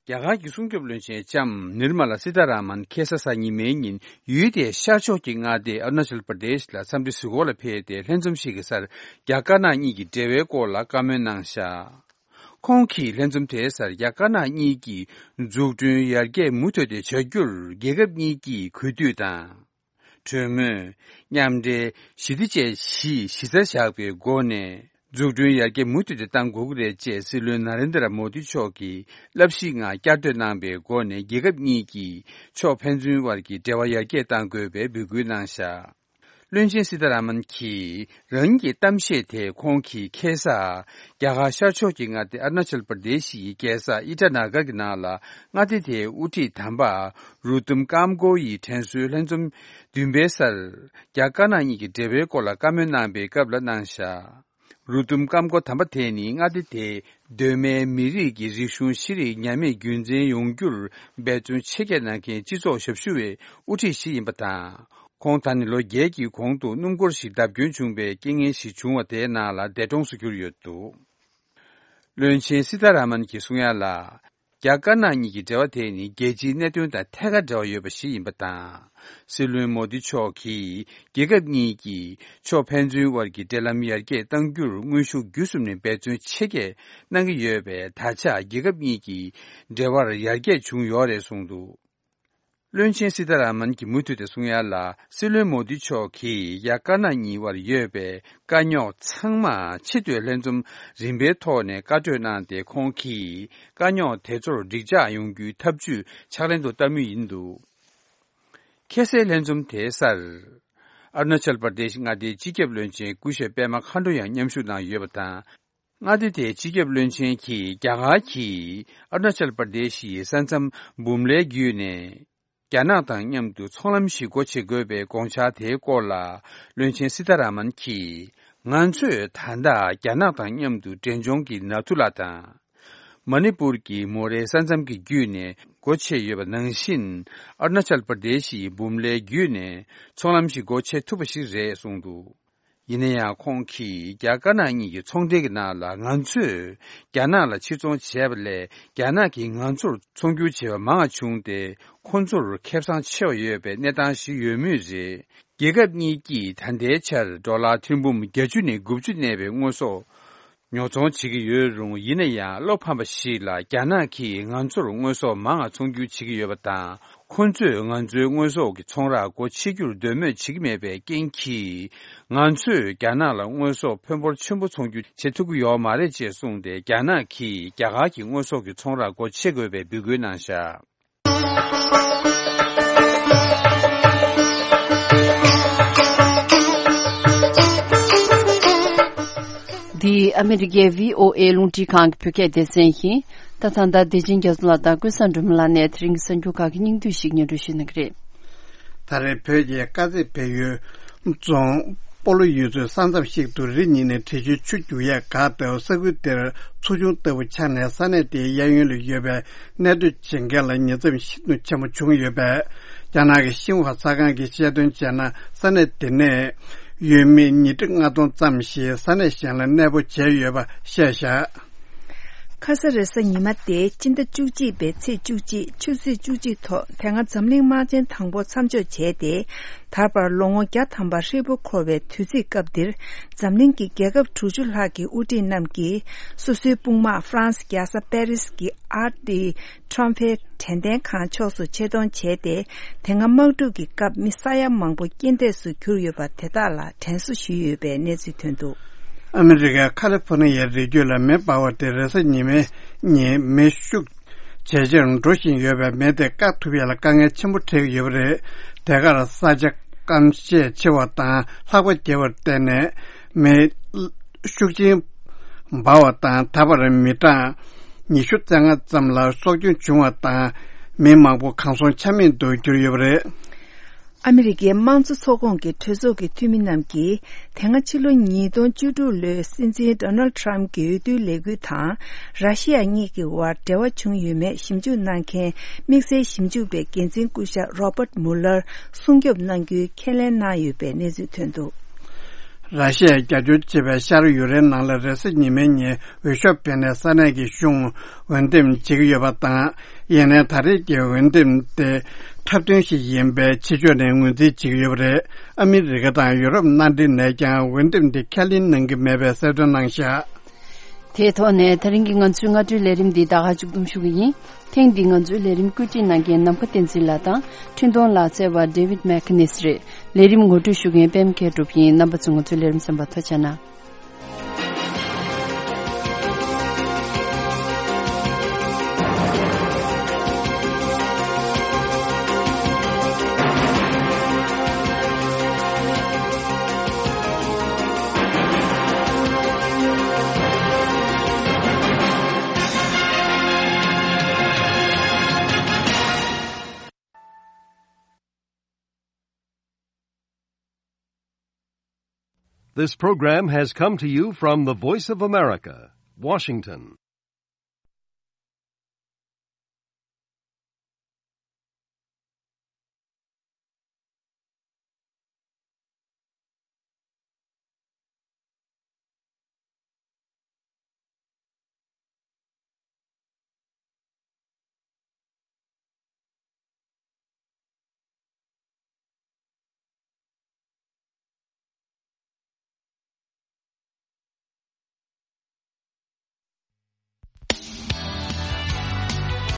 རྒྱ་གར་གྱི་སྲུང་སྐྱོབ་བློན་ཆེན་ལྕམ་ནིར་མ་ལ་སི་ཐ་ར་མན་ཁ་སང་གཟའ་ཉི་མའི་ཉིན་ཡུལ་དེའི་ཤར་ཕྱོགས་ཀྱི་མངའ་སྡེ་ཨ་རུ་ན་ཅལ་པར་དེཤ་ལ་འཚམས་འདྲི་གཟིགས་སྐོར་ལ་ཕེབས་ཏེ། ལྷན་འཛོམས་ཤིག་གི་སར་རྒྱ་དཀར་ནག་གཉིས་ཀྱི་འབྲེལ་བའི་སྐོར་ལ་བཀའ་མོལ་གནང་བཞག་ཁོང་གིས་ལྷན་འཛོམས་དེའི་སར་རྒྱ་དཀར་ནག་གཉིས་ཀྱིས་འཛུགས་སྐྲུན་ཡར་རྒྱས་མུ་མཐུད་དེ་བྱ་རྒྱུར་རྒྱལ་ཁབ་གཉིས་ཀྱིས་གུས་འདུད་དང་། གྲོས་མོལ། མཉམ་འབྲེལ། ཞི་བདེ་བཅས་བཞི་གཞི་རྩར་བཞག་པའི་སྒོ་ནས། འཛུགས་སྐྲུན་ཡར་རྒྱས་མུ་མཐུད་དུ་གཏང་དགོས་ཀྱི་རེད་ཅེས་སྲིད་བློན་ན་རེན་དྲ་མོ་དི་མཆོག་གིས་བསླབ་གཞིའི་ངང་བསྐྱར་ཟློས་གནང་པའི་སྒོ་ནས། རྒྱལ་ཁབ་གཉིས་ཀྱིས་ཕྱོགས་ཕན་ཚུན་དབར་གྱི་འབྲེལ་བ་ཡར་རྒྱས་གཏང་དགོས་པའི་འབོད་སྐུལ་གནང་བཞག་བློན་ཆེན་སི་ཐ་ར་མན་གྱིས་རང་ཉིད་ཀྱི་གཏམ་བཤད་དེ་ཁོང་གིས་ཁ་སང་རྒྱ་གར་ཤར་ཕྱོགས་ཀྱི་མངའ་སྡེ་ཨ་རུ་ན་ཅལ་པར་དེ་ཤི་ཡི་རྒྱལ་ས་ཨི་ཊ་ན་གར་གྱི་ནང་ལ་མངའ་སྡེ་དེའི་དབུ་ཁྲིད་དམ་པ་རུ་ཏུམ་ཀམ་ཀོ་ཡི་དྲན་གསོའི་ལྷན་འཛོམས་བདུན་པའི་སར་རྒྱ་དཀར་ནག་གཉིས་ཀྱི་འབྲེལ་བའི་སྐོར་ལ་བཀའ་མོལ་གནང་པའི་སྐབས་ལ་གནང་བཞག་རུ་ཏུམ་ཀམ་ཀོ་དམ་པ་དེ་ནི་མངའ་སྡེ་དེའི་གདོད་མའི་མི་རིགས་ཀྱི་རིག་གཞུང་ཤེས་རིག་ཉམས་མེད་རྒྱུན་འཛིན་ཡོང་རྒྱུར་འབད་བརྩོན་ཆེ་བསྐྱེད་གནང་མཁན་སྤྱི་ཚོགས་ཞབས་ཞུ་བའི་དབུ་ཁྲིད་ཞིག་ཡིན་པ་དང་། ཁོང་ད་ནི་ལོ་བརྒྱད་ཀྱི་གོང་དུ་སྣུམ་འཁོར་ཞིག་བརྡབ་སྐྱོན་བྱུང་བའི་རྐྱེན་ངན་ཞིག་བྱུང་བ་དེའི་ནང་ལ་འདས་གྲོངས་སུ་གྱུར་ཡོད་འདུག་བློན་ཆེན་སི་ཐ་ར་མན་གྱིས་གསུང་ཡ་ལ། རྒྱ་དཀར་ནག་གཉིས་ཀྱི་འབྲེལ་བ་དེ་ནི་རྒྱལ་སྤྱིའི་གནད་དོན་དང་ཐད་ཀར་འབྲེལ་བ་ཡོད་པ་ཞིག་ཡིན་པ་དང་། སྲིད་བློན་མོ་དི་མཆོག་གིས་རྒྱལ་ཁབ་གཉིས་ཀྱི་ཕྱོགས་ཕན་ཚུན་དབར་གྱི་འབྲེལ་ལམ་ཡར་རྒྱས་གཏང་རྒྱུར་དངོས་ཤུགས་བརྒྱུད་གསུམ་ནས་འབད་བརྩོན་ཆེ་བསྐྱེད་གནང་གི་ཡོད་པས། ད་ཆ་རྒྱལ་ཁབ་གཉིས་ཀྱི་འབྲེལ་བར་ཡར་རྒྱས་བྱུང་ཡོད་རེད་གསུངས་འདུག་བློན་ཆེན་སི་ཐ་ར་མན་གྱིས་མུ་མཐུད་དེ་གསུང་ཡ་ལ། སྲིད་བློན་མོ་དི་མཆོག་གིས་རྒྱ་དཀར་ནག་གཉིས་དབར་ཡོད་པའི་དཀའ་རྙོག་ཚང་མ་ཆེས་མཐོའི་ལྷན་འཛོམས་རིམ་པའི་ཐོག་ནས་བཀའ་གྲོས་གནང་སྟེ། ཁོང་གིས་དཀའ་རྙོག་དེ་ཚོར་འགྲིག་འཇགས་ཡོང་རྒྱུའི་ཐབས་ཇུས་ཕྱག་ལེན་དུ་བསྟར་མུས་ཡིན་འདུག་ཁ་སའི་ལྷན་འཛོམས་དེའི་སར་ཨ་རུ་ན་ཅལ་པར་དེ་ཤི་མངའ་སྡེའི་སྤྱི་ཁྱབ་བློན་ཆེན་སྐུ་ཞབས་པད་མ་མཁའ་འགྲོ་ཡང་མཉམ་ཞུགས་གནང་ཡོད་པ་དང་། མངའ་སྡེ་དེའི་སྤྱི་ཁྱབ་བློན་ཆེན་གྱིས་རྒྱ་གར་གྱིས་ཨ་རུ་ན་ཅལ་པར་དེ་ཤི་ཡི་ས་མཚམས་འབུམ་ལའི་བརྒྱུད་ནས་རྒྱ་ནག་དང་མཉམ་དུ་ཚོང་ལམ་ཞིག་སྒོ་ཕྱེ་དགོས་པའི་དགོངས་འཆར་དེའི་སྐོར་ལ། བློན་ཆེན་སི་ཐ་ར་མན་གྱིས། ང་ཚོས་ད་ལྟ་རྒྱ་ནག་དང་མཉམ་དུ་འབྲས་ལྗོངས་ཀྱི་ནཱ་ཐུ་ལ་དང་། མ་ནི་པུར་གྱི་མོ་རེ་ས་མཚམས་ཀྱི་བརྒྱུད་ནས་སྒོ་ཕྱེ་ཡོད་པ་ནང་བཞིན། ཨ་རུ་ན་ཅལ་པར་དེ་ཤི་ཡི་འབུམ་ལའི་བརྒྱུད་ནས་ཚོང་ལམ་ཞིག་སྒོ་ཕྱེ་ཐུབ་པ་ཞིག་རེད་གསུངས་འདུག་ཡིན་ན་ཡང་། ཁོང་གིས་རྒྱ་དཀར་ནག་གཉིས་ཀྱི་ཚོང་འབྲེལ་གྱི་ནང་ལ། ང་ཚོས་རྒྱ་ནག་ལ་ཕྱིར་ཚོང་བྱས་པ་ལས། རྒྱ་ནག་གིས་ང་ཚོར་ཚོང་སྒྱུར་བྱས་པ་མང་བ་བྱུང་སྟེ། ཁོ་ཚོར་ཁེ་བཟང་ཆེ་བ་ཡོད་པའི་གནས་སྟངས་ཤིག་ཡོད་མུས་རེད། རྒྱལ་ཁབ་གཉིས་ཀྱིས་ད་ལྟའི་ཆར་ཌོ་ལར་ཐེར་འབུམ་བརྒྱད་ཅུ་ནས་དགུ་བཅུ་གནས་པའི་དངོས་ཟོག་ཉོ་ཚོང་བྱེད་ཀྱི་ཡོད་རུང་། ཡིན་ན་ཡང་། བློ་ཕམ་པ་ཞིག་ལ། རྒྱ་ནག་གིས་ང་ཚོར་དངོས་ཟོག་མང་བ་ཚོང་སྒྱུར་བྱེད་ཀྱི་ཡོད་པ་དང་། ཁོ་ཚོས་ང་ཚོའི་དངོས་ཟོག་གི་ཚོང་ར་སྒོ་ཕྱེ་རྒྱུར་འདོད་མོས་བྱེད་ཀྱི་མེད་པའི་རྐྱེན་གྱིས། ང་ཚོས་རྒྱ་ནག་ལ་དངོས་ཟོག་ཕོན་འབོར་ཆེན་པོ་ཚོང་སྒྱུར་བྱེད་ཐུབ་ཀྱི་ཡོད་མ་རེད་ཅེས་གསུངས་ཏེ། རྒྱ་ནག་གིས་རྒྱ་གར་གྱི་དངོས་ཟོག་གི་ཚོང་ར་སྒོ་ཕྱེ་དགོས་པའི་འབོད་སྐུལ་གནང་བཞག་འདི་ཨ་མི་རི་ཀའི་བྷི་ཨོ་ཨེ་རླུང་འཕྲིན་ཁང་གི་བོད་སྐད་སྡེ་ཚན་ཡིན། ད་ད་ལྟ་བདེ་ཆེན་རྒྱ་མཚོ་ལགས་དང་ཀུན་བཟང་སྒྲོལ་མ་ལགས་ནས་དེ་རིང་གི་གསར་འགྱུར་ཁག་གི་སྙིང་བསྡུས་ཤིག་སྙན་སྒྲོན་ཞུ་གནང་གི་རེད། ད་རེས་བོད་ཀྱི་དཀར་མཛེས་བལ་ཡུལ་རྫོང་སྤོ་ལོ་ཡུལ་ཚོའི་ས་མཚམས་ཤིག་ཏུ་རི་གཉིས་ནས་འབྲས་ཆུའི་ཆུ་རྒྱུག་ཡས་འགག་སྟེ། ས་ཁུལ་དེར་ཚུར་བྱུང་ལྟ་བུ་ཆགས་ནས། ས་གནས་དེའི་གཡས་གཡོན་ལ་ཡོད་པའི་གནས་སྡོད་བྱེད་མཁན་ལ་ཉེན་ཚབས་ཤིན་ཏུ་ཆེན་པོ་བྱུང་ཡོད་པས། རྒྱ་ནག་གི་ཤིན་ཧྭ་གསར་ཁང་གིས་བཤད་དོན་བྱས་ན། ས་གནས་དེ་ནས་ཡུལ་མི་ཉིས་ཁྲི་ལྔ་སྟོང་ཙམ་ཞིག་ས་གནས་གཞན་ལ་གནས་སྤོ་བྱས་ཡོད་པ་བཤད་བཞག་ཁ་ས་རེས་གཟའ་ཉི་མ་སྟེ་སྤྱི་ཟླ་བཅུ་གཅིག་པའི་ཚེས་བཅུ་གཅིག་ཆུ་ཚོད་བཅུ་གཅིག་ཐོག་དེ་སྔ་འཛམ་གླིང་དམག་ཆེན་དང་པོ་མཚམས་འཇོག་བྱས་ཏེ། ད་བར་ལོ་ངོ་བརྒྱ་ཐམ་པ་ཧྲིལ་པོ་འཁོར་བའི་དུས་ཚིགས་སྐབས་འདིར། འཛམ་གླིང་གི་རྒྱལ་ཁབ་དྲུག་ཅུ་ལྷག་གི་དབུ་ཁྲིད་རྣམས་ཀྱིས་སོ་སོའི་དཔུང་དམག་ཧྥ་རན་སི་རྒྱལ་ས་པེ་རིས་ཀྱི་ཨར་ཏི་ཁྲོམ་ཕེ་དྲན་རྟེན་ཁང་ཕྱོགས་སུ་ཆེད་གཏོང་བྱས་ཏེ། དེ་སྔ་དམག་འཁྲུག་གི་སྐབས་མི་ས་ཡ་མང་པོ་རྐྱེན་འདས་སུ་གྱུར་ཡོད་པ་དེ་དག་ལ་དྲན་གསོ་ཞུས་ཡོད་པའི་གནས་ཚུལ་ཐོན་འདུག་ཨ་མི་རི་ཀའི་ཁ་ལི་ཧྥོ་ནི་ཡའི་རི་རྒྱུད་ལ་མེ་འབར་བ་དེ་རེས་གཟའ་ཉི་མའི་ཉིན་མེ་ཤུགས་ཇེ་ཆེར་འགྲོ་བཞིན་ཡོད་པས། མེ་དེ་བཀག་ཐུབ་ཡག་ལ་དཀའ་ངལ་ཆེན་པོ་འཕྲད་ཀྱི་ཡོད་པ་རེད། དེ་གར་ས་ཆ་སྐམ་ཤས་ཆེ་བ་དང་ལྷགས་པ་རྒྱས་པར་བརྟེན་ནས། མེ་ཤུགས་ཆེན་འབར་བ་དང་། ད་བར་མི་གྲངས་ཉི་ཤུ་རྩ་ལྔ་ཙམ་ལ་སྲོག་སྐྱོན་བྱུང་བ་དང་། མི་མང་པོ་གང་སོང་ཆ་མེད་དུ་གྱུར་ཡོད་པ་རེད། ཨ་མི་རི་ཀའི་དམངས་གཙོ་ཚོགས་ཁོངས་ཀྱི་གྲོས་ཚོགས་ཀྱི་འཐུས་མི་རྣམས་ཀྱིས། དེ་སྔ་ཕྱི་ལོ་ཉིས་སྟོང་བཅུ་དྲུག་ལོའི་སྲིད་འཛིན་ཌོ་ནལ་ཌི་ཊརམ་གྱི་འོས་བསྡུའི་ལས་འགུལ་དང་། ར་ཤི་ཡ་གཉིས་ཀྱི་དབར་འབྲེལ་བ་བྱུང་ཡོད་མེད་ཞིབ་འཇུག་གནང་མཁན་དམིགས་བསལ་ཞིབ་འཇུག་པའི་འགན་འཛིན་སྐུ་ཞབས་རོ་པར་མུ་ལར་སྲུང་སྐྱོབ་གནང་རྒྱུའི་ཁས་ལེན་གནང་ཡོད་པའི་གནས་ཚུལ་ཐོན་འདུག་ར་ཤི་ཡས་རྒྱབ་སྐྱོར་བྱེད་པའི་ཤར་ཡུཀ་རེན་ནང་ལ་རེས་གཟའ་ཉི་མའི་ཉིན་འོས་ཤོག་འཕེན་ནས་ས་གནས་ཀྱི་གཞུང་འོས་འདེམས་བྱེད་ཀྱི་ཡོད་པ་དང་། ཡིན་ནའི་ད་རེས་ཀྱི་འོས་འདེམས་དེ་འཁྲབ་སྟོན་ཞིག་ཡིན་པའི་ཕྱི་ཕྱོགས་ནས་ངོས་འཛིན་བྱེད་ཀྱི་ཡོད་པ་རེད། ཨ་མི་རི་ཀ་དང་ཡུ་རོབ་མནའ་འབྲེལ་ནས་ཀྱང་འོས་འདེམས་དེ་ཁས་ལེན་གནང་གི་མེད་པའི་གསལ་སྟོན་གནང་བཞག་དེའི་ཐོག་ནས་ད་རིང་གི་ང་ཚོའི་སྔ་དྲོའི་ལས་རིམ་འདི་ད་ག་མཇུག་བསྡོམས་ཞུ་གི་ཡིན། ཐེངས་འདིའི་ང་ཚོའི་ལས་རིམ་བཀོད་སྒྲིག་གནང་མཁན་ནམ་མཁའ་བསྟན་འཛིན་ལགས་དང་། འཕྲིན་གཏོང་ལག་རྩལ་བ་ཌེ་ཝིད་མེག་ནེས་རེད། ལས་རིམ་ངོ་སྤྲོད་ཞུ་མཁན་པད་མ་མཁས་གྲུབ་ཡིན། རྣམ་པ་ཚོ་ང་ཚོའི་ལས་རིམ་གསན་པར་ཐུགས་རྗེ་གནང་། This program has come to you from the Voice of America, Washington.